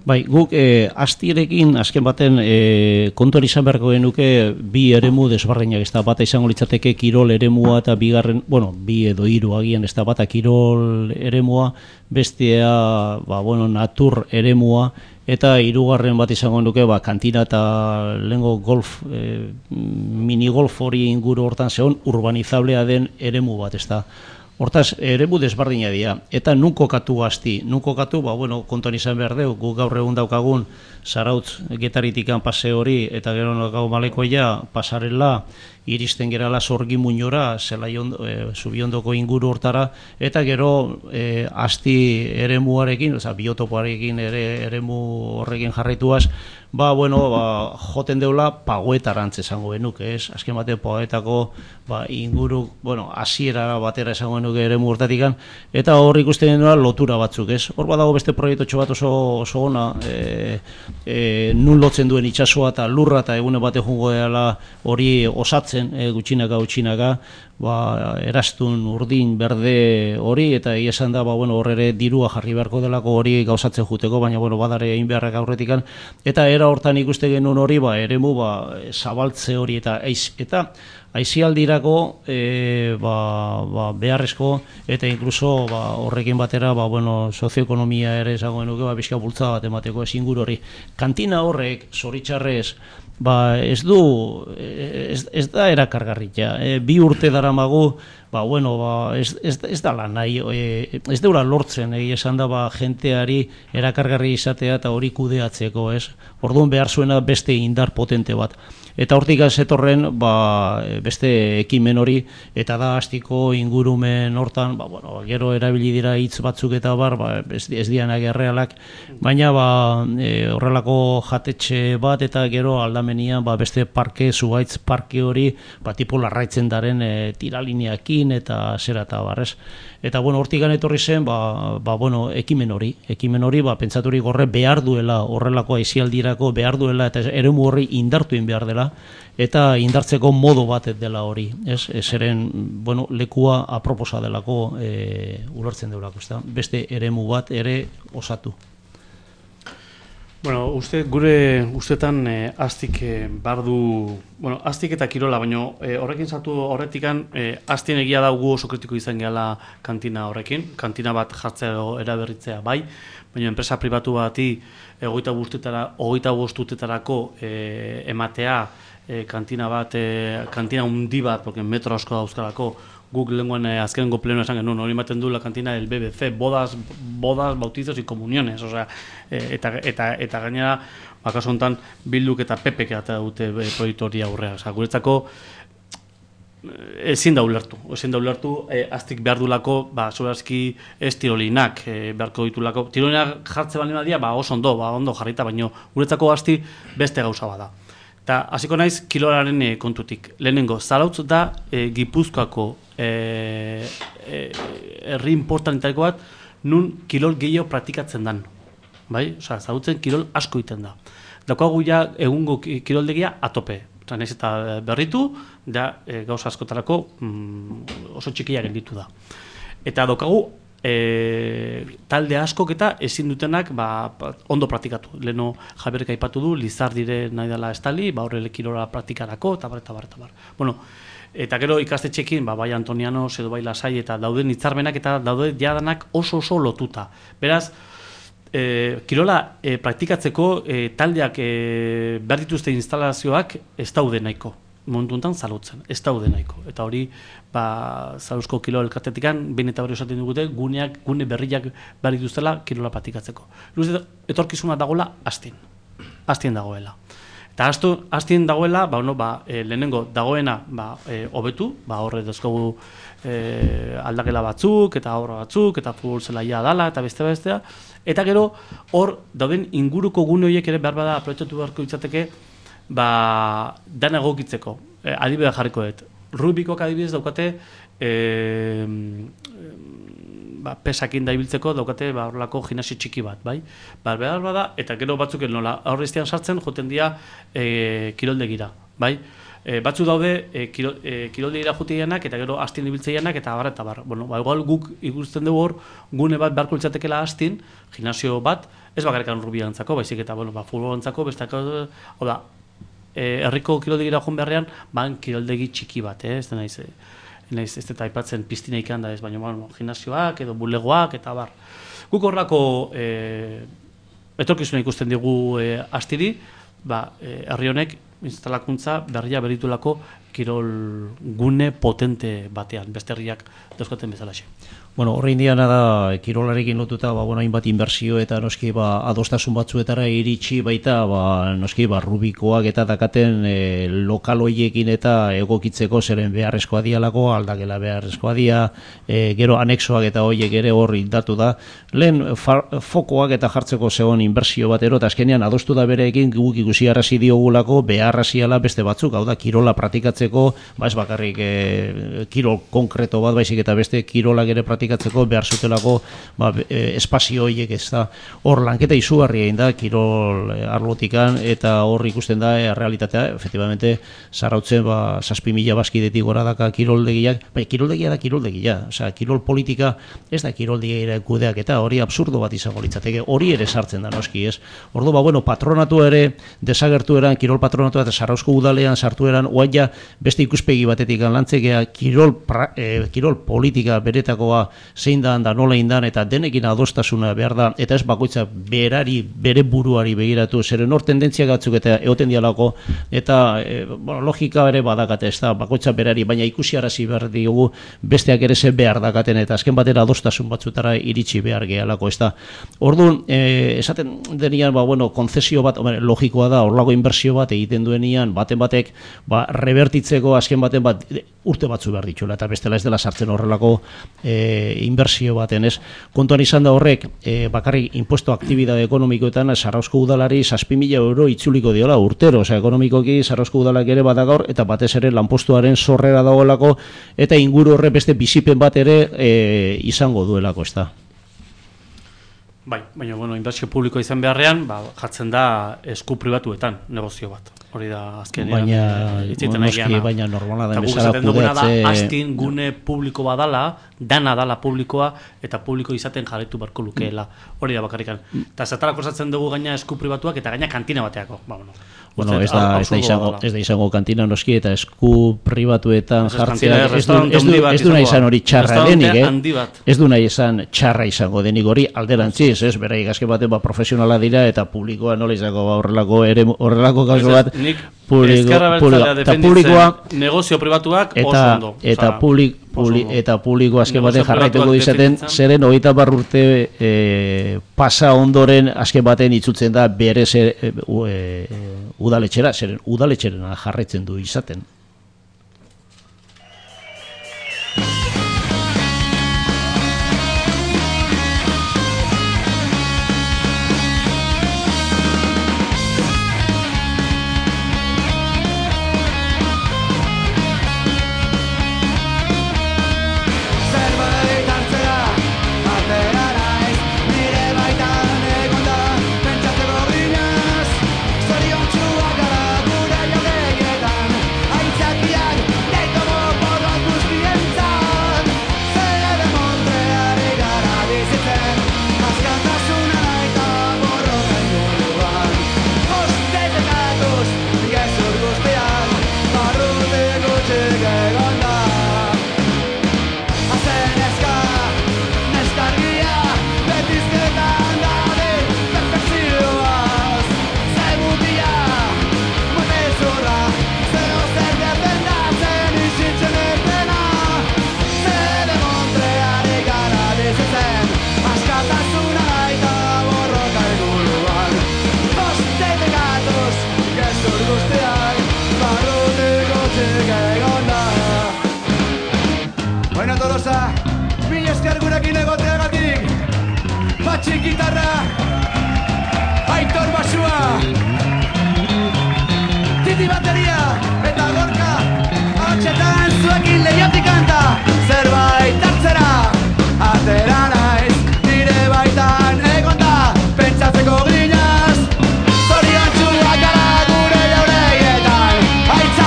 Bai, guk e, astirekin azken baten e, kontuan izan beharko genuke bi eremu desbarreinak, ez da bata izango litzateke kirol eremua eta bigarren, bueno, bi edo hiru agian, ez da bata kirol eremua, bestea, ba, bueno, natur eremua, eta hirugarren bat izango nuke ba, kantina eta lehengo golf, e, minigolf hori inguru hortan zegoen urbanizablea den eremu bat, ez da. Hortaz, eremu desbardina dira. Eta nun kokatu gazti. Nun kokatu, ba, bueno, kontuan izan behar deu, guk gaur egun daukagun Zarautz Getaritikan pase hori, eta gero gau malekoia pasarela, iristen gerala Sorgi Muñora, e, Zubiondoko inguru hortara, eta gero e, asti eremuarekin, oza, biotopoarekin ere eremu horrekin jarraituaz, ba, bueno, ba, joten deula pagoetarantz esango genuke, ez? Azken bate pagoetako ba, inguru, bueno, hasiera batera esango genuke eremu hortatikan, eta hor ikusten genuela lotura batzuk, ez? Hor badago beste proiektu bat oso, oso ona, e, e, nun lotzen duen itsasoa eta lurra eta egune bate jungo dela hori osatzen, e, gutxinaka, gutxinaka, ba, erastun, urdin, berde hori, eta egia esan da, ba, bueno, hor ere dirua jarri beharko delako hori gauzatzen juteko, baina, bueno, badare egin beharrak aurretikan, eta era hortan ikuste genuen hori, ba, eremu, ba, zabaltze hori, eta aiz, eta aizialdirako e, ba, ba, beharrezko, eta inkluso ba, horrekin batera, ba, bueno, sozioekonomia ere esango genuke, ba, bizka bultza bat emateko ez inguru hori. Kantina horrek, zoritxarrez, ba, ez du, ez, ez da erakargarria. E, bi urte daramagu, ba, bueno, ba, ez, ez, ez da lan nahi, e, ez deura lortzen, egia esan da, ba, jenteari erakargarri izatea eta hori kudeatzeko, ez? Orduan behar zuena beste indar potente bat. Eta hortik zetorren ba, beste ekimen hori, eta da hastiko ingurumen hortan, ba, bueno, gero erabili dira hitz batzuk eta bar, ba, ez, ez dianak errealak, baina ba, e, horrelako jatetxe bat eta gero aldamenian ba, beste parke, zuhaitz parke hori, ba, tipo larraitzen daren e, tiralineakin eta zera eta barrez. Eta bueno, hortik etorri zen, ba, ba, bueno, ekimen hori, ekimen hori, ba, pentsaturi gorre behar duela, horrelako aizialdirako behar duela, eta eremu horri indartuin behar dela, eta indartzeko modu bat dela hori, ez? Zeren, bueno, lekua aproposa delako e, ulertzen deulako, ez da? Beste eremu bat ere osatu. Bueno, uste, gure ustetan eh, astik eh, bardu, bueno, astik eta kirola, baina eh, horrekin sartu horretikan, eh, astien egia daugu oso kritiko izan gehala kantina horrekin, kantina bat jartzea edo eraberritzea bai, baina enpresa pribatu bati hogeita bostutetara, hogeita bostutetarako eh, ematea eh, kantina bat, eh, kantina hundi bat, porque metro asko dauzkalako, guk lenguan eh, azkenengo pleno esan genuen, hori ematen du la kantina del B B C, bodas, bodas, bautizos y comuniones, osea, eh, eta, eta, eta gainera, bakaso honetan, Bilduk eta Pepek eta dute eh, proiektu hori aurrea, osea, guretzako ezin da ulertu, ezin da ulertu, eh, aztik behar dulako, ba, soberazki ez tirolinak eh, beharko ditulako, tirolinak jartze bali badia, ba, oso ondo, ba, ondo jarrita, baino guretzako asti beste gauza bada. Eta hasiko naiz kilolaren e, kontutik. Lehenengo, Zarautz da e, Gipuzkoako herri e, e, importanteko bat nun kilol gehiago praktikatzen dan. Bai? Osea, Zarautzen kilol asko egiten da. Daukagu ja egungo kiroldegia atope. Naiz eta berritu, da e, gauza askotarako mm, oso txikia gelditu da. Eta daukagu E, talde askok eta ezin dutenak ba, ondo praktikatu. Leno Javierek aipatu du, Lizardire nahi dela estali, ba, horrele kirola praktikarako, eta bar, eta bar, eta bar. Bueno, eta gero ikastetxekin, ba, bai Antoniano, edo bai Lasai, eta dauden hitzarmenak eta daude jadanak oso oso lotuta. Beraz, e, kirola e, praktikatzeko e, taldeak e, behar dituzte instalazioak ez daude nahiko. Momentu honetan Zarautzen, ez daude nahiko. Eta hori, ba, Zarauzko kilo elkartetikan, behin eta berri esaten dugute, guneak, gune berriak behar dituztela kirola praktikatzeko. Etorkizuna dagoela, astien. Astien dagoela. Eta astu, astien dagoela, ba, no, ba, e, lehenengo dagoena ba, e, hobetu, ba, horre dezkogu e, aldakela batzuk, eta horra batzuk, eta futbol zelaia dala, eta beste bestea. Eta gero, hor, dauden inguruko gune horiek ere behar bada aprobetxatu beharko ditzateke, ba, dana egokitzeko, e, adibidea jarriko dut. Rubikok adibidez daukate, e, ba, pesakin da ibiltzeko daukate ba, horrelako gimnasio txiki bat, bai? Ba, behar bada, eta gero batzuk nola aurreztian sartzen, joten dira e, kiroldegira. bai? E, batzu daude e, kiro, e, kiroldegira juteianak eta gero astien ibiltzeianak eta bar eta bar. Bueno, ba, igual guk ikusten dugu hor gune bat beharko litzatekeela astin, gimnasio bat, ez bakarrikan rugbiarentzako, baizik eta bueno, ba futbolentzako bestako, hau da, e, herriko kiroldegira joan beharrean, ban kiroldegi txiki bat, eh, ez da naiz, naiz ez eta aipatzen piztina ikan da ez, baina bueno, gimnasioak edo bulegoak eta bar. Guk horrelako e, etorkizuna ikusten digu e, astiri, ba, e, herri honek instalakuntza berria beritulako kirol gune potente batean, beste herriak dauzkaten bezalaxe. Bueno, horre indiana da, kirolarekin lotuta, ba, bueno, hainbat inbertsio eta noski ba, adostasun batzuetara iritsi baita, ba, noski ba, rubikoak eta dakaten e, lokal hoiekin eta egokitzeko zeren beharrezkoa dialako, aldakela beharrezkoa dia, e, gero anexoak eta hoiek ere hor indatu da. Lehen far, fokoak eta jartzeko zegoen inbertsio batero, eta azkenean adostu da bereekin guk ikusi arrazi diogulako beharraziala beste batzuk, hau da, kirola praktikatzeko, ba ez bakarrik e, kirol konkreto bat, baizik eta beste kirolak ere praktikatzeko praktikatzeko behar zutelako ba, e, espazio horiek ez da. Hor lanketa izugarria egin da, kirol e, arlotikan, eta hor ikusten da e, realitatea, efectivamente, zarautzen ba, zazpi mila bazkidetik gora daka kiroldegiak, bai, kiroldegia da kiroldegia, osea, kirol politika ez da kiroldegia kudeak, eta hori absurdo bat izango litzateke, hori ere sartzen da noski, ez? Ordu, ba, bueno, patronatu ere desagertu eran, kirol patronatu eta Zarauzko udalean sartu eran, oaia beste ikuspegi batetik lantzekea, kirol, pra, e, kirol politika beretakoa zein da, da nola indan, eta denekin adostasuna behar da, eta ez bakoitza berari, bere buruari begiratu, zeren hor tendentziak batzuk eta egoten dialako, eta e, bueno, logika ere badakate, ez da, bakoitza berari, baina ikusi arazi behar diogu, besteak ere ze behar dakaten, eta azken batera adostasun batzutara iritsi behar gehalako, ez da. Orduan, e, esaten denian, ba, bueno, konzesio bat, hombre, logikoa da, horlago inbertsio bat egiten duenian, baten batek, ba, rebertitzeko azken baten bat, urte batzu behar dituela, eta bestela ez dela sartzen horrelako e, inbertsio baten, ez? Kontuan izan da horrek, e, bakarrik impuesto aktibidade ekonomikoetan Zarauzko udalari zazpi mila euro itzuliko diola urtero, osea, ekonomikoki Zarauzko udalak ere badagaur, eta batez ere lanpostuaren sorrera dagoelako, eta inguru horre beste bizipen bat ere e, izango duelako, ez da. Bai, baina, bueno, inbertsio publiko izan beharrean, ba, jartzen da esku pribatuetan negozio bat. Hori da azkenean. Baina, noski, baina normala da bezala kudeatze. Astin gune publiko badala, dana dala publikoa, eta publiko izaten jarretu barko lukeela. Hori da bakarrikan. Eta zatarako zatzen dugu gaina esku pribatuak, eta gaina kantina bateako. Ba, bueno. Bueno, ez da, ez da izango, ez da izango kantina noski, eta esku pribatuetan jartzea, ez du, ez du, ez du nahi izan hori txarra denik, eh? Ez du nahi izan txarra izango denik hori alderantziz, ez? Berai, gazke baten ba, profesionala dira, eta publikoa nola izango ba, horrelako, ere, horrelako gauzo bat, ezkerra bertzalea defenditzen negozio pribatuak oso ondo. Eta publik, Publi, eta publiko azken baten jarraituko izaten, zeren hogeita hamar urte e, pasa ondoren azken baten itzultzen da bere zer, e, e, udaletxera, zeren udaletxerena jarraitzen du izaten. Gitarra Aitor basua Titi bateria Eta gorka Hotxetan zuekin lehiatik kanta Zerbait hartzera Atera naiz Nire baitan egonda Pentsatzeko grinaz Zoriontsuak gara gure jauregietan Aitza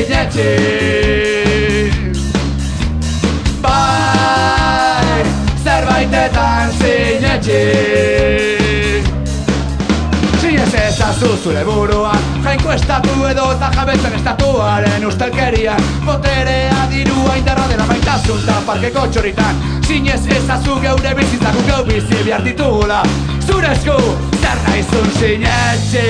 sinetxi. Bai, zerbaitetan sinetxi. Sinez ezazu zure buruan, jainkuestatu edo eta jabetzen estatuaren ustelkerian. Boterea, dirua, indarra dela maitasun ta parkeko txoritan. Sinez ezazu geure bizitzak geu bizi behar ditugula. Zure esku, zer naizun sinetxi.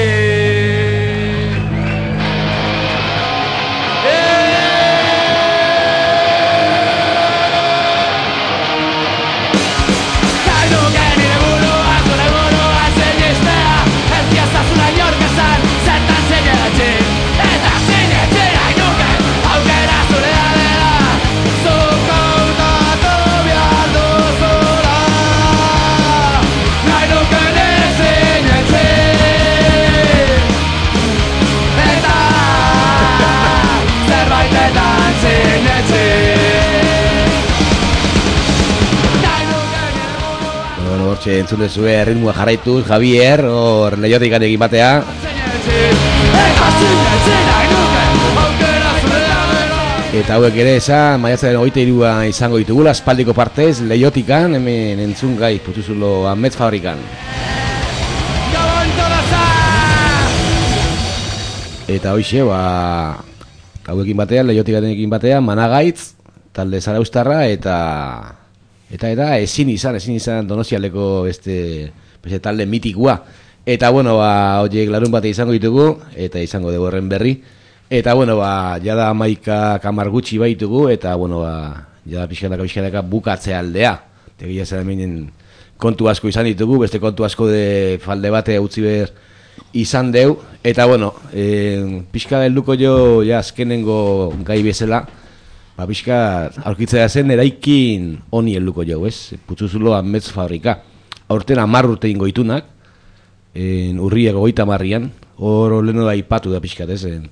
Hortxe entzun dezue ritmoa jarraituz, Javier, hor Leiotik egin batea. Eta hauek ere esan, maiatzaren hogeita hirua izango ditugula, aspaldiko partez, Leiotikan, hemen entzun gai, Putzuzulo Amets Fabrikan. Eta hoxe, ba, hauekin batean, Leiotikan batean, Managaitz, talde Zaraustarra, eta... Eta eta ezin izan, ezin izan Donostialdeko beste, beste talde mitikua. Eta bueno, ba, horiek larun bate izango ditugu, eta izango dugu horren berri. Eta bueno, ba, jada amaika kamar gutxi baitugu, eta bueno, ba, jada pixkanaka pixkanaka bukatzea aldea. Tegia zer hemen kontu asko izan ditugu, beste kontu asko de falde bate utzi behar izan deu. Eta bueno, e, pixka helduko jo, ja, azkenengo gai bezala, ba, pixka aurkitzea zen eraikin honi helduko jau, ez? Putzuzulo Amets Fabrika. Aurten hamar urte ingo itunak, urriak hogeita hamarrean, hor leheno da ipatu da pixkat, ez? En,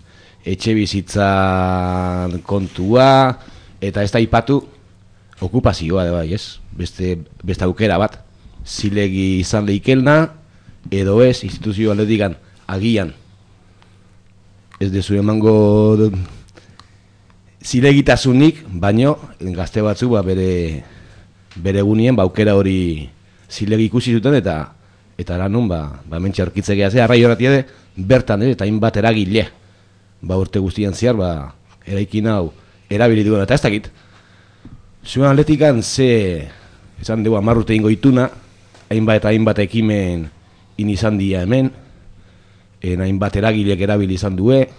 etxe bizitzan kontua, eta ez da ipatu okupazioa, da bai, ez? Beste, beste aukera bat, zilegi izan leikelna, edo ez, instituzio aldetikan, agian. Ez dezu emango... zilegitasunik, baino gazte batzu ba, bere bere egunien ba, aukera hori zilegi ikusi zuten eta eta lanun ba, ba mentxe aurkitzea gehiatzea, arrai horretia de bertan, eh, eta hainbat eragile ba, urte guztian zehar ba, eraikin hau erabili duen, eta ez dakit zuen atletikan ze esan dugu hamar urte ingo ituna, hainbat eta hainbat ekimen in izan dia hemen, en hainbat eragilek erabili izan due,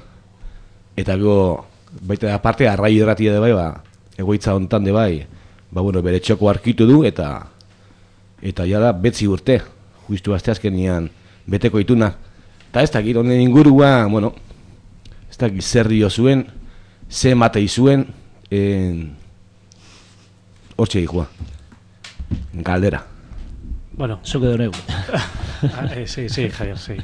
eta go baita aparte arrai erratia de bai, ba, egoitza hontan de bai, ba bueno, bere txoko arkitu du eta eta ja da betzi urte, justu aste azkenian beteko ituna. Ta ez dakit honen ingurua, bueno, ez dakit zer dio zuen, ze matei zuen, en hortxe dikua. Galdera. Bueno, zuke donegu. Sí, sí, Javier, sí.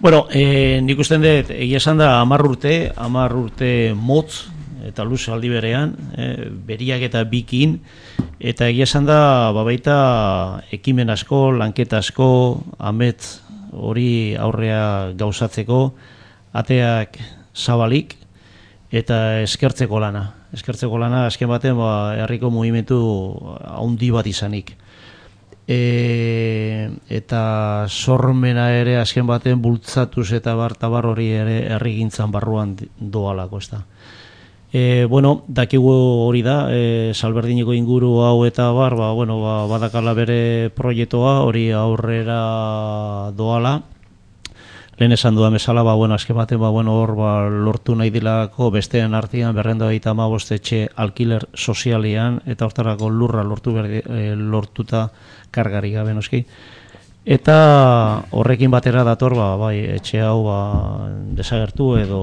Bueno, eh, nik usten dut, egia esan da, hamar urte, hamar urte motz, eta luz aldi berean, eh, beriak eta bikin, eta egia esan da, babaita ekimen asko, lanketa asko, amets hori aurrea gauzatzeko, ateak zabalik, eta eskertzeko lana. Eskertzeko lana, azken baten, ba, herriko mugimendu haundi bat izanik. E, eta sormena ere azken baten bultzatuz eta bar tabar hori ere herrigintzan barruan doalako, ez da. E, bueno, dakigu hori da, e, Salberdineko inguru hau eta bar, ba, bueno, ba, badakala bere proiektua hori aurrera doala. Lehen esan dudan bezala, ba, bueno, azken baten, ba, bueno, hor ba, lortu nahi dilako besteen artean berrenda baita hamabost etxe alkiler sozialean, eta hortarako lurra lortu berdi, e, lortuta kargari gabe noski. Eta horrekin batera dator, ba, bai, etxe hau ba, desagertu edo...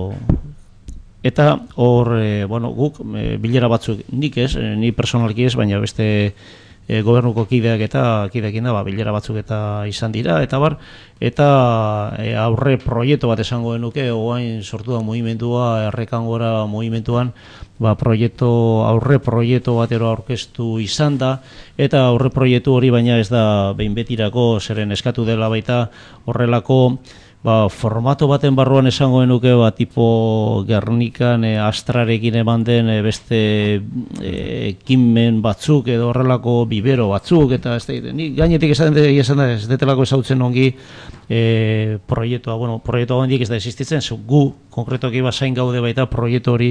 Eta hor, e, bueno, guk e, bilera batzuk nik ez, e, ni personalki ez, baina beste e, gobernuko kideak eta kideekin da, ba, bilera batzuk eta izan dira, eta bar, eta e, aurre proiektu bat esango genuke, oain sortu da mugimendua, errekangora mugimenduan, ba, proiektu, aurre proiektu batero aurkeztu izan da, eta aurre proiektu hori baina ez da behin betirako, zeren eskatu dela baita horrelako ba, formato baten barruan esango genuke, ba, tipo Gernikan e, Astrarekin eman den e, beste e, ekimen batzuk edo horrelako bibero batzuk, eta ez da, ni gainetik esan da, esan da, ez detelako ezautzen ongi e, proiektua, bueno, proiektua handik ez da existitzen, zu, gu konkretoki basain gaude baita proiektu hori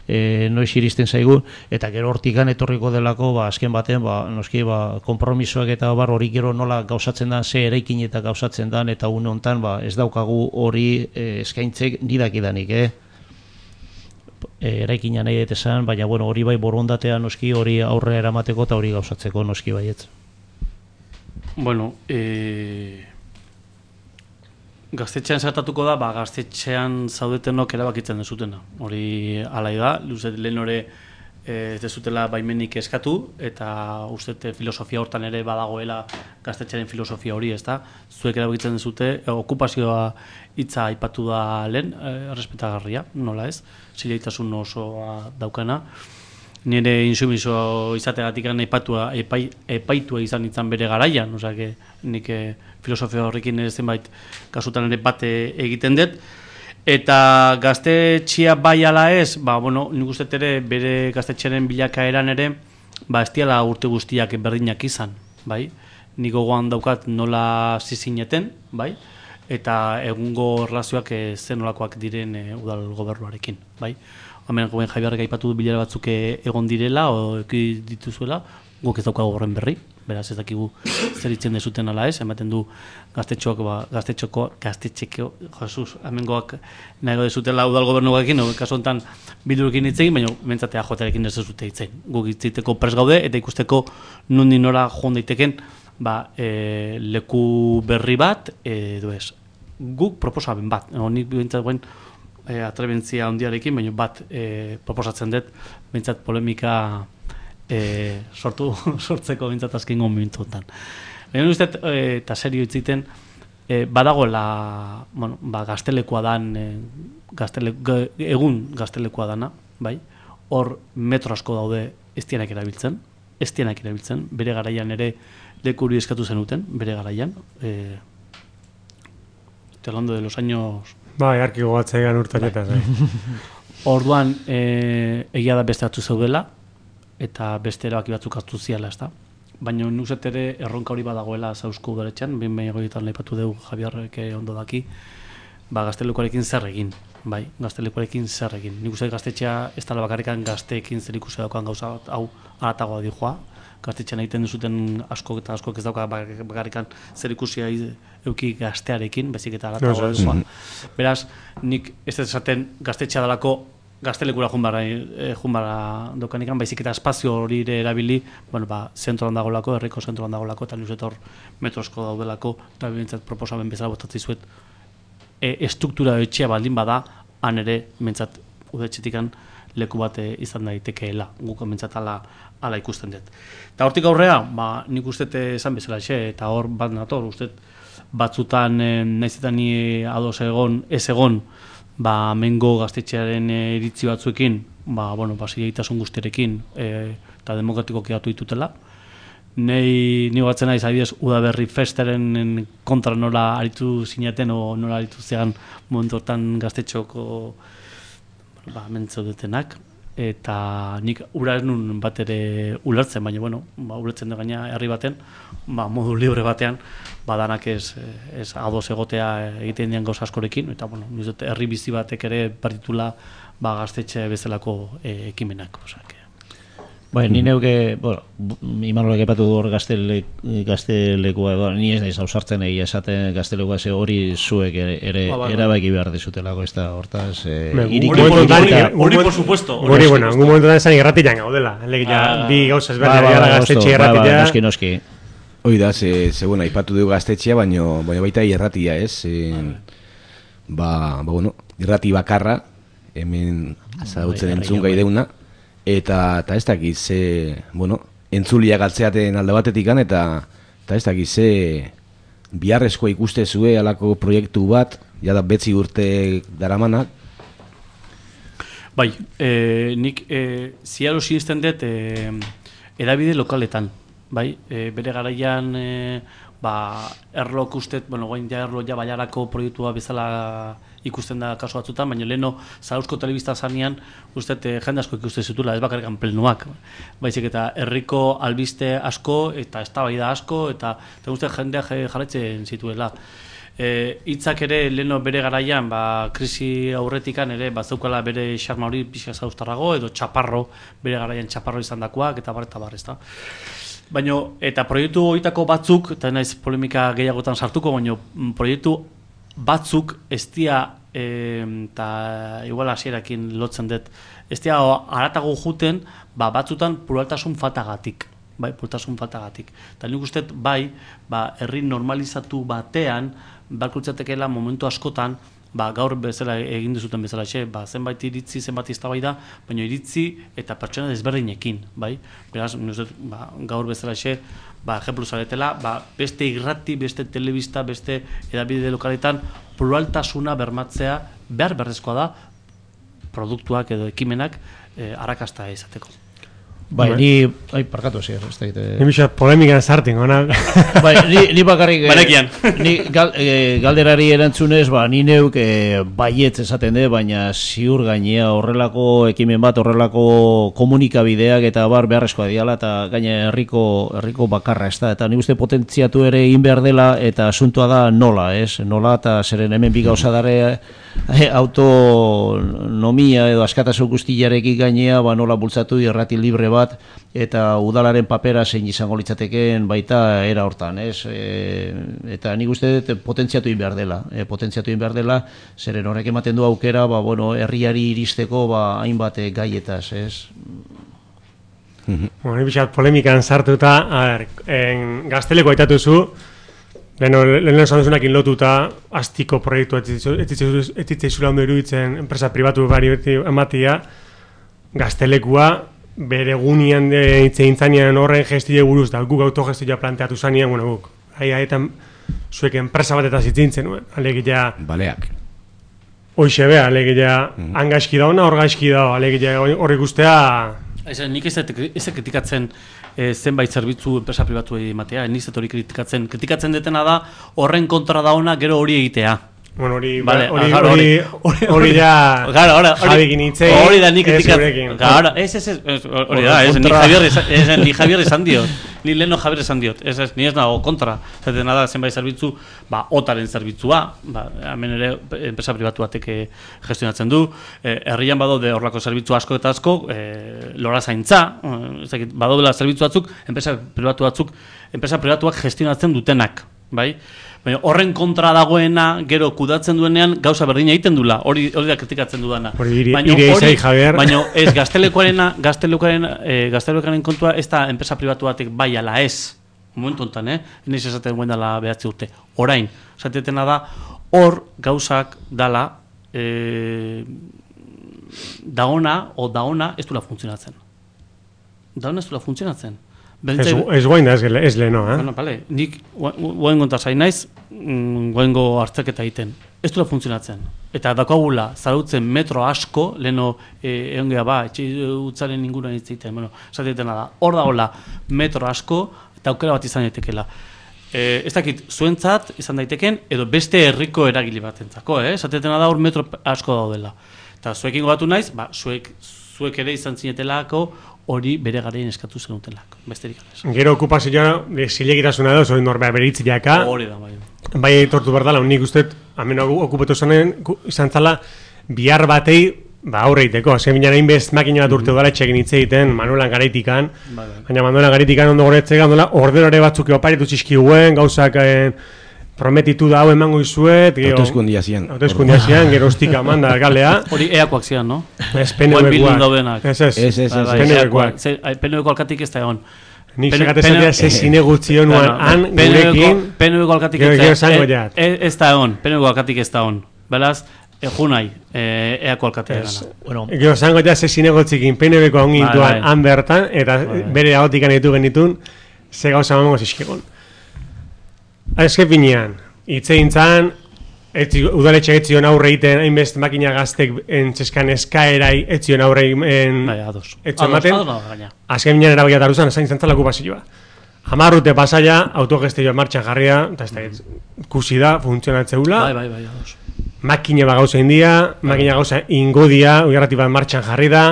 e, noiz iristen zaigu, eta gero hortikan etorriko delako, ba, azken baten, ba, noski, ba, konpromisoak eta bar hori gero nola gauzatzen dan, ze eraikin eta gauzatzen dan, eta une hontan, ba, ez daukagu hori e, eskaintzek nidakidanik, eh? E, eraikina nahi detezan, baina bueno, hori bai borondatea noski, hori aurre eramateko eta hori gauzatzeko noski baietz. Bueno, e... gaztetxean zertatuko da, ba, gaztetxean zaudetenok erabakitzen dezutena. Hori alai da, luzet lehen hori ez dezutela baimenik eskatu, eta uste filosofia hortan ere badagoela gaztetxearen filosofia hori, ez da? Zuek erabakitzen dezute, okupazioa hitza aipatu da lehen, errespetagarria, nola ez? Zileitasun osoa daukana. Nire insumiso izategatik aipatua, epai, epaitua izan izan bere garaian, osea, nik eh, filosofia horrekin ez zenbait kasutan ere bate egiten dut. Eta gaztetxea bai ala ez, ba, bueno, nik uste ere bere gaztetxearen bilakaeran ere, ba, ez diala urte guztiak berdinak izan, bai? Nik gogoan daukat nola zizineten, bai? Eta egungo relazioak eh, zen nolakoak diren eh, udal gobernuarekin, bai? Hemen goben Javiarrek aipatu du bilera batzuk egon direla, o eki dituzuela, guk ez daukagu horren berri, beraz ez dakigu zer itzen dezuten ala ez, ematen du gaztetxoak, ba, gaztetxoko, gaztetxeko, Jesus, hemengoak nahi dezutela udal gobernuarekin, no, kasu honetan Bildurekin hitz egin, baina mentzatea joterekin ez dezute hitz egin. Guk hitziteko prest gaude, eta ikusteko nundi nora joan daiteken, ba, e, leku berri bat, edo ez. Guk proposamen bat, honik bintzat guen, E, atrebentzia handiarekin, baina bat e, proposatzen dut, bintzat polemika e, sortu, sortzeko bintzat azkengo momentuetan. Baina uste, e, eta serio itziten, e, badagoela, bueno, ba, gaztelekoa dan, e, gaztele, egun gaztelekoa dana, bai? Hor metro asko daude ez dienak erabiltzen, ez dienak erabiltzen, bere garaian ere lekuri eskatu zenuten, bere garaian, e, hablando de los años... Bai, arki gogatzea egan urtaketas. Bai. Orduan, e, egia da beste batzu zeudela, eta beste erabaki batzuk hartu ziala, ez da. Baina nuzet ere erronka hori badagoela zauzko udaletxean, behin behin egoietan lehipatu dugu Javiarrek ondo daki, ba, gaztelekuarekin zer egin, bai, gaztelekuarekin zer egin. Nik uste gaztetxea ez dala bakarrikan gazteekin zer ikusi daukan gauza bat, hau aratagoa dijoa, gaztetxean egiten duzuten asko eta asko ez dauka bakarrikan zer ikusia euki gaztearekin, bezik eta aratagoa dijoa. Beraz, nik ez ez esaten gaztetxea dalako gaztelekura junbara, eh, junbara dokanikan, baizik eta espazio hori erabili, bueno, ba, zentroan dagolako, herriko zentroan dagolako, eta nuzet hor metrosko daudelako, eta bintzat proposamen bezala botatzi zuet, e, estruktura etxea baldin bada, han ere, bintzat, udetxetikan leku bat izan daitekeela, guk bintzat ala, ala ikusten dut. Eta hortik aurrea, ba, nik uste esan bezala xe, eta hor bat nator, uste batzutan eh, nahizetan ni ados egon, ez egon, ba, mengo gaztetxearen eh, iritzi batzuekin, ba, bueno, ba, zileitasun guztierekin, eh, eta demokratikoki atu ditutela. Nei, ni batzen naiz, adibidez, Udaberri Festaren kontra nola aritu zinaten, o nola aritu zegan momentu hortan gaztetxoko ba, mentzaudetenak, eta nik ura ez nun bat ere ulertzen, baina, bueno, ba, ulertzen da gaina herri baten, ba, modu libre batean, badanak ez, ez ados egotea egiten dian gauza askorekin, eta, bueno, nizut, herri bizi batek ere partitula ba, gaztetxe bezalako e, ekimenak, osak. Bai, ni neuke, bueno, Imanolak epatu du hor gaztele, gaztelekua, ba, ni ez naiz ausartzen egia esaten gaztelekua ze hori zuek ere, ere ba, ba, erabaki behar dezutelako, ez da, hortaz... Eh, hori, por supuesto. Hori, bueno, en un momento da esan irratian gaudela. Ja, bi gauzaz berda, ja, gaztetxe irratitea. Noski, noski. Hoi da, ze, ze bueno, aipatu dugu gaztetxea, baina baita irratia, ez? Ba, ba, bueno, irrati bakarra, hemen azautzen entzun gai deuna, eta eta ez dakiz, ze, bueno, entzulia galtzeaten alde batetikan, eta eta ez dakiz, ze biharrezkoa ikuste zue alako proiektu bat, jada betzi urte daramanak. Bai, e, nik e, ziaro sinisten dut e, edabide lokaletan, bai, e, bere garaian e, ba, erlok ustet, bueno, goin ja erlo ja baiarako proiektua bezala ikusten da kasu batzutan, baina leheno Zarauzko telebista zanean uste eh, jende asko ikusten zitula, ez bakarrik plenuak, baizik eta herriko albiste asko eta eztabaida asko eta eta uste jendeak jarraitzen zituela. E, hitzak ere leheno bere garaian, ba, krisi aurretikan ere bazeukala bere xarma hori pixka zauztarrago edo txaparro, bere garaian txaparro izan dakoak eta bar eta bar, ezta. Baina, eta proiektu horietako batzuk, eta naiz polemika gehiagotan sartuko, baina proiektu batzuk ez dia, eta e, igual hasierakin lotzen dut, ez dia haratago juten, ba, batzutan pluraltasun fatagatik. Bai, pluraltasun fatagatik. Eta nik uste bai, ba, herri normalizatu batean, balkutzatekela momentu askotan, ba, gaur bezala egin duzuten bezala, xe, ba, zenbait iritzi, zenbait iztabaida, baina iritzi eta pertsona desberdinekin, bai? Beraz, ba, gaur bezala, xe, ba, ejemplu zaretela, ba, beste irrati, beste telebista, beste edabide lokaletan pluraltasuna bermatzea behar berrezkoa da produktuak edo ekimenak eh, arrakasta izateko. Bai, ni, ai, parkatu zer, ez da. Ni bixat polemikan sartin, ona. Bai, ni, ni bakarrik, ni gal, e, galderari erantzunez, ba, ni neuk e, baietz esaten de, baina ziur gainea horrelako ekimen bat, horrelako komunikabideak eta bar beharrezkoa diala, eta gaina herriko herriko bakarra, ez da. Eta ni uste potentziatu ere egin behar dela, eta asuntua da nola, ez? Nola, eta zeren hemen bi gauza dare e, autonomia edo askatasun guztiarekin gainea, ba, nola bultzatu irrati libre bat, eta udalaren papera zein izango litzateken baita era hortan, ez? E, eta nik uste dut potentziatu egin behar dela, e, potentziatu egin behar dela, zeren horrek ematen du aukera, ba, bueno, herriari iristeko, ba, hainbat gaietaz, ez? Bueno, ni bixat polemikan sartuta, a ber, en Gazteleko aitatu zu, lehen esan duzunakin lotuta, astiko proiektu etzitzei ondo iruditzen enpresa pribatu bari ematia, Gaztelekua, bere gunian hitzein zanean horren gestio buruz, da guk autogestioa planteatu zanean, bueno, guk, haietan zuek enpresa bat eta zitzintzen, alegia... Baleak. Hoixe bea, alegia, mm-hmm. Hangaizki da ona, hor gaizki da, alegia horrek ustea... Ez, nik ez kritikatzen e, zenbait zerbitzu enpresa pribatu ematea, nik ez hori kritikatzen. Kritikatzen detena da horren kontra da ona gero hori egitea. Bueno, hori vale, hori ah, hori hori ja Javikin hitzei. Hori da nik kritikatzen. Claro, ez ez ez hori da, ez ni Javier, ez ni Javier esan diot. Ni leno Javier esan diot. Ez ez ni ez nago kontra. Zaten nada zenbait zerbitzu, ba otaren zerbitzua, ba hemen ere enpresa pribatu batek gestionatzen du. Herrian badaude horlako zerbitzu asko eta asko, eh lora zaintza, ez dakit, badaudela zerbitzu batzuk, enpresa pribatu batzuk, enpresa pribatuak gestionatzen dutenak, bai? Baina horren kontra dagoena, gero kudatzen duenean, gauza berdina egiten dula, hori hori da kritikatzen dudana. Baina hori, baina ez gaztelekoarena, gaztelekoaren, eh, gaztelekoaren kontua ez da enpresa pribatu batek bai ala ez. Momentu honetan, eh? Iniz esaten guen dela behatzi urte. Orain, esatetena da, hor gauzak dala, eh, daona, o daona, ez dula funtzionatzen. Daona ez dula funtzionatzen. Ez, ez guain da, ez, ez leheno, eh? Bueno, vale, nik guain gonta zain naiz, guaingo hartzaketa egiten. Ez dula funtzionatzen. Eta dakagula, zarautzen metro asko, leheno eh, egon geha ba, etxe utzaren inguruan hitz egiten. Bueno, esatetena da, hor da hola, metro asko, eta aukera bat izan daitekela. Eh, ez dakit, zuentzat izan daiteken, edo beste herriko eragile batentzako, eh? Esatetena da hor metro asko daudela. Eta zuekin gogatu naiz, ba, zuek, zuek ere izan zinetelako, hori bere garaien eskatu zenutelako, besterik ez. Gero okupazioa zilegitasuna edo, zoi norbea beritzileaka. Hori da, bai. Bai tortu behar dela, nik uste, hemen okupatu zanen, izan zala, bihar batei, ba, aurre egiteko. Azken binean egin bez makina bat urte udala etxekin hitz egiten, Manuelan Garaitikan, baina Manuelan Garaitikan ondo goretzeka, ordenore batzuk oparitu txizkiguen, gauzak prometitu da hau emango izuet. Hauteskundia zian. Hauteskundia zian, gero ostika manda galea. Hori eakoak zian, no? Ez P N V-koak. Ez ez, ez ez, P N V-koak. P N V-ko alkatik ez da egon. Nik segatezatea ze zinegutzi honuan han, gurekin. P N V-ko alkatik ez da egon. P N V-ko alkatik ez da egon. Beraz, junai, eako alkatea gana. Gero zango ja ze zinegutzikin P N V-ko ongintuan han bertan, eta bere agotikan ditu genitun, ze gauza mamango zizkegon. Azken finean, hitzein zan, udaletxe etzion aurre egiten, hainbest makina gaztek entzeskan eskaerai etzion aurre egiten etzion ematen. Azken finean erabakia daru zan, zain zantzala okupazioa. Amarrute pasaia, autogestioa martxan jarria, eta ez da, ikusi da, funtzionatzeula. Bai, bai, bai, ados. Makina bat gauza india, makina gauza ingodia, ugarrati bat martxan jarri da,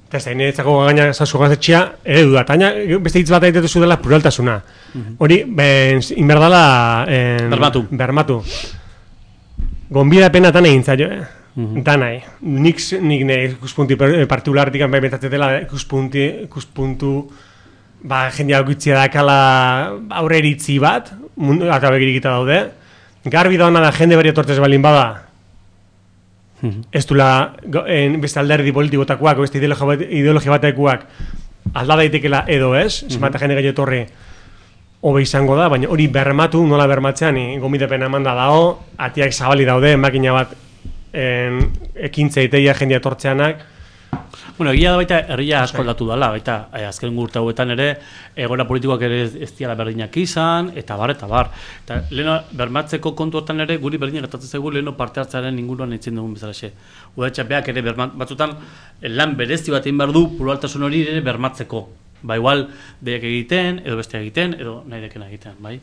eta ez da, niretzako gaina zazu gazetxea, eredu da, eta beste hitz bat aitetu dela pluraltasuna. Hori, inberdala... Bermatu. Bermatu. Gonbidapena tan egin zaio, eh? Danai. Nik, nik ne ikuspunti partikulartik bai betatzetela ikuspunti, ikuspuntu... Ba, jendea okitzia dakala aurre iritzi bat, mundu, eta begirikita daude. Garbi da hona da jende beri etortez balin bada. Ez dula, en, beste alderdi politikotakoak, beste ideologia batekoak alda daitekela edo ez, zenbat jende gehiago etorri hobe izango da, baina hori bermatu, nola bermatzean, gomidepen emanda dago, atiak zabali daude, makina bat en, ekintza iteia jendea etortzeanak. Bueno, egia da baita herria asko aldatu dela, baita eh, azken urte hauetan ere egoera politikoak ere ez diala berdinak izan, eta bar, eta bar. Eta leheno bermatzeko kontuetan ere guri berdinak gertatzen zaigu leheno parte hartzearen inguruan eitzen dugun bezalaxe. Udaletxeak ere bermat, batzutan lan berezti bat egin behar du pluraltasun hori ere bermatzeko. Ba, igual deiak egiten, edo bestea egiten, edo nahi dekena egiten, bai?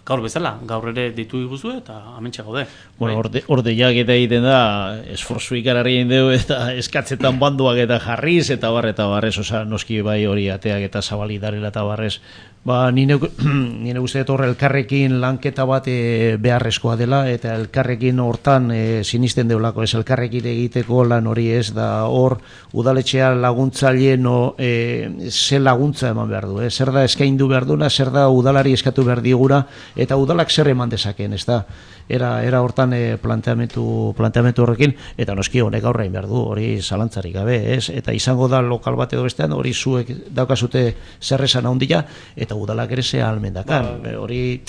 Gaur bezala, gaur ere deitu iguzu eta amentsa gaude. Bueno, orde, orde jak eta egiten da, esforzu ikararri egin dugu eta eskatzetan banduak eta jarriz eta bar eta barrez, oza, noski bai hori ateak eta zabali darela eta barrez. Ba, nire, nire uste horre elkarrekin lanketa bat e, beharrezkoa dela eta elkarrekin hortan e, sinisten deulako, ez elkarrekin egiteko lan hori ez da hor udaletxea laguntzaile no, e, ze laguntza eman behar du, eh? Zer da eskaindu behar duna, zer da udalari eskatu behar digura eta udalak zer eman dezaken, ez da? Era, era hortan e, planteamentu, planteamentu horrekin, eta noski honek aurrein behar du, hori zalantzarik gabe, ez? Eta izango da lokal bat edo bestean, hori zuek daukazute zer esan handia, eta udalak ere ze almendakan, hori,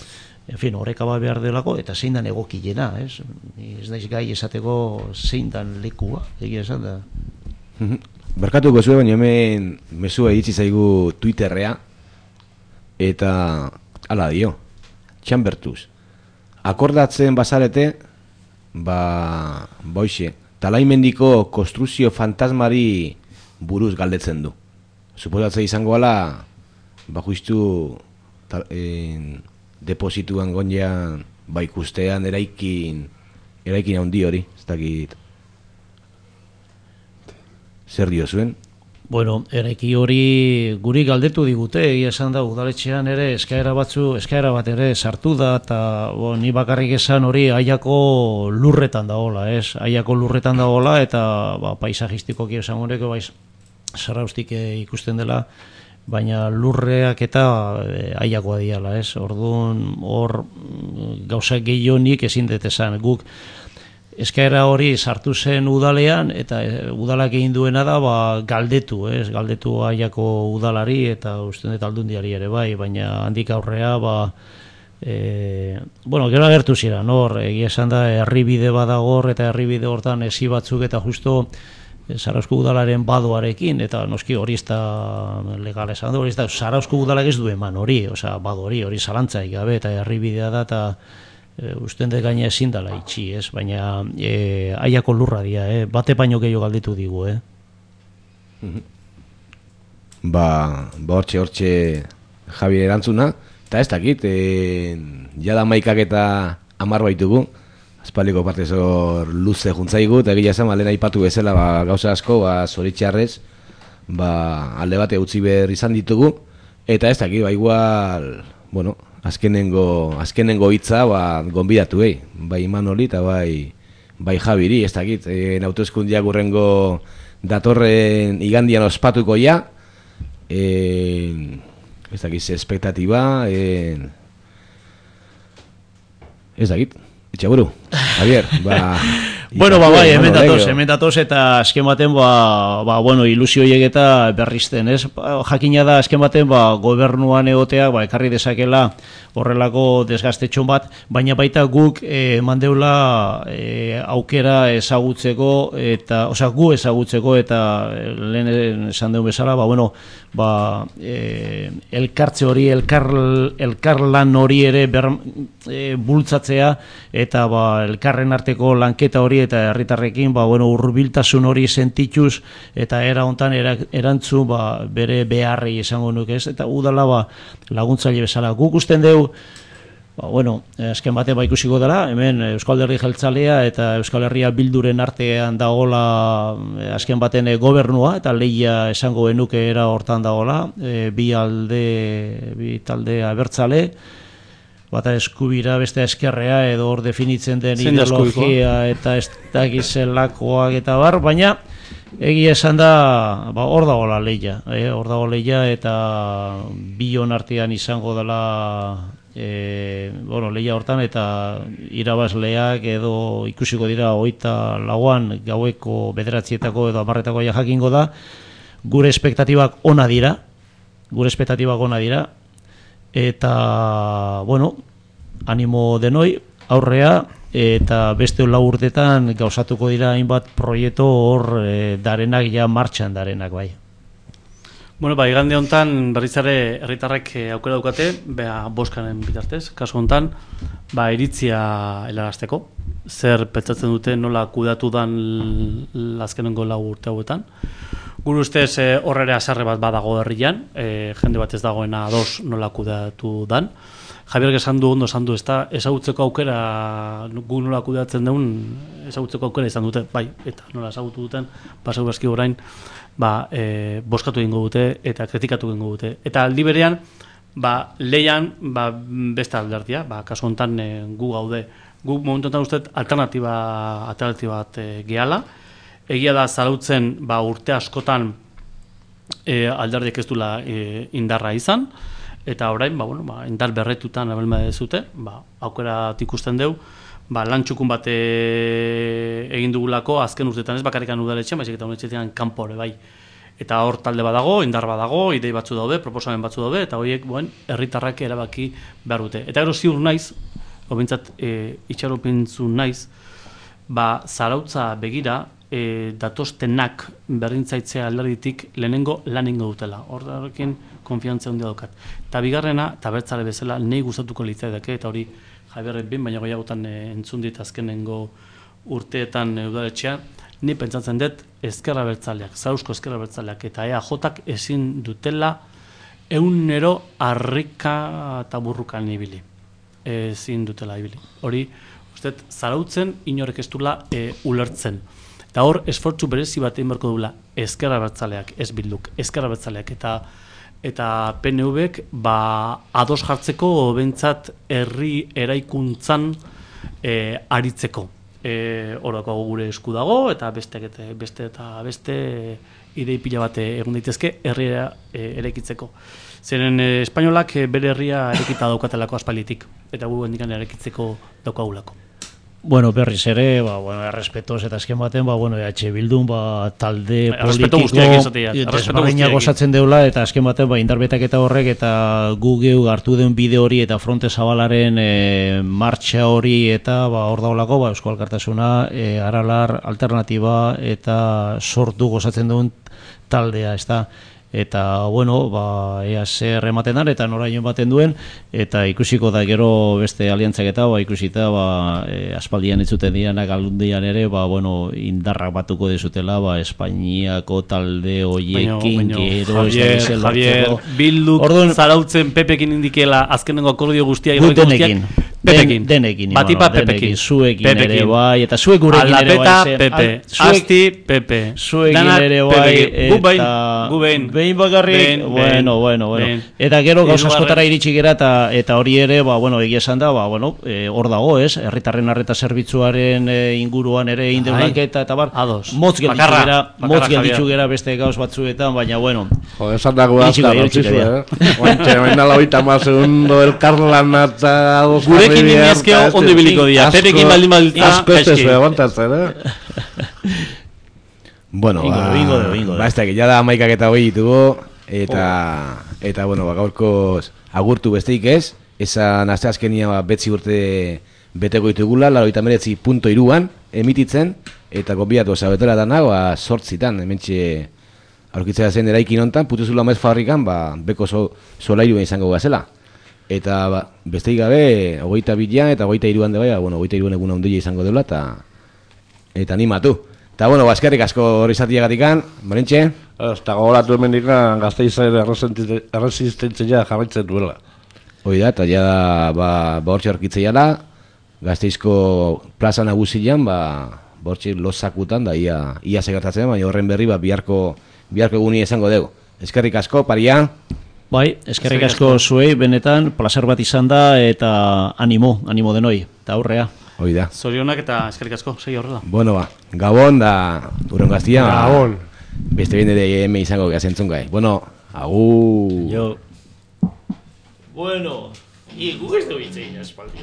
en fin, horrekaba behar delako, eta zein dan egokilena, ez? Ez daiz gai esateko zein dan lekua, egia esan da. Berkatuko zuen, baina hemen mesua iritsi zaigu Twitterrea, eta ala dio, txambertuz. Akordatzen bazarete, ba, boixe, talaimendiko konstruzio fantasmari buruz galdetzen du. Suposatzen izango ala, ba, justu deposituan gonjean, ba, ikustean eraikin, eraikin handi hori, ez dakit. Zer dio zuen? Bueno, eraiki hori guri galdetu digute, egia esan da udaletxean ere eskaera batzu, eskaera bat ere sartu da, eta bo, ni bakarrik esan hori Aiako lurretan dagoela, ez? Aiako lurretan dagoela, eta ba, paisajistikoki esan horreko baiz sarraustik ikusten dela, baina lurreak eta e, Aiakoa diala, ez? Orduan hor gauza gehionik ezin dut esan, guk eskaera hori sartu zen udalean eta e, udalak egin duena da ba, galdetu, ez? Galdetu Aiako udalari eta uste dut Aldundiari ere bai, baina handik aurrea ba, e, bueno, gero agertu ziren, hor, egia esan da herribide badagor eta herribide hortan esi batzuk eta justo Zarauzko udalaren badoarekin, eta noski hori ez da legala esan du, hori ez da Zarauzko udalak ez du eman hori, osea, bado hori, hori zalantzaik gabe eta herribidea da eta E, usten dut gaina ezin dela itxi, ez? Baina e, Aiako lurra dia, eh? Bate baino gehiago galditu digu, eh? Ba, ba hortxe, hortxe Javier erantzuna, eta ez dakit, e, jada maikak eta amar baitugu, azpaliko parte zor luze juntzaigu, eta egia esan, lehen aipatu bezala, ba, gauza asko, ba, zoritxarrez, ba, alde bate utzi behar izan ditugu, eta ez dakit, ba, igual, bueno, azkenengo azkenengo hitza ba gonbidatu ei, bai Imanoli eta bai bai Javiri, ez dakit, en hauteskundeak urrengo datorren igandian ospatuko ja. Eh, ez dakit, espektatiba, eh, ez dakit. Etxaburu, Javier, ba... Bueno, ba, bai, hemen datoz, hemen datoz, eta azken baten, ba, ba, bueno, ilusio eta berrizten, ez? Jakina da, azken baten, ba, gobernuan egotea, ba, ekarri dezakela horrelako desgaztetxon bat, baina baita guk e, mandeula e, aukera ezagutzeko, eta, osea, gu ezagutzeko, eta lehen esan dugu bezala, ba, bueno, ba, e, elkartze hori, elkar, elkarlan hori ere ber, e, bultzatzea, eta ba, elkarren arteko lanketa hori eta herritarrekin ba, bueno, hurbiltasun hori sentituz eta era hontan erantzun ba, bere beharrei esango nuke ez, eta udala ba, laguntzaile bezala. Guk usten dugu, ba, bueno, azken batean ba ikusiko dela, hemen Euskal Alderdi Jeltzalea eta Euskal Herria Bilduren artean dagola azken baten gobernua, eta lehia esango genuke era hortan dagola, e, bi alde, bi talde abertzale, bata eskubira, beste eskerrea, edo hor definitzen den ideologia eta ez dakizelakoak eta bar, baina egia esan da, ba, hor dagoela lehia, eh? hor dago lehia eta bion artean izango dela E, bueno, lehia hortan eta irabazleak edo ikusiko dira hogeita lauan gaueko bederatzietako edo hamarretako jakingo da. Gure espektatibak ona dira, gure espektatibak ona dira, eta, bueno, animo denoi, aurrea, eta beste lau urtetan gauzatuko dira hainbat proiektu hor e, darenak ja martxan darenak bai. Bueno, ba, igande hontan berrizare herritarrek aukera daukate, bea boskaren bitartez, kasu hontan, ba, iritzia helarazteko. Zer pentsatzen dute nola kudatu dan azkenengo lau urte hauetan. Gure ustez horrere azarre bat badago herrian, e, jende bat ez dagoena ados nola kudatu dan. Javier esan du, ondo esan du, ez da, ezagutzeko aukera, gu nola kudatzen deun, ezagutzeko aukera izan dute, bai, eta nola ezagutu duten, pasau baski orain, ba, e, boskatu egingo dute eta kritikatu egingo dute. Eta aldi berean, ba, leian ba, beste alderdia, ba, kasu honetan e, gu gaude. Gu momentu honetan uste alternatiba, alternatiba bat e, gehala. Egia da zarautzen ba, urte askotan e, alderdiek ez dula e, indarra izan, eta orain ba, bueno, ba, indar berretutan abelma dezute, ba, aukera ikusten deu, ba, lan txukun bat egin dugulako azken urtetan ez bakarrikan udaletxean, baizik eta udaletxean kanpore bai. Eta hor talde badago, indar badago, idei batzu daude, proposamen batzu daude, eta horiek buen, herritarrak erabaki behar dute. Eta gero ziur naiz, obintzat e, itxaropintzu naiz, ba, zarautza begira, e, datoztenak berdintzaitzea alderditik lehenengo lan ingo dutela. Horrekin konfiantza handia daukat. Eta bigarrena, eta bertzale bezala, nahi gustatuko litzaidake, eta hori Javier bin, baina goiagotan e, entzun dit azkenengo urteetan e, udaletxean, ni pentsatzen dut ezkerra bertzaleak, zarausko ezkerra bertzaleak, eta E A J ezin dutela eunero harrika eta burrukan ibili. Ezin dutela ibili. Hori, uste, zarautzen inorek ez dula e, ulertzen. Eta hor, esfortzu berezi bat egin beharko dula ezkerra bertzaleak, ez bilduk, ezkerra bertzaleak, eta eta P N Vek ba, ados jartzeko bentsat herri eraikuntzan e, aritzeko. E, Horako gure esku dago eta beste, beste eta beste idei pila bat egun daitezke herria e, eraikitzeko. Zeren e, espainolak bere herria erekita daukatelako aspalitik eta gu hendikan erekitzeko daukagulako. Bueno, berriz ere, ba, bueno, errespetoz eta azken baten, ba, bueno, E H Bildun, ba, talde politiko desberdina gozatzen deula, eta azken baten, ba, indarbetak eta horrek, eta gu geu hartu den bide hori, eta fronte zabalaren e, martxa hori, eta, ba, hor daulako, ba, Eusko Alkartasuna, e, Aralar, alternatiba, eta sortu gozatzen duen taldea, ez da. Eta, bueno, ba, ea zer ematen dan, eta noraino baten duen, eta ikusiko da gero beste aliantzak eta, ba, ikusita, ba, e, aspaldian itzuten dianak aldundian ere, ba, bueno, indarrak batuko dezutela, ba, Espainiako talde hoiekin, gero, Javier, Javier, Bilduk zarautzen Pepekin indikela azkenengo akordio guztia, irroiko guztiak, Pepekin. Denekin. Batipa Pepekin. Zuekin ere bai, eta zuek gurekin ere bai. Alapeta Pepe, Asti Pepe. Zuekin ere bai, eta... Gubein. Behin bakarrik, bueno, bueno, bueno. Eta gero gauz askotara iritsi gera, eta hori ere, ba, bueno, egia esan da, ba, bueno, hor dago, ez? Herritarren arreta zerbitzuaren inguruan ere indeulaketa, eta bar, motz gelditzu gera, motz gelditzu gera beste gauz batzuetan, baina, bueno. Jo, esan dago azkar, otzizu, eh? Oantxe, baina lagoita ma segundo, el Carlan eta... Gurekin nimiezkeo ondo biliko dia, Pepekin baldin balditza, asko ez ez, aguantatzen, eh? Bueno, bingo, ba, bingo, bingo, ba, ez da, ya da amaikak eta hoi ditugu, eta, oh. eta, bueno, ba, gaurkoz agurtu besteik ez, esan azte azkenia ba, betzi urte beteko ditugula, laroita meretzi punto iruan emititzen, eta konbiatu zabetela dana, ba, sortzitan, hementxe aurkitzea zen eraikin hontan, putuzula maiz fabrikan, ba, beko so, solairu izango gazela. Eta, ba, besteik gabe, hogeita bilan eta hogeita iruan de bai, bueno, hogeita iruan eguna ondila izango dela, eta eta animatu. Eta bueno, eskerrik asko hori zatiagatikan, Marintxe? Eta gogoratu hemen dikan Gasteizen erresistentzia jarraitzen duela. Hoi da, eta ja ba, bortxe horkitzeiala, Gasteizko plaza nagusian, ba, bortxe lozakutan, da ia, ia segertatzen, baina horren berri, ba, biharko, biharko eguni esango dugu. Eskerrik asko, paria? Bai, eskerrik asko zuei, benetan, placer bat izan da, eta animo, animo denoi, eta aurrea. Hoi da. Zorionak eta eskerrik asko, segi horrela. Bueno, ba, Gabon da, urren gaztia. Gabon. Beste bende de hemen izango gazentzun gai. Bueno, agur. Jo. Bueno, y gu ez du hitzein espaldi.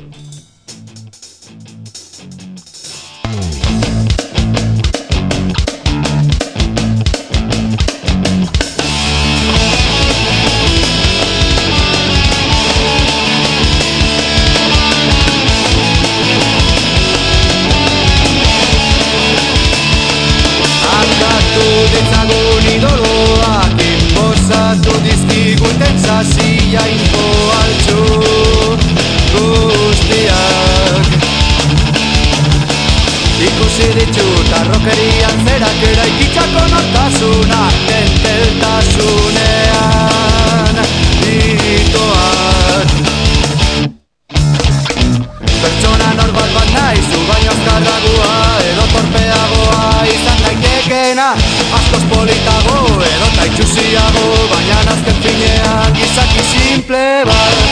Akatu ditzagun idoloak inbozatu dizkiguten zazia info altzu guztiak. Ikusi ditut arrokerian zerak eraikitzako nortasunak tenteltasunean itoak. Pertsona norbat bat nahi zu baino azkarragua edo torpeagoa izan daitekena, askoz politago edo taitxusiago, baina azken finean gizaki simple bat.